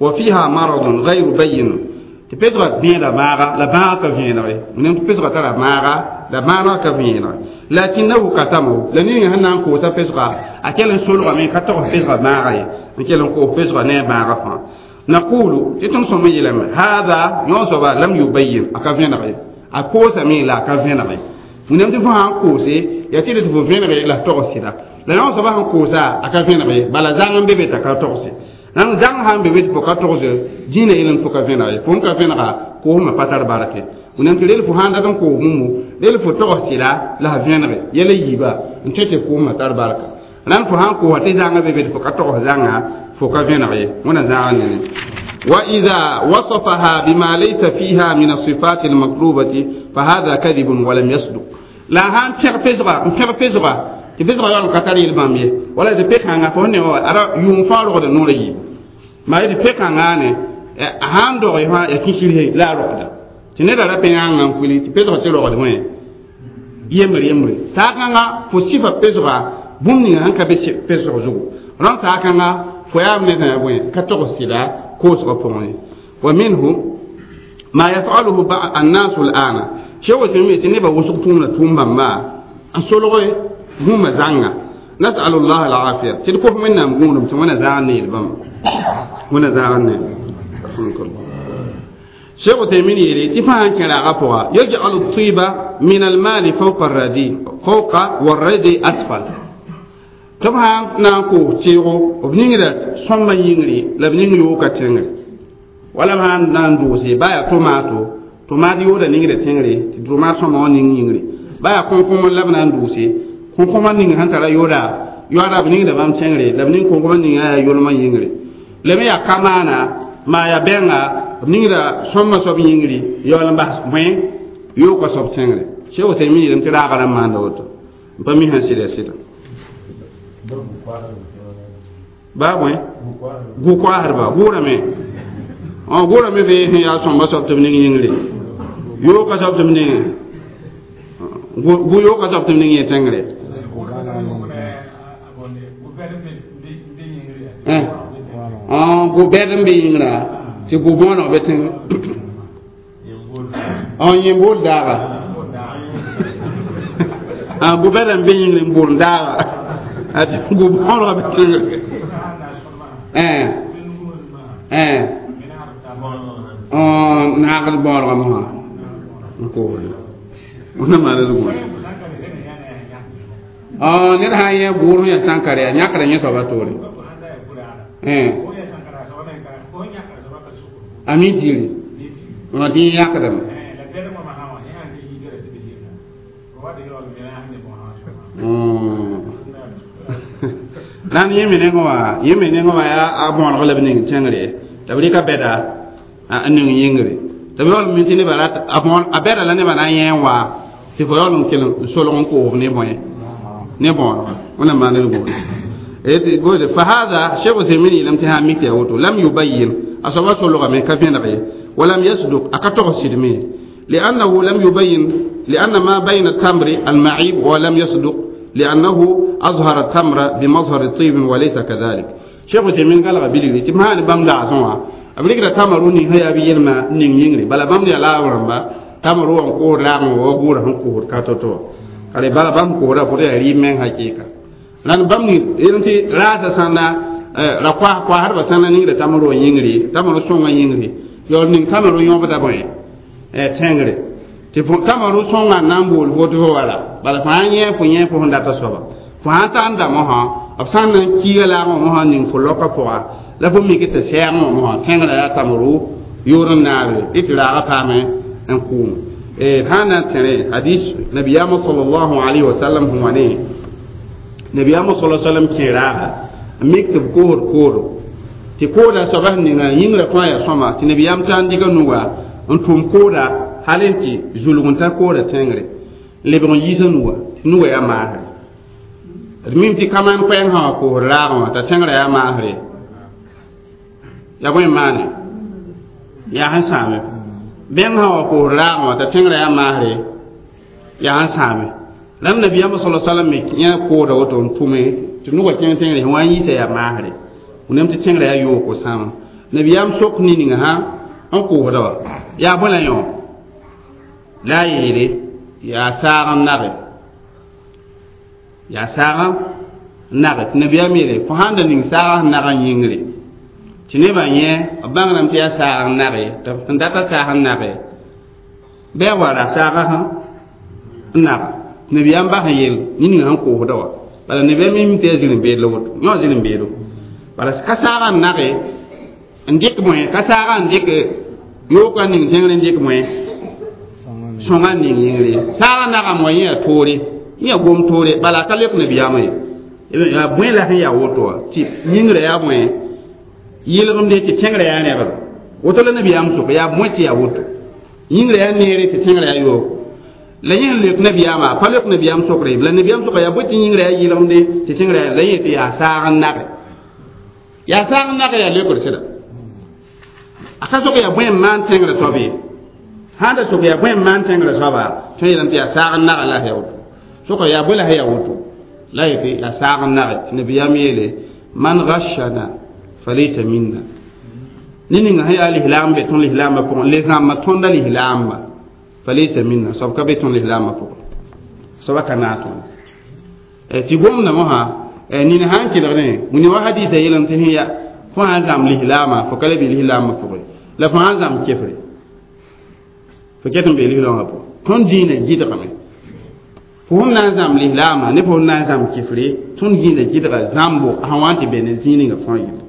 wa fiha maradun ghayru bayin tɩ pesgã vẽeda maaga la bãaga ka vẽenege wẽnnaam tɩ pesgã tara maaga la bãaga ka vẽenege lakinahu katamahu la ninga sẽn na n koosa pesga a kell n solgame ka togs pesgã maaga ye n kell n koos pesgã ne a bãaga fãa نقول تتم سمي لم هذا يوسف لم يبين أكافينغي أكوسا مي لا كافينغي ونم تفهم كوسي يتيري تفهم لا تغسلا لا يوسف هم كوسا أكافينغي بلا زعم بيبي تكاتغسي نعم زعم هم بيبي تفكاتغسي جينا إلين فكافينغي فهم كافينغا كوهم باتر باركة ونم تليل فهم دكان كوهمو ليل فتغسلا لا فينغي يلي يبا نتيجة كوهم باتر باركة نعم فهم كوه تزعم بيبي تفكاتغسي زعم فكافينغي ونا زعم وإذا وصفها بما ليس فيها من الصفات المطلوبة فهذا كذب ولم يصدق لا هان بيغ بيغ بيغ تبيغ يوم كتاري البامية ولا تبيغ هان فهني هو أرى يوم فارغ النور يجيب ما يدي بيغ هان هان دو يها يكشيره لا رقدة تنرى لا بيغ هان كولي تبيغ تلو رقدة وين يمري يمري ساكنا فصفة بيغ بومني هان كبيغ بيغ زو ران ساكنا فيا من وين كتغسلا كوس غفوني ومنه ما يفعله بعض الناس الآن شو تنمي تنبا وسقطون تومبا ما أسولغي هم زعنا نسأل الله العافية تلكوه منا مقولهم تمنا زعني البم هنا زعني رحمك الله شيخ تيمين يلي تفهم كلا غفوا يجعل الطيبة من المال فوق الردي فوق والردي أسفل tɩ b sã n na n koos teego b ningda sõmbã yĩngre la b ning yooka tẽngre wala b sã n na n doose ba yaa tomato tomaat yooda ningda tẽngre tɩ tomaat sõma wã ning yĩngre ba yaa kõn-kõm la b na n doose kõn-kõmã ning sẽn tara yooda yoada b ningda bãmb tẽngre la b ning kõn-kõmã ninga yaa yolmã yĩngre la me yaa kamaana maa yaa bɛnga b ningda sõmbã soab yĩngre yaool n bas bõe yooka soab tẽngre Cheikh Uthaymin yeelame tɩ raaga rãmb maanda woto n pa mi sẽn sɩda sɩda ba bõe gu-koasdba gʋʋrame gʋʋrame be sẽn yaa sõmba soab tɩ b ning yĩngre yooka soab tɩ b ning gu yooka soab tɩ b ning yẽ tẽngre gu-bɛd n be yĩngrã tɩ gu-bõoneg be tẽngre yẽmbool daaga gu-bɛd n be yĩngre n bool daaga ati gu-bõoneg be tẽngre naagd bõonegame wã n koosde wẽna maana zugã ned sã n yẽ gʋʋr sẽn yaa sãnkar yaa yãkda yẽ soaba toore A mi tɩɩre wã tɩ yẽ yãkdame. Rãnd yẽ me nengẽ wã, yẽ me nengẽ wã yaa a bõoneg la b ning tẽngre t'a b rɩka bɛda n ning yĩngre t'a b yaool mi tɩ nebã rat a bɛda la nebã na n yẽ n wa tɩ fo yaool n kell n solg n koosb ne bõe ne bõonega wẽnnaam maan d gũude. فهذا شيخ عثيمين لم تها ميك يا لم يبين أصابه سلغة كفين غير ولم يصدق أكتغ سلمي لأنه لم يبين لأن ما بين التمر المعيب ولم يصدق لأنه أظهر التمر بمظهر الطيب وليس كذلك. شيخ عثيمين قال غبيلي تما بام دا سوا أبليك تمروني هي أبي يلما نين ينغري بلا بام لا ورمبا تمرو أن كور لا مو غور هن كور كاتوتو قال بلا بام كورا فوري ريمن حقيقة لأن بام ني ينتي راس سنة la kwa kwa har ba sana ningra tamaro yingri tamaro songa yingri yo ning tamaro yobda boy e tengre tɩ tamaro sõnga n na n bool fo tɩ fo wala bala fãa yẽ fo yẽ fo sẽn data soaba fo sãn ta n da mosã b sã n na n kiiga laagẽ mosã ning fo loka pʋga la fo mik tɩ sɛɛgẽ mosã tẽngrã yaa tamaro yoor n naare y tɩ raaga paame n kʋʋm sã n na n tẽre hadis nabiyaamã sallallahu alayhi wa sallam sẽn wa ne nabiyaamã sala sallam kẽ raaga n mik tɩ b koosd kooro tɩ kooda soaba sẽn ninga yĩngrã fãa yaa sõma tɩ nabiyaam ta n dɩka nuga n tʋm kooda hal n tɩ zulg n tar koora tẽngre lebg n yiisa nuga tɩ nuga yaa maasre d mim tɩ kaman koɛɛng sã wã koosd raagẽ wã t'a tẽngrã yaa maasre yaa bõe n maane yaa sẽn sãame bẽng sã wã koosd raagẽ wã t'a tẽngrã yaa maasre yaa sẽn sãame rãmb nabiyaamã sala salam me yã kooda woto n tʋme tɩ nuga kẽng tẽngre sẽn wa n yiisa yaa maasre wẽnnaam tɩ tẽngrã yaa yooko sãama nabiyaam sok ne-ninga sã n koosda wã yaa bõe la yõ la a yeele yaa saag n nage yaa saag n nage tɩ nabiyaam yeele fo sãn da ning saag sẽn nag n yĩngre tɩ nebã yẽ b bãngrame tɩ yaa saag n nage tɩ sẽn data saag n nage bɩ a wara saaga sã n naga tɩ nabiyaam bas n yeel nin-ninga sẽn koosda wã bala nabiyaam mi tɩ yaa zĩr-n-beed la woto yõ zĩr-n-beedo bala ka saaga n nage n dɩk bõe ka saaga n dɩk yooka ning tẽngr n dɩk bõe sõnga ning yĩngre saaga nagam wa yẽ yaa toore yẽ yaa gom toore bala a ka leok nabiyaamã ye yaa bõe la sẽn yaa woto wã tɩ yĩngrã yaa bõe yɩlgemde tɩ tẽngrã yaa rẽgd woto la nabiyaam sʋka yaa bõe tɩ yaa woto yĩngrã yaa neere tɩ tẽngrã yaa yooko la yẽ sẽn leok nabiyaamã a pa leok nabiyaam sʋkre la nabiyaam sʋka yaa bõe tɩ yĩngrã yaa yɩlgemde tɩ tẽngrã yaa la yẽ tɩ yaa saag n nage yaa saag n nage yaa leokd sɩda a ka sok yaa bõe n maan tẽngrã soab ye sãn da sok yaa bõe n maan tẽngrã soaba tõe yeelame tɩ yaa saag n naga la yaa woto soka yaa bõe la yaa woto la yetɩ yaa saag n nage tɩ nabiyaam yeele man gashana falaysa minna ne ninga sẽn yaa lislaam be tõnd lislaambã pʋgẽ le zãmbã tõnda lislaamba falaysa minna soab ka be tõnd lislaambã pʋgẽ soaba ka naag tõnd tɩ gomda mosã nin sãn kelgdẽ wĩna wa hadisa yeelame tɩ sẽn ya fo sãn zãmb lislaamã fo ka le bɩ lislaambã pʋgẽ la fo sãn zãmb kefre fo ket n bee lislaambã pʋgẽ tõnd dĩinã gɩdgame fo sẽn na n zãmb lislaamã ne fo sẽn na n zãmb kefre tõnd dĩinã gɩdga zãmbo sẽn wa n tɩ be ne zĩig ninga fãa yĩnga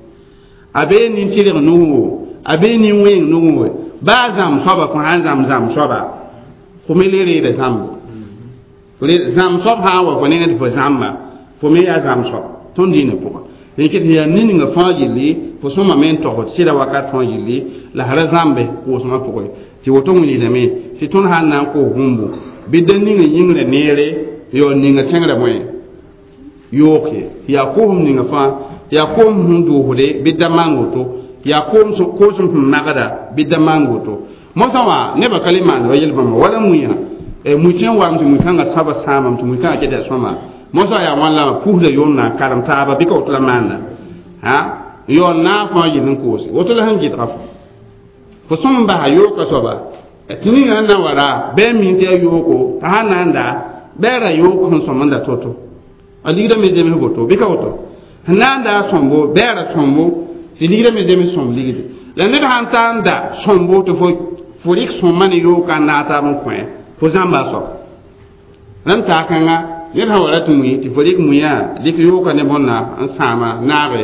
a bee nin-tɩrg nugu a bee nin-wẽeng nugu baa zãmb soaba fo sãn zãmb zãmb soaba fo me le reeda zãmbo zãmb soab sã n wa fo nengẽ tɩ fo zãmba fo me yaa zãmb soab tõnd dĩinã pʋgã rẽn tɩ yaa nin-ninga fãa yelle fo sõmame n togsd sɩda wakat fãa yelle la sra zãmbe koosmã pʋgẽ tɩ woto wilgdame tɩ tõnd sãn na n koos bũmbu bɩ da ninga yĩngrã neere yo ninga tẽngrã bõe yook ye yaa koosem ninga fãa yaa koosem sẽn doosde bɩ da maan woto yaa koosem sẽn magda bɩ da maan woto mosã wã nebã ka le maanda wa yel-bãmba wala mui mui tõe n waam tɩ mui-kãngã sãba sãamame tɩ mui-kãngã ket yaa sõma mosã yaa wãn la pusda yoon na karem taaba bɩ ka woto la maanda yoon naag fãa yel n koose woto la sẽn gɩdga fo fo sõm n basa yooka soaba tɩ ninga sẽn na n wa ra bɩ a min tɩ yaa yooko t'a sãn na n da bɩ a ra yook sẽn sõm n da to-to a ligda me zems woto bɩ ka woto sẽn na n da a sõmbo bɩ a ra sõmbo tɩ ligda me zems sõm ligde la ned sãn ta n da sõmbo tɩ fo rɩk sõmma ne yooka n naag taab n kõ fo zãmba a soab rãmb saak-kãnga ned sã wa rat mui tɩ fo rɩk muiã dɩk yooka ne bõnna n sãama naage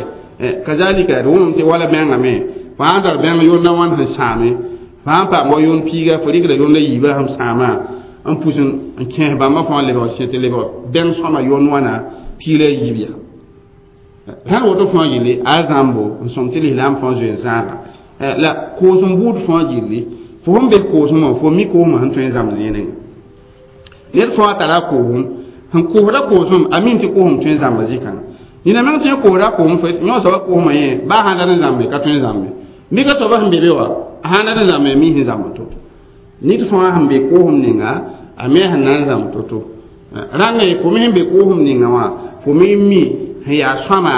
kazalika d wʋmame tɩ wala mengame fo sãn tar bẽng yond a wãn sẽn sãame fo sãn paam wa yond piiga fo rɩkda yond a yiibã sẽn sãamã n pus n kẽes bãmba fãa lebg sẽ tɩ lebg bẽng sõma yond wãna piig la yiib yaa sãn woto fãa gilli a zãmbo n sõm tɩ lislaam fãa zoe n zãaga la koosem buud fãa gilli fo sẽn be koosem wã fo mi koosmã sẽn tõe n zãmb zĩig ned fãa tara koosem sẽn koosda koosem a min tɩ koosem tõe n zãmba zĩ-kãngã nina meng tõe n koosda koosem fo yõ soaba koosmã yẽ baa sãn dat n zãmbe ka tõe n zãmbe mika soaba sẽn be be wã sãn dat n zãmbe mi sẽn zãmb to-to ned fãa sẽn be koosem ninga a me sẽn na n zãmb to-to rãnga fo me sẽn be koosem ninga wã fo me mi sẽn yaa sõama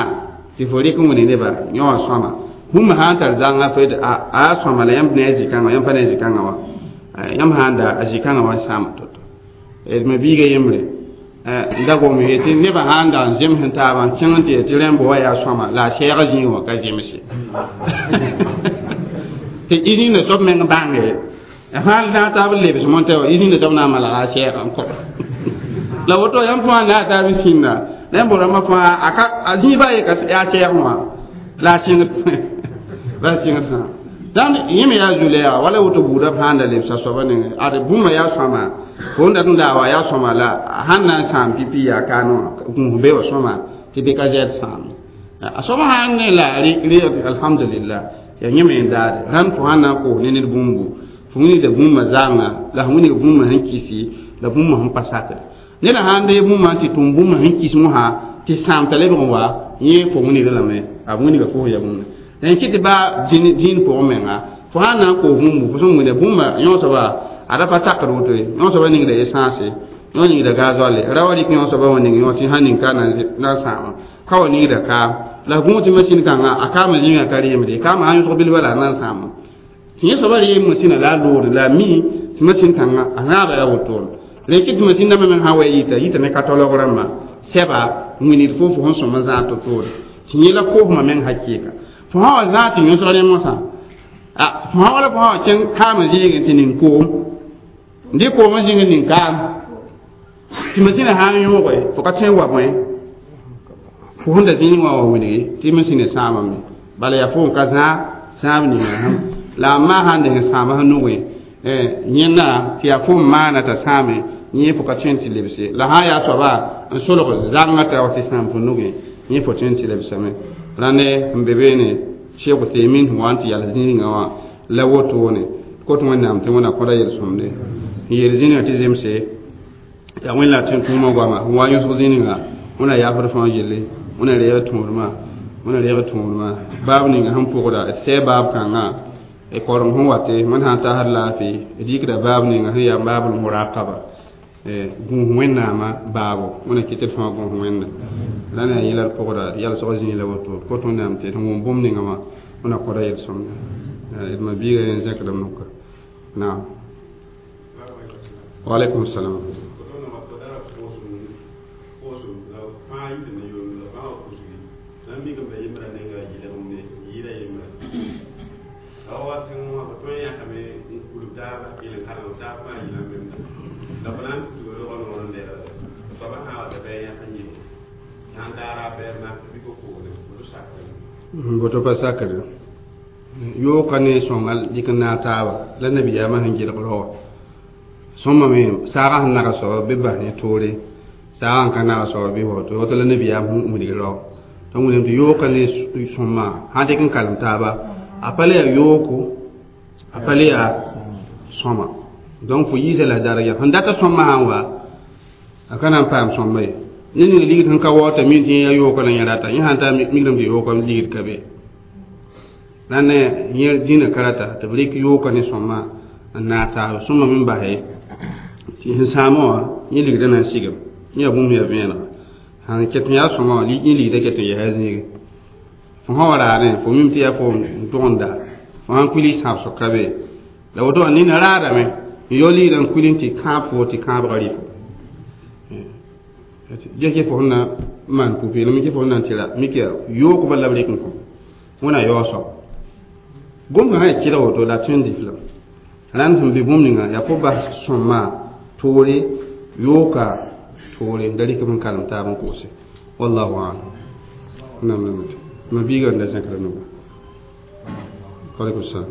tɩ fo rɩk n wẽne neba yõ wã sõama bũmb sã n tar zãnga fo a sõama la yãmb ne a zĩ-kãngã yãmb pa ne a zĩ-kãngã wã yãmb sã n da a zĩ-kãngã wã n sãam to-to d ma biiga yembre n da gom ye tɩ nebã sã n da n zems n taabã n kẽng n tɩ tɩ rẽmbo wa yaa sõama la a sɛɛg zĩig wã ka zemse tɩ izĩnda soab meng bãnge sãn na taab n lebs montɛ wã izĩnda soab na n malga a sɛɛg n kõ la woto yãmb fãa na a taab sĩnda la yãmb rãmbã fãa a zĩig baa ye ka yaa sɛɛg wã la a sɩngd la a sɩngd sã dãmb yẽ me yaa zu-lɛɛga wala woto buudã sãn da lebsa soabã nengẽ ad bũmba yaa sõama fo n dat n daa wa yaa sõma la sãn na n sãam pipi yaa kaan wã gũus be wa sõma tɩ bɩ ka zɛd sãam a soaba sãn ne la rɩ alhamdulillah yaa yẽ me n daade rãnd fo sãn na n koos ne ned bũmbu fo wilgda bũmba zãnga la f wilg bũmba sẽn kisi la bũmba sẽn pa sakd neda sãn dee bũmba tɩ tʋm bũmba sẽn kis mosã tɩ sãam t'a lebg n wa yẽ fo wilgda lame a wilga fo ya bũmba n kɩ tɩ baa dĩin pʋgẽ menga fo sãn na n koos bũmbu fo sẽn wilga bũmba yõ soaba a ra pa sakd woto ye yõ soaba ningda essence yõ ningda gasoil ra wa rɩk yõ soaba wã ning yõ tɩ sãn ning ka na n sãama ka wa ningda kaam la gũus tɩ masĩn kãngã a kaamã zĩnga ka reemde kaamã sãn yõsg bilba la a na n sãama tɩ yẽ soaba reem masĩna la a loogde la a mi tɩ masĩn kãngã a zãaba yaa wotone la kɩ tɩ masĩn dãmbã meng sã wa yita yita ne katɔlg rãmba sɛba wĩnid fo fo sẽn sõm n zãag to-toore tɩ yẽ la koosmã meng hakɩɩka fo sã wa zãag tɩ yõsg rẽ mosã fo sã wala fo sã wa kẽng kaamã zĩigẽ tɩ ning koom n dɩ koomã zĩng ning kaam tɩ masĩnã sã n yõoge fo ka tõe n wa bõe fo sẽn da zĩig wã wa wilgi tɩ masĩnã sãamame bala yaa fo n ka zãag sãam ninga sãm la a maa sãn deng sãama sẽn nugẽ yẽnda tɩ yaa fo n maana t'a sãame yẽ fo ka tõe n tɩ lebse la sã n yaa soaba n solg zãngã t'a wa tɩ sãam fo nugẽ yẽ fo tõe n tɩ lebsame rãnde n be beene Cheikh Uthaymin sẽn wa n tɩ yals zĩigã wã la wotone kot Wẽnnaam tɩ Wẽnna kõda yel-sõmde n yeel zĩnigã tɩ zemse yaa Wẽnna tɩ tʋʋmã goama n wa yõsg zĩnigã Wẽnna yaafd fãa gilli Wẽnna reeg tõodmã Wẽnna reeg tõodmã baab ninga sẽn pʋgda d sɛ baab kãngã d koreng sẽn wate wẽnd sã n tasd laafɩ d yikda baab ninga sẽn yaa baabl muraqaba gũus Wẽnnaamã baabo Wẽnna kɩ tɩ d fãa gũus Wẽnna la na yaa yẽla d pʋgda d yalsg zĩig la woto d kot Wẽnnaam tɩ d wʋm bũmb ninga wã Wẽnna kõda yel-sõmda d ma biiga yẽ zẽkdame noka naam wa alaikum salam. Woto pa sakre yooka ne sõnga dɩk n naag taaba la nabiyaamã sẽn gɩlg rao sõma me saagã sẽn naga soaba bɩ bas ne toore saagã n ka naga soaba bɩ woto woto la nabiyaam sẽn wilg rao tɩ wilame tɩ yooka ne sõma sãn dɩk n kalem taaba a pa le yaa yooko a pa le yaa sõma donc fo yiisa la daraja sẽn data sõmã sãn wa a ka na n paam sõmba ye ne ning ligd sẽn ka waoota mi tɩ yẽ yaa yooka la yẽ rata yẽ sãn taa migrame tɩ yooka ligd ka be la ne yẽ dĩnã ka rata tɩ b rɩk yooka ne sõma n naag taaba sõma me basɛ tɩ sẽn sãamã wã yẽ ligdã na n sigem yẽ yaa bũmb yaa vẽenega sãn ket n yaa sõma wã yẽ ligdã ket n yɛsa zĩige fo sã wa raadẽ fo mim tɩ yaa fo n tʋgenda fo sãn kuili sãbsg ka be la woto wã nina raadame n yao ligdã n kuili tɩ kãab fo tɩ kãabgã rɩ fo ges fo sẽn na n maan pʋ-peelem fo sẽn na n tɩ ra mik yaa yookbã la b rɩk n kõ Wẽnna yaoog soab gom kãngã yaa kɩlg woto la tõe n dɩf lame rãnd sẽn be bũmb ninga yaa fo bas sõma toore yooka toore da rɩk n kalem taab n koose wallahu alam. Nam nam ma biiga n da zẽkra nuga. Alaikum salam.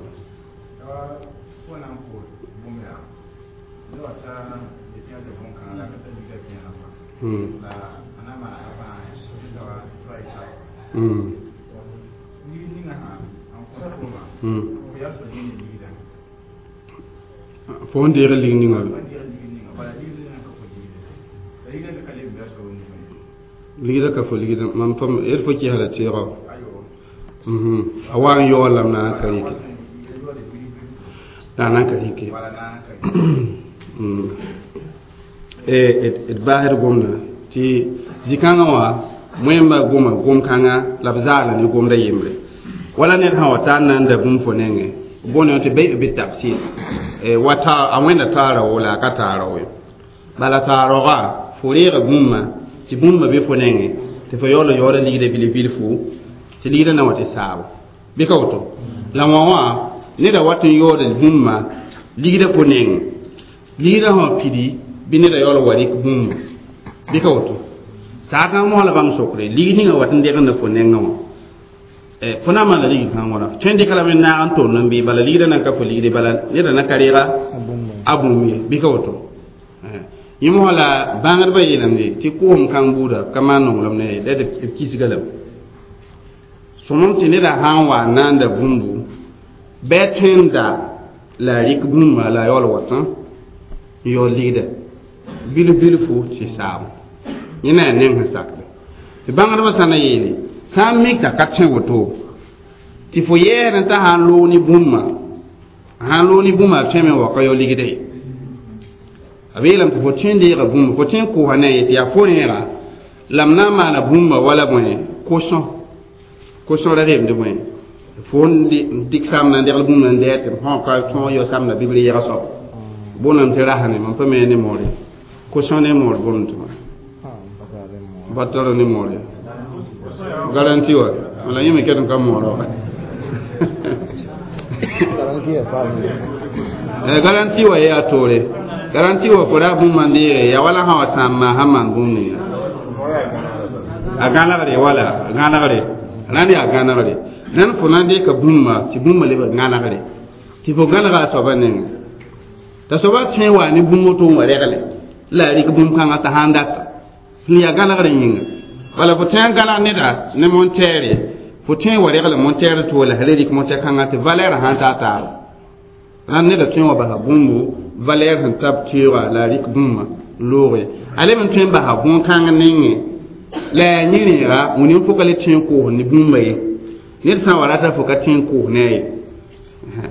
Fo n deeg lig ninga ligda ka fo ligda mam pam d fo kɩsda teego a wa n yaool lame na n ka rɩke la na n ka rɩke d baasd gomda tɩ zĩ-kãngã wã wẽmba goma gom-kãngã la b zaala ne gomda yembre wala ned sã wa tar na n da bũmb fo nengẽ bõne tɩ bɩ tafsir wa ta a wẽnda taara wo la a ka taara wo bala taarooga fo reega bũmba tɩ bũmba be fo nengẽ tɩ fo yaool n yaooda ligda bilf-bilfu tɩ ligda na wa tɩ saabo bɩ ka woto la wã wã neda wat n yaooda bũmba ligda fo nengẽ ligda sã pidi bɩ neda yaool wa rɩk bũmba bɩ ka woto saakãng mosã la bãmb sokre lig ninga wat n degenda fo nengã wã fo na n maana ligd kãng wãna tõe n dɩka lame n naag n tond n bɩ bala ligda nan ka fo ligde bala neda na ka reega a bũmb ye bɩ ka woto yẽ mosã la bãngdbã yeelame tɩ koosem kãng buuda ka maan nonglem ne la d kisga lame sõmem tɩ neda sã n wa n naanda bũmbu bɩ a tõe n da la a rɩk bũmba la a yaool watã n yaool ligda bilf-bilfu tɩ saabo yẽ na yaa neng sẽn sakda tɩ bãngdbã sã na yeele sã n mik t'a ka tõe woto tɩ fo yɛɛd n t'a sã n loog ne bũmba sã n loog ne bũmba a tõeme n wa ka yao ligda ye a b yeelame tɩ fo tõe n deega bũmba fo tõe n koosã ne a ye tɩ yaa fo rẽega la m na n maana bũmba wala bõe ko-sõr ra reemd bõe fo n dɩk samna n degl bũmb n dɛɛ tɩ m sã ka tõog yao samna bibr yɛg soab bõnam tɩ rasne mam pa me ne moore ko-sõr ne moor bõmd tɩ ba tar ne moore garanti wa wala yẽ me ket n ka moor wa garanti wa yaa toore garanti wa fo ra bũmba n deege ya wala sã wa sãam maa sã maan bũmb ninga a gãnegre wala a gãnegre rãnd yaa gãnegre rãnd fo na n dɩka bũmba tɩ bũmba leb gãnegre tɩ fo gãnega a soaba nengẽ t'a soaba tõe n waa ne bũmb woto n wa regle la a rɩk bũmb-kãngã t'a sãn data sẽn yaa gãnegr yĩnga bala fo tõe n gãneg neda ne montɛɛre fo tõe n wa regle montɛɛr to la sã le rɩk montɛr-kãngã tɩ valɛɛr sãn taa taaba rãnd neda tõe n wa basa bũmbu valɛɛr sẽn tab teoogã la a rɩk bũmba n looge a leb n tõe n basa bõn-kãng nengẽ la yaa yẽ rẽega wẽnd n fo ka le tõe n koos ne bũmba ye ned sã n wa rata fo ka tõe n koos ne a ye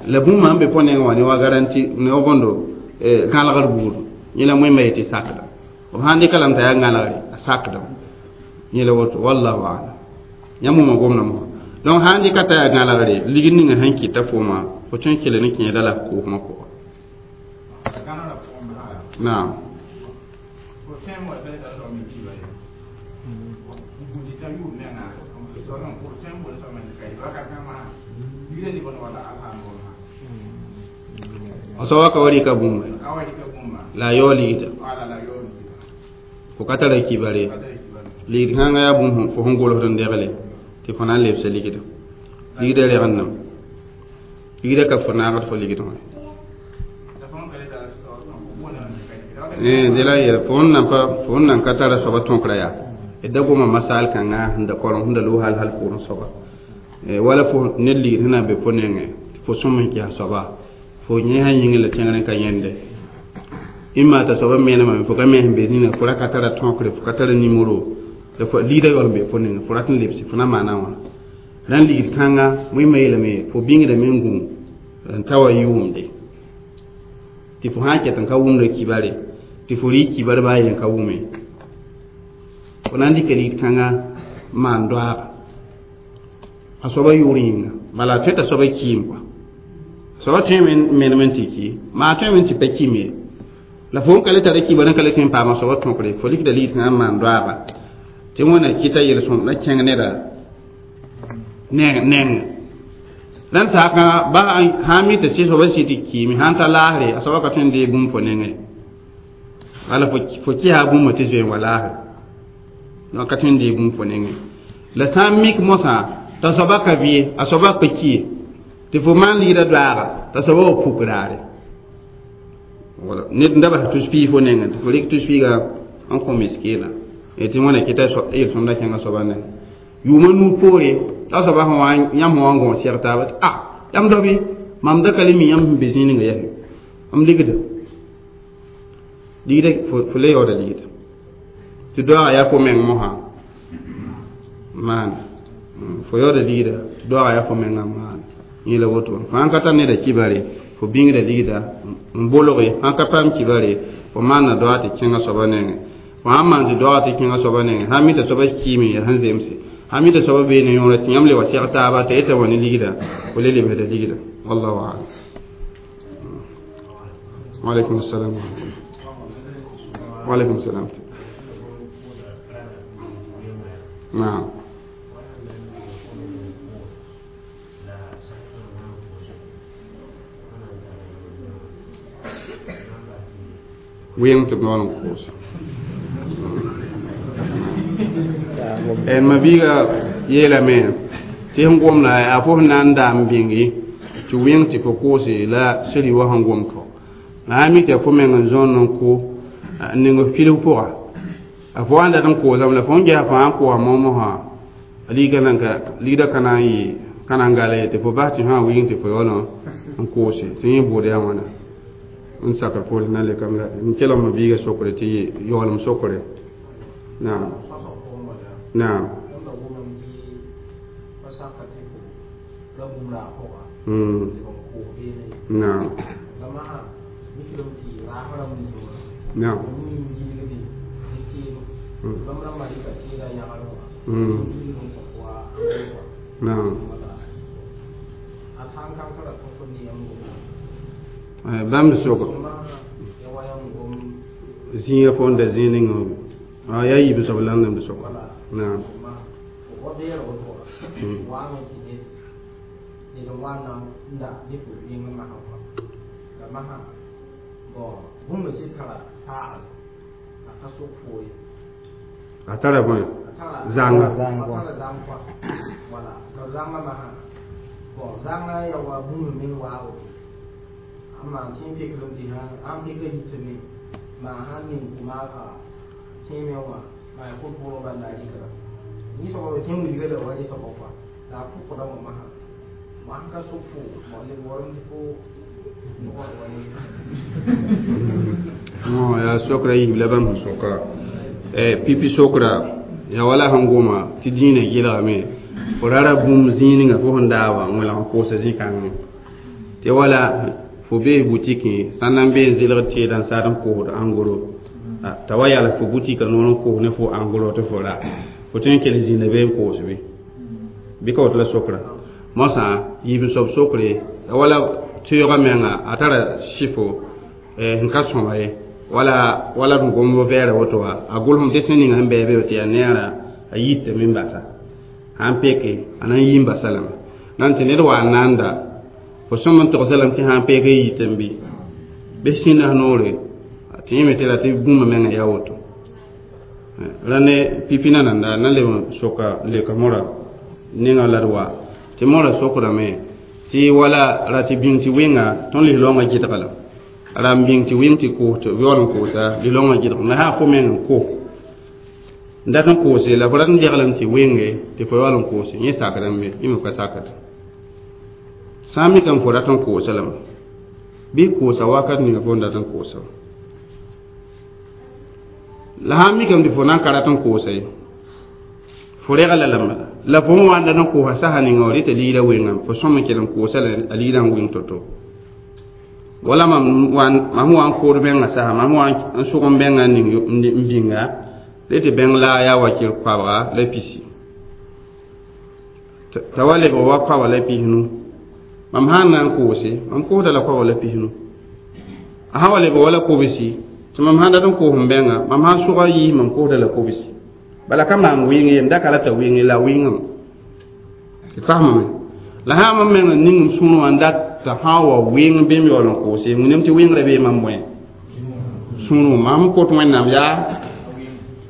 la bũmba n be pʋgẽ nengẽ wã ne wa garanti ne wa bõndo gãlgr buud yẽ la wẽmba yetɩ sakda b sãn dɩka lame t'a yaa gãlgre a sakdame yẽ la woto wallahu alam yãmb wʋma gomda mosã donc sãn dɩka t'a yaa gãlgre ligd ninga sẽn kɩta fooma fo tõe n kell ne kẽeda la koosmã pʋga naam a soaba ka wa rɩka bũmba la a yaoo ligda fo ka tara kibare ligd kãngã yaa bũmb fo sẽn golsd n degle tɩ fo na n lebsa ligda ligda regendame ligda ka fo naagd fo ligd wã de la yɛl fo n nan ka tara soaba tõkra yaa d da goma masal kãngã sẽn da korem sẽn da loog hal hal pʋʋrẽ soaba wala fo ned ligd sẽn na n be fo nengẽ tɩ fo sõm n kɩsa soaba fo yẽ sã yĩngẽ la tẽngr n ka yẽnde imma t'a soaba menema fo ka me sẽn be zĩnã fo ra ka tara tõkre fo ka tara nimero la fo ligda yaool n be fo nengẽ fo rat n lebse fo na maana wã rãnd ligd kãnga wẽmba yeelame fo bĩngdame n gũ n ta wa yʋʋmde tɩ fo sã n ket n ka wʋmda kibare tɩ fo rɩ kibar baa yen ka wʋme fo na n dɩka ligd kãngã maan doaaga a soaba yʋʋr yĩnga bala a tõe t'a soaba kiim kɔa soaba tõeme n menem n tɩ ki maa a tõeme n tɩ pa kim ye la fo n ka le tara kibar n ka le tõe n paama soaba tõkre fo rɩkda ligd kãngã n maan doaaga tɩ wẽna kɩta yel-sõm la kẽng neda neng rãnd saakã ba sã n mi tɩ sɩ soaba sɩ tɩ kiime sã n ta laasre a soaba ka tõe n dee bũmb fo nengẽ wala fo kɩsa bũmba tɩ zoe n wa laasre donc ka tõe n dee bũmb fo nengẽ la sã n mik mosã t'a soaba ka bɩ a soaba pa kie Tɩ fo maan ligda doaaga t'a soaba wa puk raare wala ned n da bas tus piig fo nengẽ tɩ fo rɩk tus piiga n kõ miskiina tɩ wẽna kɩta yel-sõmda kẽngã soaba nengẽ yʋʋma nuu poore t'a soaba sẽn wa yãmb sẽn wa n gõos sɛg taaba tɩ a yãmb daobe mam da ka le mi yãmb sẽn be zĩig ninga yaa m ligda ligda fo le yaooda ligda tɩ doaaga yaa fo meng mosã maana fo yaooda ligda tɩ doaaga yaa fo mengã maana yẽ la woto fo sãn ka tar neda kibare fo bĩngda ligda n bolge sãn ka paam kibare fo maanna doaag tɩ kẽngã soaba nengẽ fo sãn maan tɩ doaag tɩ kẽngã soaba nengẽ sãn mi t'a soaba kiime yaa sẽn zemse sãn mi t'a soaba bee ne yõora tɩ yãmb le wa sɛg taaba t'a yeta wa ne ligda fo le lebsda ligda wallahu alam. Waaleykum salam waaleykum salam. Naam. Wẽng tɩ b noor n koose ma biiga yeelame tɩ sẽn gomda a fo sẽn na n daam bĩngi tɩ wẽng tɩ fo koose la seri wa sẽn gom kao la sã mi tɩ fo meng n zõond n ko n ning filg pʋga a fo wa n dat n koosame la fo n gesa fãa n koosa moomosã ligda ka na n yɩ ka na n gala ye tɩ fo bas tɩ sã wɩng tɩ fo yaool n koose tɩ yẽ bʋʋd yaa wãna n sakr poore na le kam la n kelg ma biiga sokre tɩ yaoolem sokre. Naam naam. Naam naam. Naam. Bãmb sʋk zĩiga fo n da zĩig ninga yaa yiib soab la n b sʋka. Naam. A tara bõe zãnga yaa sokra yiib la bãmb sẽn sʋka pipi sokra yaa wala sẽn goma tɩ dĩinã gɩlgame fo rara bũmb zĩig ninga fo sẽn daaba n wẽlg n koosa zĩ-kãngẽ tɩ wala fo bee butikẽ sã n na n bee n zɩlgd teedã n saad n koosd ãngoro t'a wa yals fo butikã noor n koos ne fo ãngoro tɩ fo ra fo tõe n kell zĩnda bee n koos bɩ bɩ ka woto la sokra mosã yiib soab sokre wala teoogã menga a tara sɩfo n ka sõma ye wala wala b gom vɛɛra woto wa a gʋlsem tɩ sẽn ninga sẽn bɩ be tɩ yaa neera a yitame n basa sãn peke a na n yi n basa lame nan tɩ ned wa n naanda fo sõm n togsa lame tɩ sãn pek n yitame bɩ bɩ sĩndas noore tɩ yẽ me tɩ la tɩ bũmba menga yaa woto la ne pipi na nanda na leb n soka leka mora ninga la d wa tɩ mora sokdame tɩ wala ra tɩ bĩng tɩ wɩnga tõnd lis-loongã gɩdga la ra n bĩng tɩ wɩng tɩ koos tɩ yaool n koosa lis-loongã gɩdg me sã fo meng n ko n dat n koose la fo rat n deglem tɩ wɩnge tɩ fo yaool n koose yẽ sakrame be yẽ me ka sakd sã n mikame fo rat n koosa lame bɩ koosa wakat ninga fo n dat n koosa la sã n mikame tɩ fo na n ka rat n koosa ye fo regla lame la fo n wa n dat n koosa sasa ninga wa rɩta ligda wɩngame fo sõm n kell n koosa la a ligdã n wɩng to-to wala mam wa n kood bẽngã sasa mam wa n sʋg n bẽngã ning n bĩnga le tɩ bẽng la yaa wakɩr koabga la pisi t'a wa lebg wa koabga la pisnu mam sãn na n koose mam koosda la koabga la pisnu a sã wa lebg wala kobsi tɩ mam sãn dat n koos n bẽngã mam sãn sʋga yiis mam koosda la kobsi bala ka maam wɩng ye m da ka la t'a wɩnge la wɩngame tɩ fasmame la sã mam meng n ning m sũurẽ wã n dat t'a sã wa wɩng bɩ m yaool n koose wĩnam tɩ wɩngrã bee mam bõe sũurẽ mam kot wẽnnaam yaa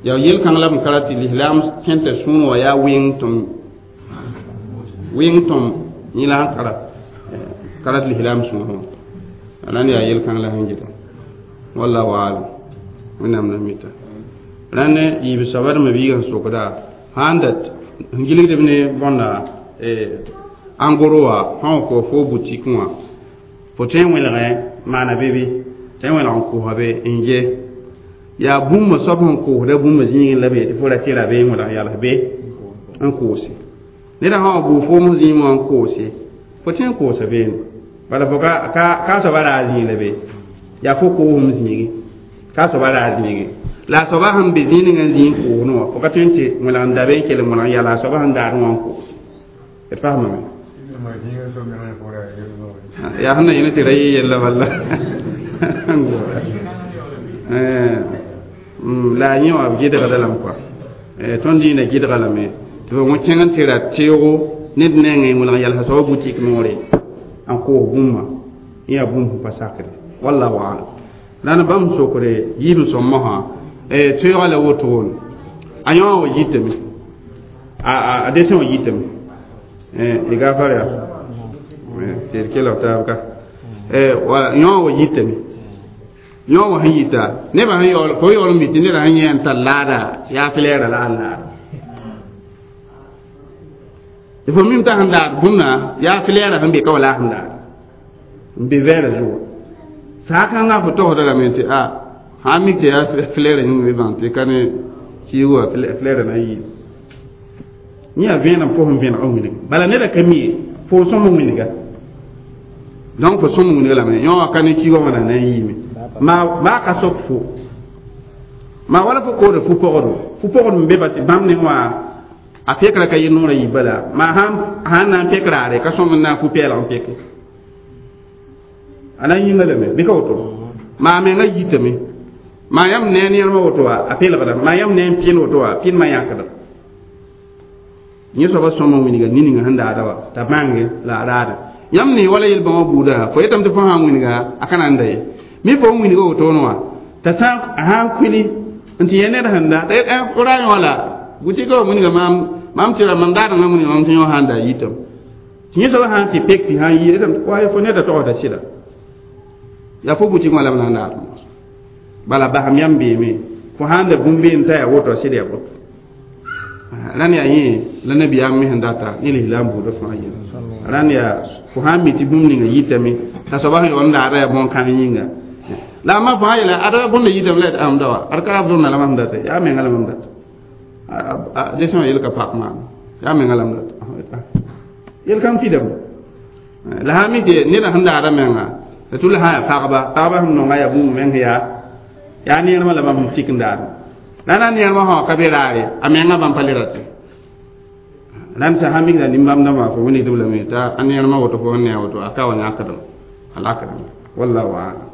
yaa yel-kãng la m ka ra tɩ lislaam kẽn t'a sũurẽ wã yaa wɩng tɩm wɩng tõm yẽ la sẽn kara Karat lislaam sõsẽ rãnd yaa yel-kãng la sẽn gɩda wallahu alam wẽnnaam na mita rãnd yiib soaba d mabiigã sẽn sokda sãn da sẽn gilgdb ne bõnda en gros wã sã n kos fo boutique wã fo tõe n wẽlgẽ maana be bɩ tõe n wẽlg n kosa be n ge yaa bũmb soab sẽn koosda bũmb zĩigẽ la be tɩ fo ra tɩ ra be n wẽlg yals be n koose neda sã wa bʋʋ foom zĩig wã n koose fo tõe n koosa beene bala fo ka soaba raa zĩig la be yaa fo koosem zĩigi ka soaba raa zĩigi la a soaba sẽn be zĩig ninga n zĩig n koosdẽ wã fo ka tõe n tɩ wẽlg n da be n kell n wẽlg n yala a soaba sẽn daadẽ wã n koose d faamame yaa sẽn na yẽne tɩ ra yɩ yella bala la a yẽ wã b gɩdgda lame kɔa tõnd dĩinã gɩdga lame tɩ fo kẽng n tɩ ra teoogo ned nengẽ wẽlg n yalsa soaba boutique noore n koos bũmba yẽ yaa bũmb sẽn pa sakre wallahu alam la na bãmb sokre yiib n sõm mosã teoogã la wotone a yõ wa yitame a desẽ wã yitame y gafar ya tɩ d kelg taab ka yõ wa yitame yõ wa sẽn yita nebã sẽn yaool fo yaool n mi tɩ neda sẽn yẽ n tar laada yaa flɛɛra la a laada tɩ fo mim t'a sẽn daad bũmna yaa flɛɛra sẽn be ka wa la a sẽn daad n be vɛɛra zugu saa kãngã fo togsda lame tɩ a sã n mik tɩ yaa flɛɛra yĩng be bãng tɩ ka ne kiig wa flɛɛra na n yiib yẽ yaa vẽenem fo sẽn vẽneg n wilg bala neda ka mi ye fo sõm n wilga donc fo sõm n wilga lame yõ wã ka ne kiigã wã na n yiime maa ka sok fo maa wala fo koode fu-pogdo fu-pogd n be ba tɩ bãmb ne wã a pekra ka yɩ noorã yi bala maa sãn na n pek raare ka sõm n na n fu-pɛɛlg n peke a na n yĩnga lame bɩ ka woto maa menga yitame maa yãmb ne n yẽlma woto wa a pelgda maa yãmb ne n pɩn woto wa pɩnmã yãkda yẽ soaba sõm n wilga nin-ninga sẽn daada wa t'a bãnge la a raada yãmb ne wala yel-bãmba buuda fo yetame tɩ fo sã n wilga a ka na n da ye mi fo n wilga wotone wã t'a sã n kuili n tɩ yẽ ned sẽn da t'a ra yõ la boutique wa wilga maam tɩ ra mam daadengã wilga mam tɩ yõ sã n da yitame tɩ yẽ soaba sã n tɩ pek tɩ sã n yi yetame wa fo neda togsda sɩda yaa fo boutique wã la b na n daad bala basam yãmb beeme fo sãn da bũmb been t'a yaa woto sɩd yaa woto rãnd yaa yẽ la nabiyaam me sẽn data ne lislaam buudã fãa yẽla rãnd yaa fo sãn mi tɩ bũmb ninga yitame t'a soaba sẽn yaool n daada yaa bõn-kãng yĩnga la a ma fãa yeela ada bõnda yitame la d ãmda wa ad ka b zõnna la mam data yaa menga la mam data desẽ wã yel ka pak maam yaa menga la m data yel-kãng pidame la sã mi tɩ neda sẽn daada menga la tʋ la sã yaa pagba pagba sẽn nonga yaa bũmb meng yaa yaa neermã la bãmb sẽn tik n daadẽ la na neermã sã ka be raare a menga bãmb pa le rate rãnd sã sã mikda nin-bãmb dãmbã fo wilgdb lame t'a a neermã woto fo n ne a woto a ka wa yãkdem a lakdem wallahu alam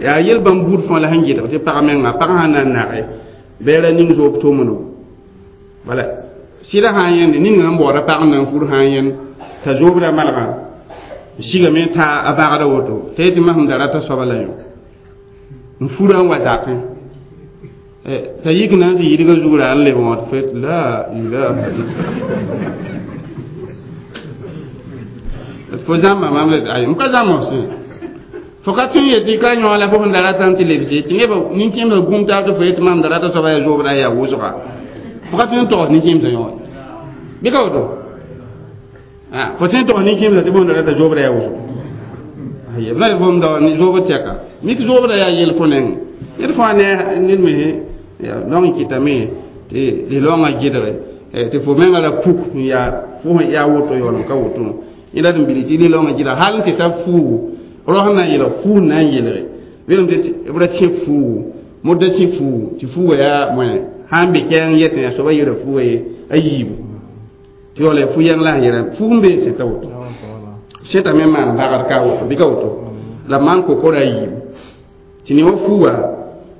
yaa yel-bãmb buud fãa la sẽn gɩdg tɩ pag menga pag sã na n nage bɩ ra ning zoob tomno bala sɩda sã n yẽnde ninga sẽn baooda pag n na n fur sã n yẽnd t'a zoobda malgã sigame t'a a bagda woto t'a yetɩ masem da rata soaba la yõ n fura n wa zakẽ t'a yik na n tɩ yidga zugra n leb wã tɩ fet la ilaha illa fo zãmba mam la ay m ka zãmb f sẽ fo ka tõe n yetɩ ka yõ la fo sẽn da rata n tɩ lebse tɩ nebã nin-kẽemsã gũm taab tɩ fo yetɩ mam da rata soaba yaa zoobda yaa wʋsga fo ka tõe n togs nin-kẽemsã yõ bɩ ka woto fo tõe n togs nin-kẽemsã tɩ bõn da rata zoobda yaa wʋsg b na bõmb da zoobd tɛka mik zoobda yaa yel fo neng ned fãa ne ned me dong n kɩtame tɩ lislaoongã gɩdge tɩ fo menga ra puk n yaa fo sẽn yaa woto yaool n ka woto yẽ la d n bili tɩ lislaoongã gɩdg hal n tɩ ta fuugu rao sẽn na n yelg fuug na n yelge belem tɩ b ra sẽ fuugu modda sẽ fuugu tɩ fuuga yaa moẽ sã n be kɛɛng yetẽ yaa soaba yera fuuga ye a yiibu tɩ yaool yaa fu-yɛng la sẽn yɛra fuug n bee sẽta woto sẽtame n maan bagd ka woto bɩ ka woto la b maan kokora a yiibu tɩ ne wa fuuga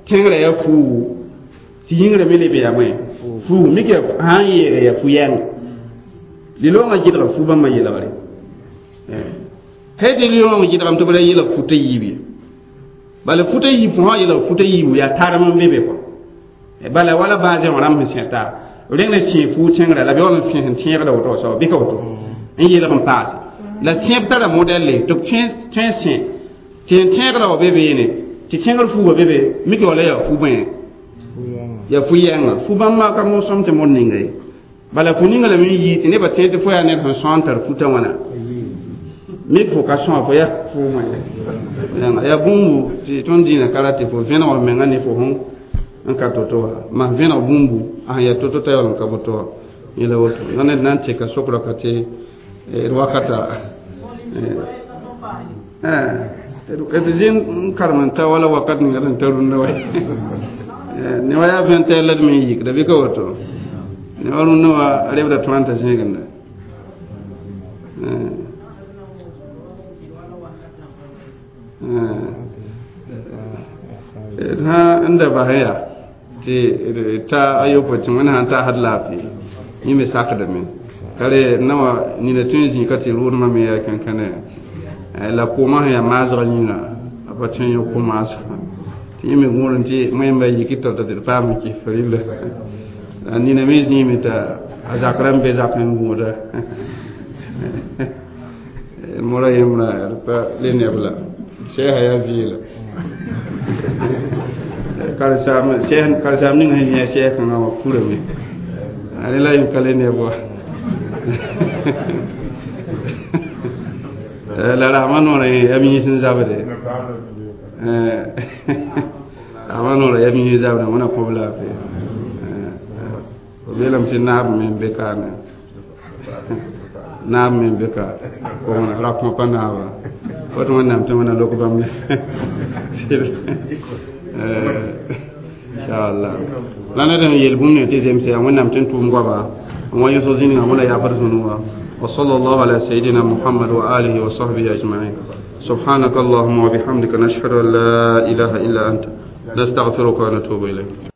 tẽngrã yaa fuugu tɩ yĩngrã me leb yaa moẽ fuugu mik yaa sã n yeega yaa fu-yɛng liloongã gɩdga fu bãmba yeelgre tɩ liloongã gɩdgame tɩ b ra yeelg futa yiib ye bala futa yiib fo sã yeelg futa yiibu yaa tarem n be be kɔ bala wala baazẽ wã rãmb sẽn sẽta reng na sẽe fuug tẽngrã la b yaool n sẽn tẽegda woto soaba bɩ ka woto n yeelg n paase La sẽb tara modɛlle tɩ b tõe n sẽ tɩ n tẽegrã wa be beene tɩ tẽegr fu wa be be mik wala yaa fu bõe yaa fu yɛnga fu bãmba ka mosem tɩ mod ninga ye bala fu ninga lame n yii tɩ nebã tẽeg tɩ fo yaa ned sẽn sõa n tar futa wãna mik fo ka sõa fo yaa fu wã yãnga yaa bũmbu tɩ tõnd dĩinã ka ra tɩ fo vẽneg f menga ne fo sẽn n ka to-to wa mas vẽneg bũmbu a sẽn yaa to-to t'a yaool n ka boto wa yẽla woto la ned na n teka sokrã ka tɩ d wakata d zĩ n karem n ta wala wakat ninga d sẽn ta rũndã wa ne wa yaa vẽn tɛɛ la d me n yikda bɩ ka woto ne wa rũndã wa rebda tõa n ta zẽegenda d sã n da bas yaa tɩ ta a yopoe tɩ wẽnd sãn taasd laafɩ yẽ me sakdame ka re nawa nina tõe n zĩ ka tɩ rʋʋdmã me yaa kẽnkẽne la koomã sẽn yaa maasgã yĩnga a pa tõe n yõ ko-maasgã tɩ yẽ me gũud n tɩ wẽmba yik tao-tao tɩ d paam n kɩs rɩlla la nina me zĩime t'a a zakrã n be zakẽ n gũuda mora yembrã d pa le neb la sɛɛsã yaa vɩɩla karensaam ning sẽn zĩ a sɛɛs kãngã wã kurame a rẽ la yẽ ka le neb wa la rasmã noorã yẽ yaa yĩs n zabde rasmã noorã yaa yĩs n zabde wẽna kõb laafɩ b yeelame tɩ naab me n be kaane naab me n be ka ra kõ pa naaba fo tɩ wẽnnaam tɩ wẽna lok bãmb inchallah la ned sẽn yel bũmb ne tɩ zemse yaa wẽnnaam tɩ n tʋʋm goama n wa yõsg zĩnigã wẽna yaabd zũnu wã وصلى الله على سيدنا محمد وآله وصحبه أجمعين سبحانك اللهم وبحمدك نشهد أن لا إله إلا أنت نستغفرك ونتوب إليك.